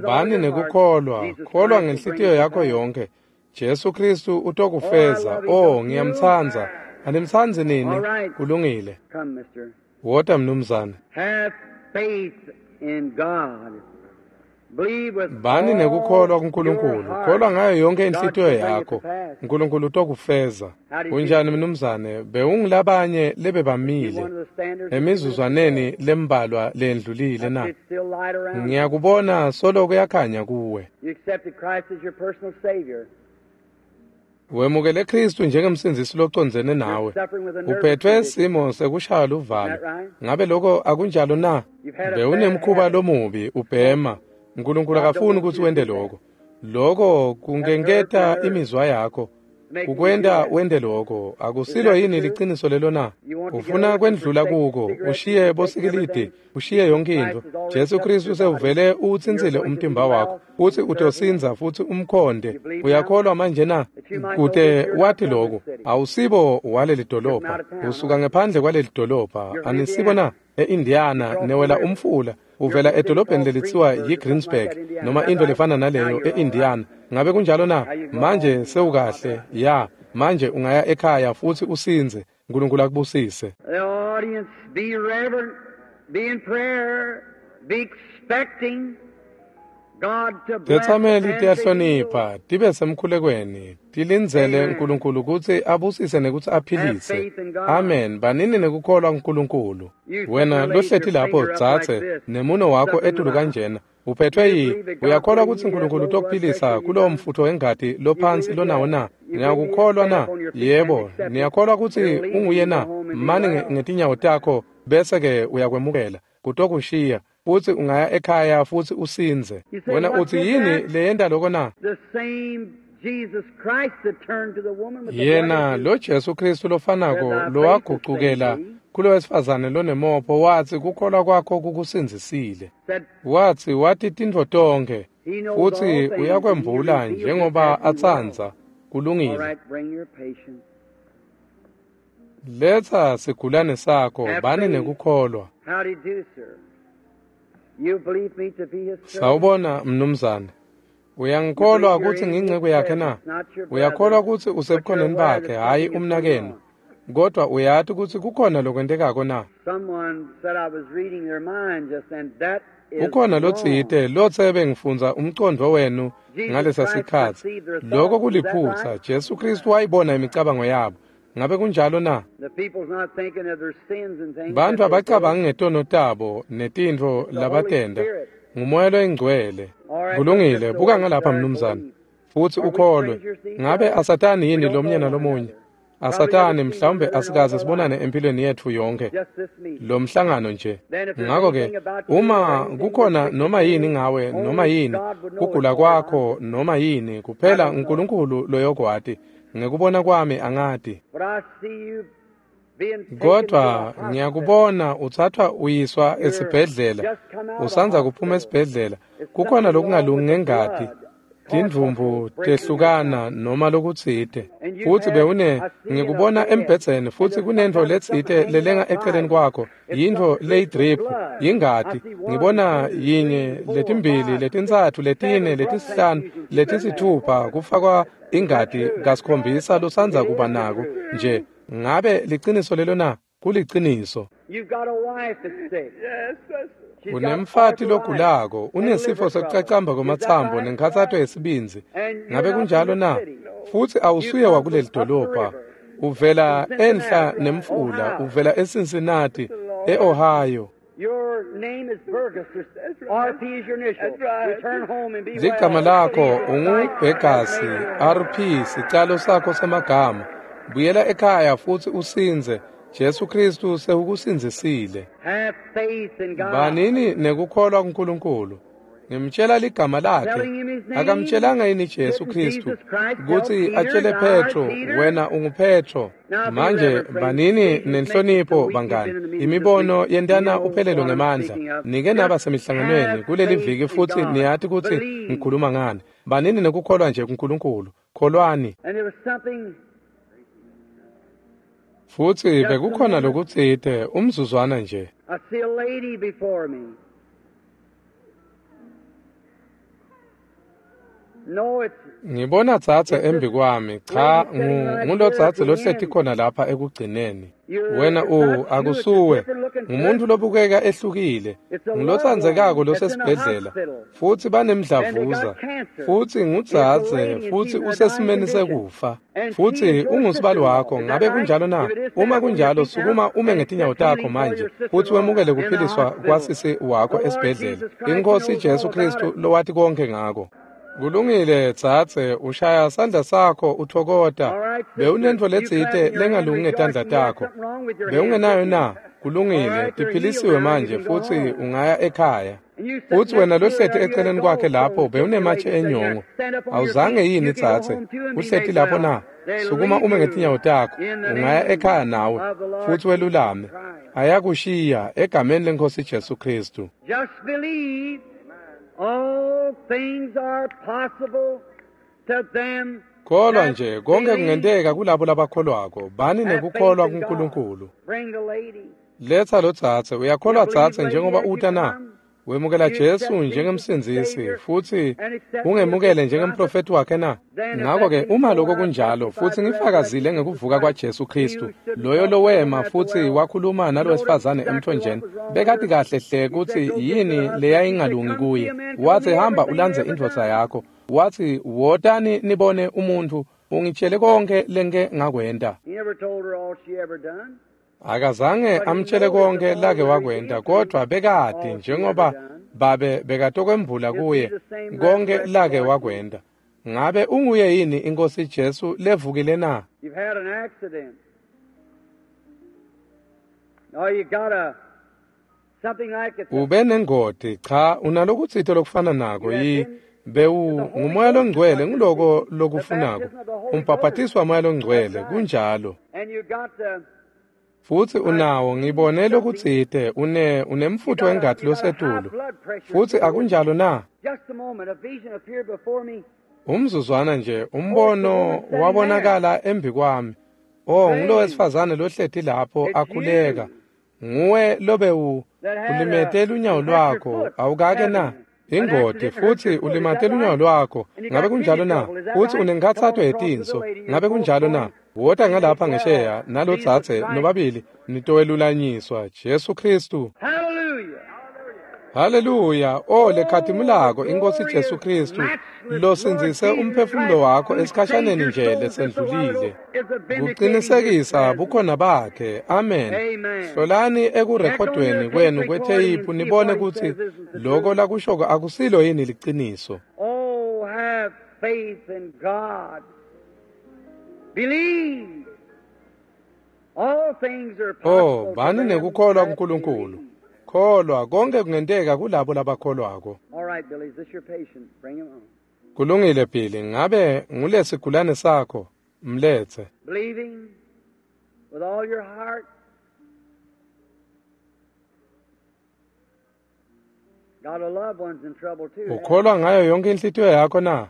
Bani nekukholwa. Kholwa ngenhlitiyo yakho yonke. Jesu Kristu utokufeza. Oh, ngiyamtsandza. Animtsandzi nini? Kulungile. Wota mnumzane. Bani nekukholwa kuNkulunkulu. Kholwa ngayo yonke inhlitiyo yakho. Nkulunkulu utokufeza. Unjani mnumzane? Bewungilabanye lebebamile emizuzwaneni lembalwa lendlulile na? Ngiyakubona solo kuyakhanya kuwe. Wemukele Kristu njengemsindzisi locondzene nawe. Uphethwe simo sekushaya luvalo. Ngabe lokho akunjalo na? Bewunemkhuba lomubi ubhema. Nkulunkulu akafuni kutsi wente lokho. Lokho kungenketa imizwa yakho. Kukwenta wente lokho. Akusilo yini liciniso lelo na? Ufuna kwendlula kuko, ushiye bosikilidi, ushiye yonke intfo. Jesu Kristu sewuvele uwutsintsile umtimba wakho, futsi utosindza futsi umkhonde. Uyakholwa manje na? Kute wathi lokho, awusibo waleli dolobha, usuka ngephandle kwaleli dolobha. Anisibo na? E-Indiana newela umfula. Uvela edolobheni lelitsiwa yiGreensburg noma into lefana naleyo e-Indiana. Ngabe kunjalo na? Manje sewukahle. Ya, manje ungaya ekhaya futsi usindze. Nkulunkulu akubusise. The audience, be reverent, be in prayer, be expecting God to bless. Tetsameli tiyahlonipha, tibe semkhulekweni, tilindzele Nkulunkulu kutsi abusise nekutsi aphilise. Amen. Banini nekukholwa kuNkulunkulu. Wena lohleti lapho tsatse nemuno wakho etulu kanjena. Uphethwe yi? Uyakholwa kutsi Nkulunkulu utokuphilisa kulowo mfutho wengati lophansi lonawo na? Niyakukholwa na? Yebo. Niyakholwa kutsi unguye na? Mani ngetinyawo takho Bese-ke uyakwemukela, kutokushiya, futsi ungaya ekhaya futsi usindze. Wena utsi yini leyenta loko na? Yena lo Jesu Kristu lofanako lowagucukela kulowesifazane lonemopho watsi kukholwa kwakho kukusindzisile. Watsi wati tintfo tonkhe futsi uyakwembula njengoba atsandza. Kulungile. Letsa sigulane sakho, bani nekukholwa. Sawubona mnumzane. Uyangikholwa kutsi ngingcebo yakhe na? Uyakholwa kutsi usebukhoneni bakhe, hhayi umnakenu. Kodwa uyati kutsi kukhona lokwentekako na? Kukhona lotsite lotse bengifundza umcondvo wenu ngalesa sikhatsi. Lokho kuliphutsa. Jesu Kristu wayibona imicabango yabo. Ngabe kunjalo na? Bantu abacabangi ngetono tabo netintfo labatenta. Ngumoya loyingcwele. Kulungile, buka ngalapha mnumzane. Futsi ukholwe. Ngabe asatani yini lomnye nalomunye? Asatani mhlawumbe asikaze sibonane empilweni yetfu yonke. Lo mhlangano nje. Ngakho-ke uma kukhona noma yini ngawe noma yini kugula kwakho noma yini kuphela uNkulunkulu loyokwati. Ngekubona kwami angati. Kodwa ngiyakubona uthathwa uyiswa esibhedlela. Usandza kuphuma esibhedlela. Kukhona lokungalungi ngengati. Tindvumbu tehlukana noma lokutsite. Futsi bewune ngikubona embhedzeni futsi kunentfo letsite lelenga eceleni kwakho. Yintfo leyidrip, yingati. Ngibona yinye, letimbili, letintsatfu, letine, letisihlanu, letisithupha kufakwa ingati kasikhombisa losandza kuba nako nje. Ngabe liciniso lelo na? Kuliciniso. Unemfati logulako, unesifo sekucacamba kwematsambo nenkhatsato yesibindzi. Ngabe kunjalo na? Futsi awusuye wakuleli dolobha. Uvela enhla nemfula, uvela eCincinnati, eOhio. Ligama lakho unguBhegasi, RP, sicalo sakho semagama. Buyela ekhaya futsi usindze. Jesu Kristu sewukusindzisile. Banini nekukholwa kuNkulunkulu. Ngimtshela ligama lakhe. Akamtshelanga yini Jesu Kristu kutsi atshele Petro, wena unguPetro. Manje banini nenhlonipho bangani. Imibono yentana uphelelo ngemandla. Nike naba semihlanganweni kuleli viki futsi niyati kutsi ngikhuluma ngani. Banini nekukholwa nje kuNkulunkulu. Kholwani. Futsi bekukhona lokutsite umzuzwana nje. Ngibona dzadze embi kwami. Cha, ngulodzadze lohleti khona lapha ekugcineni. Wena akusuwe. Ngumuntu lobukeka ehlukile. Ngulotsandzekako losesibhedlela. Futsi banemdlavuza. Futsi ngudzadze futsi usesimeni sekufa. Futsi ungusibali wakho. Ngabe kunjalo na? Uma kunjalo, sukuma ume ngetinyawo takho manje futsi wemukele kuphiliswa kwasisi wakho esibhedlela. Inkosi Jesu Kristu lowati konke ngako. Kulungile dzadze, ushaya sandla sakho uthokota. Bewunentfo letsite lengalungi ngetandla takho. Bewungenayo na? Kulungile, tiphilisiwe manje futsi ungaya ekhaya. Futsi wena lohleti eceleni kwakhe lapho bewunematshe enyongo. Awuzange yini dzadze? Uhleti lapho na? Sukuma ume ngetinyawo takho, ungaya ekhaya nawe futsi welulame. Ayakushiya egameni leNkosi Jesu Kristu. All things are possible to them. Kholwa nje konke kungenteka kulabo labakholwako. Bani nekukholwa kuNkulunkulu. Letsa lo dzadze. Uyakholwa dzadze njengoba uta na? Wemukela Jesu njengemsindzisi futsi ungemukele njengemprofeti wakhe na? Ngakho-ke uma lokho kunjalo futsi ngifakazile ngekuvuka kwaJesu Kristu, loyo lowema futsi wakhuluma nalowesifazane emthonjeni, bekati kahle hle kutsi yini leyayingalungi kuye. Watsi hamba ulandze indvodza yakho. Watsi wotani nibone umuntu ungitshele konke lengike ngakwenta. Akazange amtshele konke lake wakwenta, kodwa bekati njengoba babe bekatokwembula kuye konke lake wakwenta. Ngabe unguye yini iNkosi Jesu levukile na? Ube nengoti, cha, unalokutsite lokufana nako yi bewu ngumoya longcwele nguloko lokufunako. Umbhaphatiswa moya longcwele, kunjalo. Futsi unawo, ngibone lokutsite, unemfutfo wengati losetulu. Futsi akunjalo na? Umzuzwana nje, umbono wabonakala embi kwami. Oh, ngulowesifazane lohleti lapho akhuleka. Nguwe lobe ulimete lunyawo lwakho, awukake na? Ingoti, futsi ulimate lunyawo lwakho, ngabe kunjalo na? Futsi unenkhatsato yetinso, ngabe kunjalo na? Wota ngalapha ngesheya nalotsatse nobabili nitowelulanyiswa Jesu Kristu. Haleluya! O lekhatimulako iNkosi Jesu Kristu losindzise umphefumulo wakho esikhashaneni nje lesendlulile. Kuqinisekisa bukhona bakhe. Amen. Hlolani ekurekhodweni kwenu kwetheyiphu nibone kutsi loko lakushoko akusilo yini liciniso. Oh, have faith in God. Believe. All things are possible. Oh, bani nekukholwa kuNkulunkulu. Kholwa, konke kungenteka kulabo labakholwako. All right, Billy, is this your patient? Bring him on. Kulungile Billy, ngabe ngulesigulane sakho? Mlethe. Believing with all your heart. Got a loved one's in trouble too. Ukholwa ngayo yonke inhlitiyo yakho na?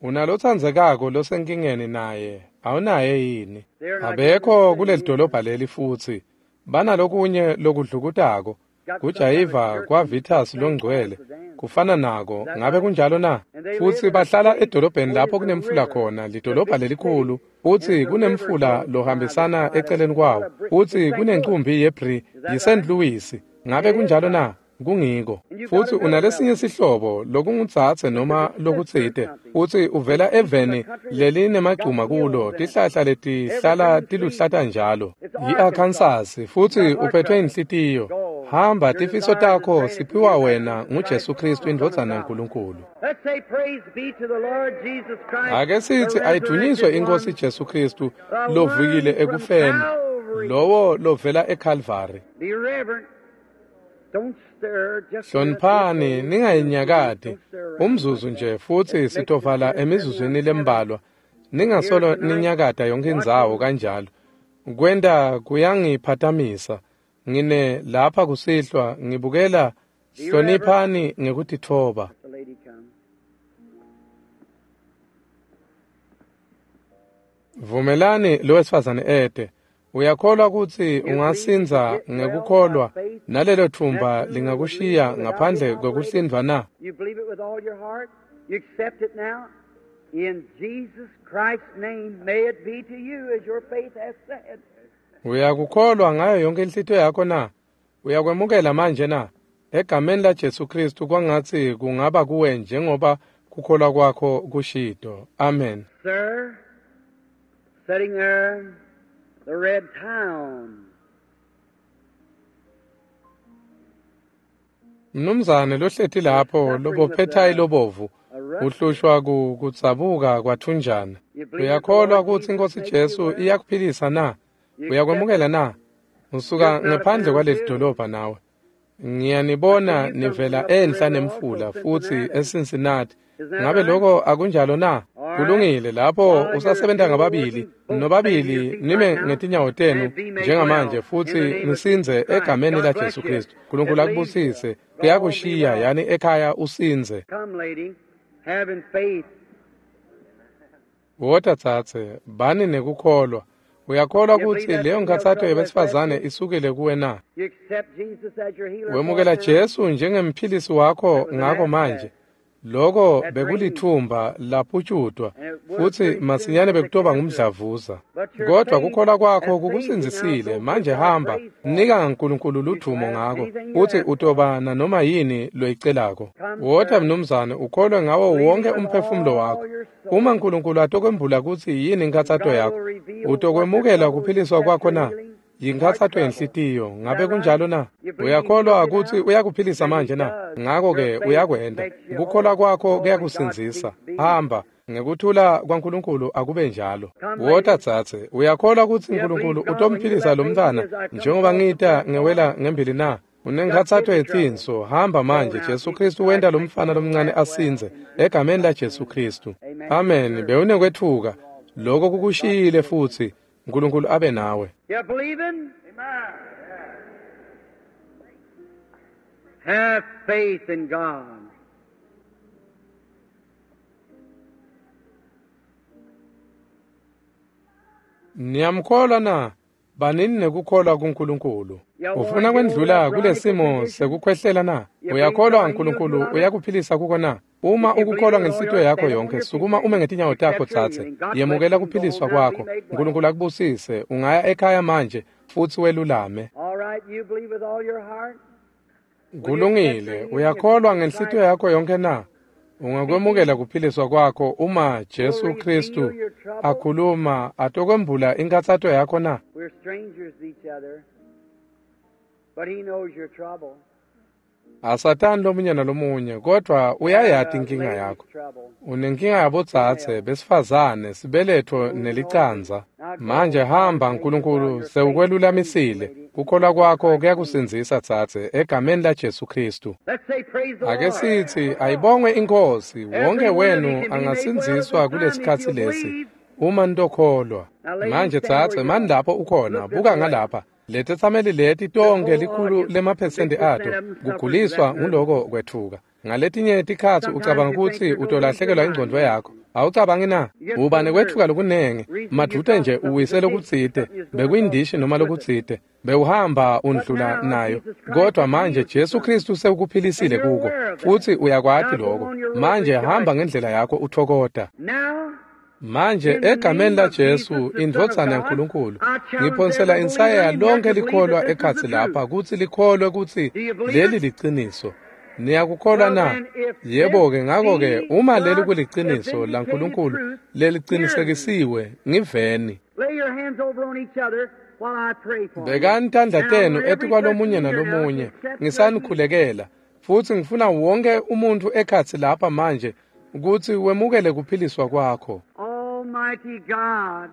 Unalotsandzekako losenkingeni naye, awunaye yini? Abekho kuleli dolobha leli futsi. Banalokunye lokudlukutako. Kujayiva kwa Vitus longcwele kufana nako, ngabe kunjalo na? Futsi bahlala edolobheni lapho kunemfula khona, lidolobha lelikhulu, futsi kunemfula lohambisana eceleni kwawo, futsi kunencumbi yebri yiSt. Louis, ngabe kunjalo na? Kungiko. Futsi unalesinye sihlobo lokungutsatse noma lokutsite, futsi uvela eveni lelinemagcuma kulo, tihlahla letihlala tiluhlata njalo. Yi-Arkansas, futsi uphethwe inhlitiyo. Hamba, tifiso takho siphiwa wena nguJesu Kristu indvodzana yaNkulunkulu. Ake sithi ayidunyiswe iNkosi Jesu Kristu lovukile ekufeni, lowo lovela eKalvari. Hloniphani, ningayinyakati umzuzu nje, futsi sitovala emizuzwini lembalwa. Ningasolo ninyakata yonke indzawo kanjalo. Kwenta kuyangiphatamisa. Ngine lapha kusihlwa ngibukela. Hloniphani ngekutitfoba. Vumelani lowesifazane ete. Uyakholwa kutsi ungasindza ngekukholwa nalelo thumba lingakushiya ngaphandle kwekuhlindvwa na? You believe it with all your heart? You accept it now? In Jesus Christ's name, may it be to you as your faith has said. Uyakukholwa ngayo yonke inhlitiyo yakho na? Uyakwemukela manje na? Egameni la Jesu Kristu kwangatsi kungaba kuwe njengoba kukholwa kwakho kushito. Amen. Sir, sitting there, the red town. Mnumzane lohleti lapho lobophethayi lobovu uhlushwa kutsabuka kwathunjana. Uyakholwa kutsi iNkosi Jesu iyakuphilisa na? Uyakwemukela na? Usuka ngephandle kwaleli dolobha nawe. Ngiyanibona nivela enhla nemfula futsi eCincinnati. Ngabe lokho akunjalo na? Kulungile, lapho usasebenta ngababili, nobabili nime ngetinyawo tenu njengamanje futsi nisindze egameni la Jesu Kristu. Nkulunkulu akubusise. Kuyakushiya yani ekhaya usindze. Come, lady, having faith. Wota tsatse, bani nekukholwa. Uyakholwa kutsi leyo nkhatsato yebesifazane isukile kuwe na? You accept Jesus as your healer. Wemukela Jesu njengemphilisi wakho ngako manje. Loko bekulithumba laphutshutwa futsi masinyane bekutoba ngumdlavuza. Kodwa kukholwa kwakho kukusindzisile. Manje hamba, nika uNkulunkulu ludvumo ngako, futsi utoba nanoma yini loyicelako. Wota mnumzane, ukholwe ngawo wonke umphefumulo wakho. Uma uNkulunkulu atokwembula kutsi yini inkhatsato yakho, utokwemukela kuphiliswa kwakho na? Yinkhatsato yenhlitiyo, ngabe kunjalo na? Uyakholwa kutsi uyakuphilisa manje na? Ngako-ke uyakwenta. Kukholwa kwakho kuyakusindzisa. Hamba, Ngekuthula kwaNkulunkulu akube njalo. Wota dzadze, uyakholwa kutsi uNkulunkulu utomphilisa lo mntfwana njengoba ngita ngewela ngembili na? Unenkhatsato yetinso, hamba manje. Jesu Kristu wenta lo mfana lomncane asindze egameni laJesu Kristu. Amen. Bewunekwetfuka, lokho kukushiyile futsi. uNkulunkulu abe nawe. You believing? Have faith in God. Niyamkholwa na? Banini nekukholwa kuNkulunkulu. Ufuna kwendlula kulesimo sekukhwehlela na? Uyakholwa uNkulunkulu uyakuphilisa kuko na? Uma ukukholwa ngenhlitiyo yakho yonke, sukuma ume ngetinyawo takho dzadze. Yemukela kuphiliswa kwakho. uNkulunkulu akubusise. Ungaya ekhaya manje futsi welulame. All right, you believe with all your heart? Kulungile, uyakholwa ngenhlitiyo yakho yonke na? Ungakwemukela kuphiliswa kwakho uma Jesu Kristu akhuluma atokwembula inkhatsato yakho na? We're strangers to each other, but He knows your trouble. Asatani lomunye nalomunye, kodwa uyayati inkinga yakho. Unenkinga yabodzadze besifazane, sibeletho nelicanza. Manje hamba, uNkulunkulu sewukwelulamisile. Kukholwa kwakho kuyakusindzisa dzadze egameni laJesu Kristu. Let's say praise the Ake Lord. sithi ayibongwe inkosi, wonke wenu angasindziswa kulesikhatsi lesi uma nitokholwa. Manje dzadze, mani lapho ukhona, buka ngalapha. Letetsameli leti tonkhe likhulu lemaphesenti ato kuguliswa nguloko kwetfuka. Ngaletinye tikhatsi ucabanga kutsi utolahlekelwa ingcondvo yakho. Awucabangi na? Uba nekwetfuka lokunengi, madvute nje uwise lokutsite, bekuyindishi noma lokutsite, bewuhamba undlula nayo. Kodwa manje Jesu Kristu sewukuphilisile kuko, futsi uyakwati lokho. Manje hamba ngendlela yakho uthokota. Now, Manje egameni laJesu indvodzana yaNkulunkulu ngiphonsela insayeya lonke likholwa ekhatsi lapha kutsi likholwe kutsi leli liciniso. Niyakukholwa na? Yebo-ke, ngako-ke uma leli kuliciniso laNkulunkulu lelicinisekisiwe, ngiveni. lay your hands over on each other while I pray for you. Bekani tandla Now, tenu every etikwalomunye person here now nalomunye to accept ngisanikhulekela futsi ngifuna wonke umuntfu ekhatsi lapha manje kutsi wemukele kuphiliswa kwakho. Almighty God,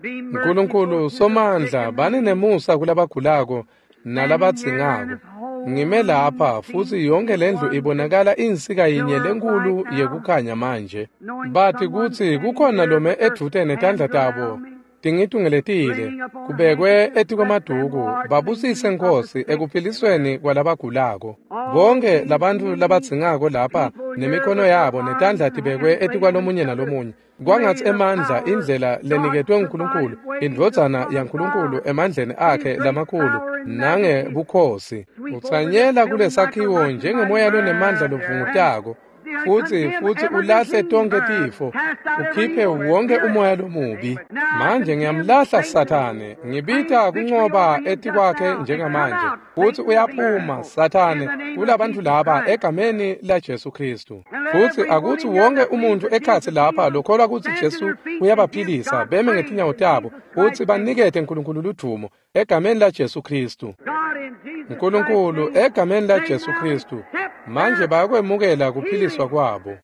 be Nkulunkulu merciful to the sick somandla and bani needy. nemusa kulabagulako nalabadzingako. Ngime lapha futsi yonke lendlu ibonakala insika yinye lenkulu yekukhanya manje. Bathi kutsi kukhona lome edvute netandla tabo tingitungeletile kubekwe etikwemaduku babusise Nkosi ekuphilisweni kwalabagulako. Bonke labantfu labadzingako lapha nemikhono yabo netandla tibekwe etikwalomunye nalomunye. Kwangatsi emandla indlela leniketwe nguNkulunkulu, indvodzana yaNkulunkulu emandleni akhe lamakhulu nangebukhosi. Utsanyela kulesakhiwo njengemoya lonemandla lovungutako futsi ulahle tonkhe tifo, ukhiphe wonke umoya lomubi. Manje ngiyamlahla Sathane, ngibita kuncoba etikwakhe njengamanje. Futsi uyaphuma Sathane kulabantfu laba egameni laJesu Kristu. Futsi akutsi wonke umuntfu ekhatsi lapha lokholwa kutsi Jesu uyabaphilisa beme ngetinyawo tabo futsi banikete uNkulunkulu ludvumo egameni laJesu Kristu. God in Jesus uNkulunkulu Christ's name, egameni they laJesu now Kristu accept manje their bayakwemukela kuphiliswa kwabo.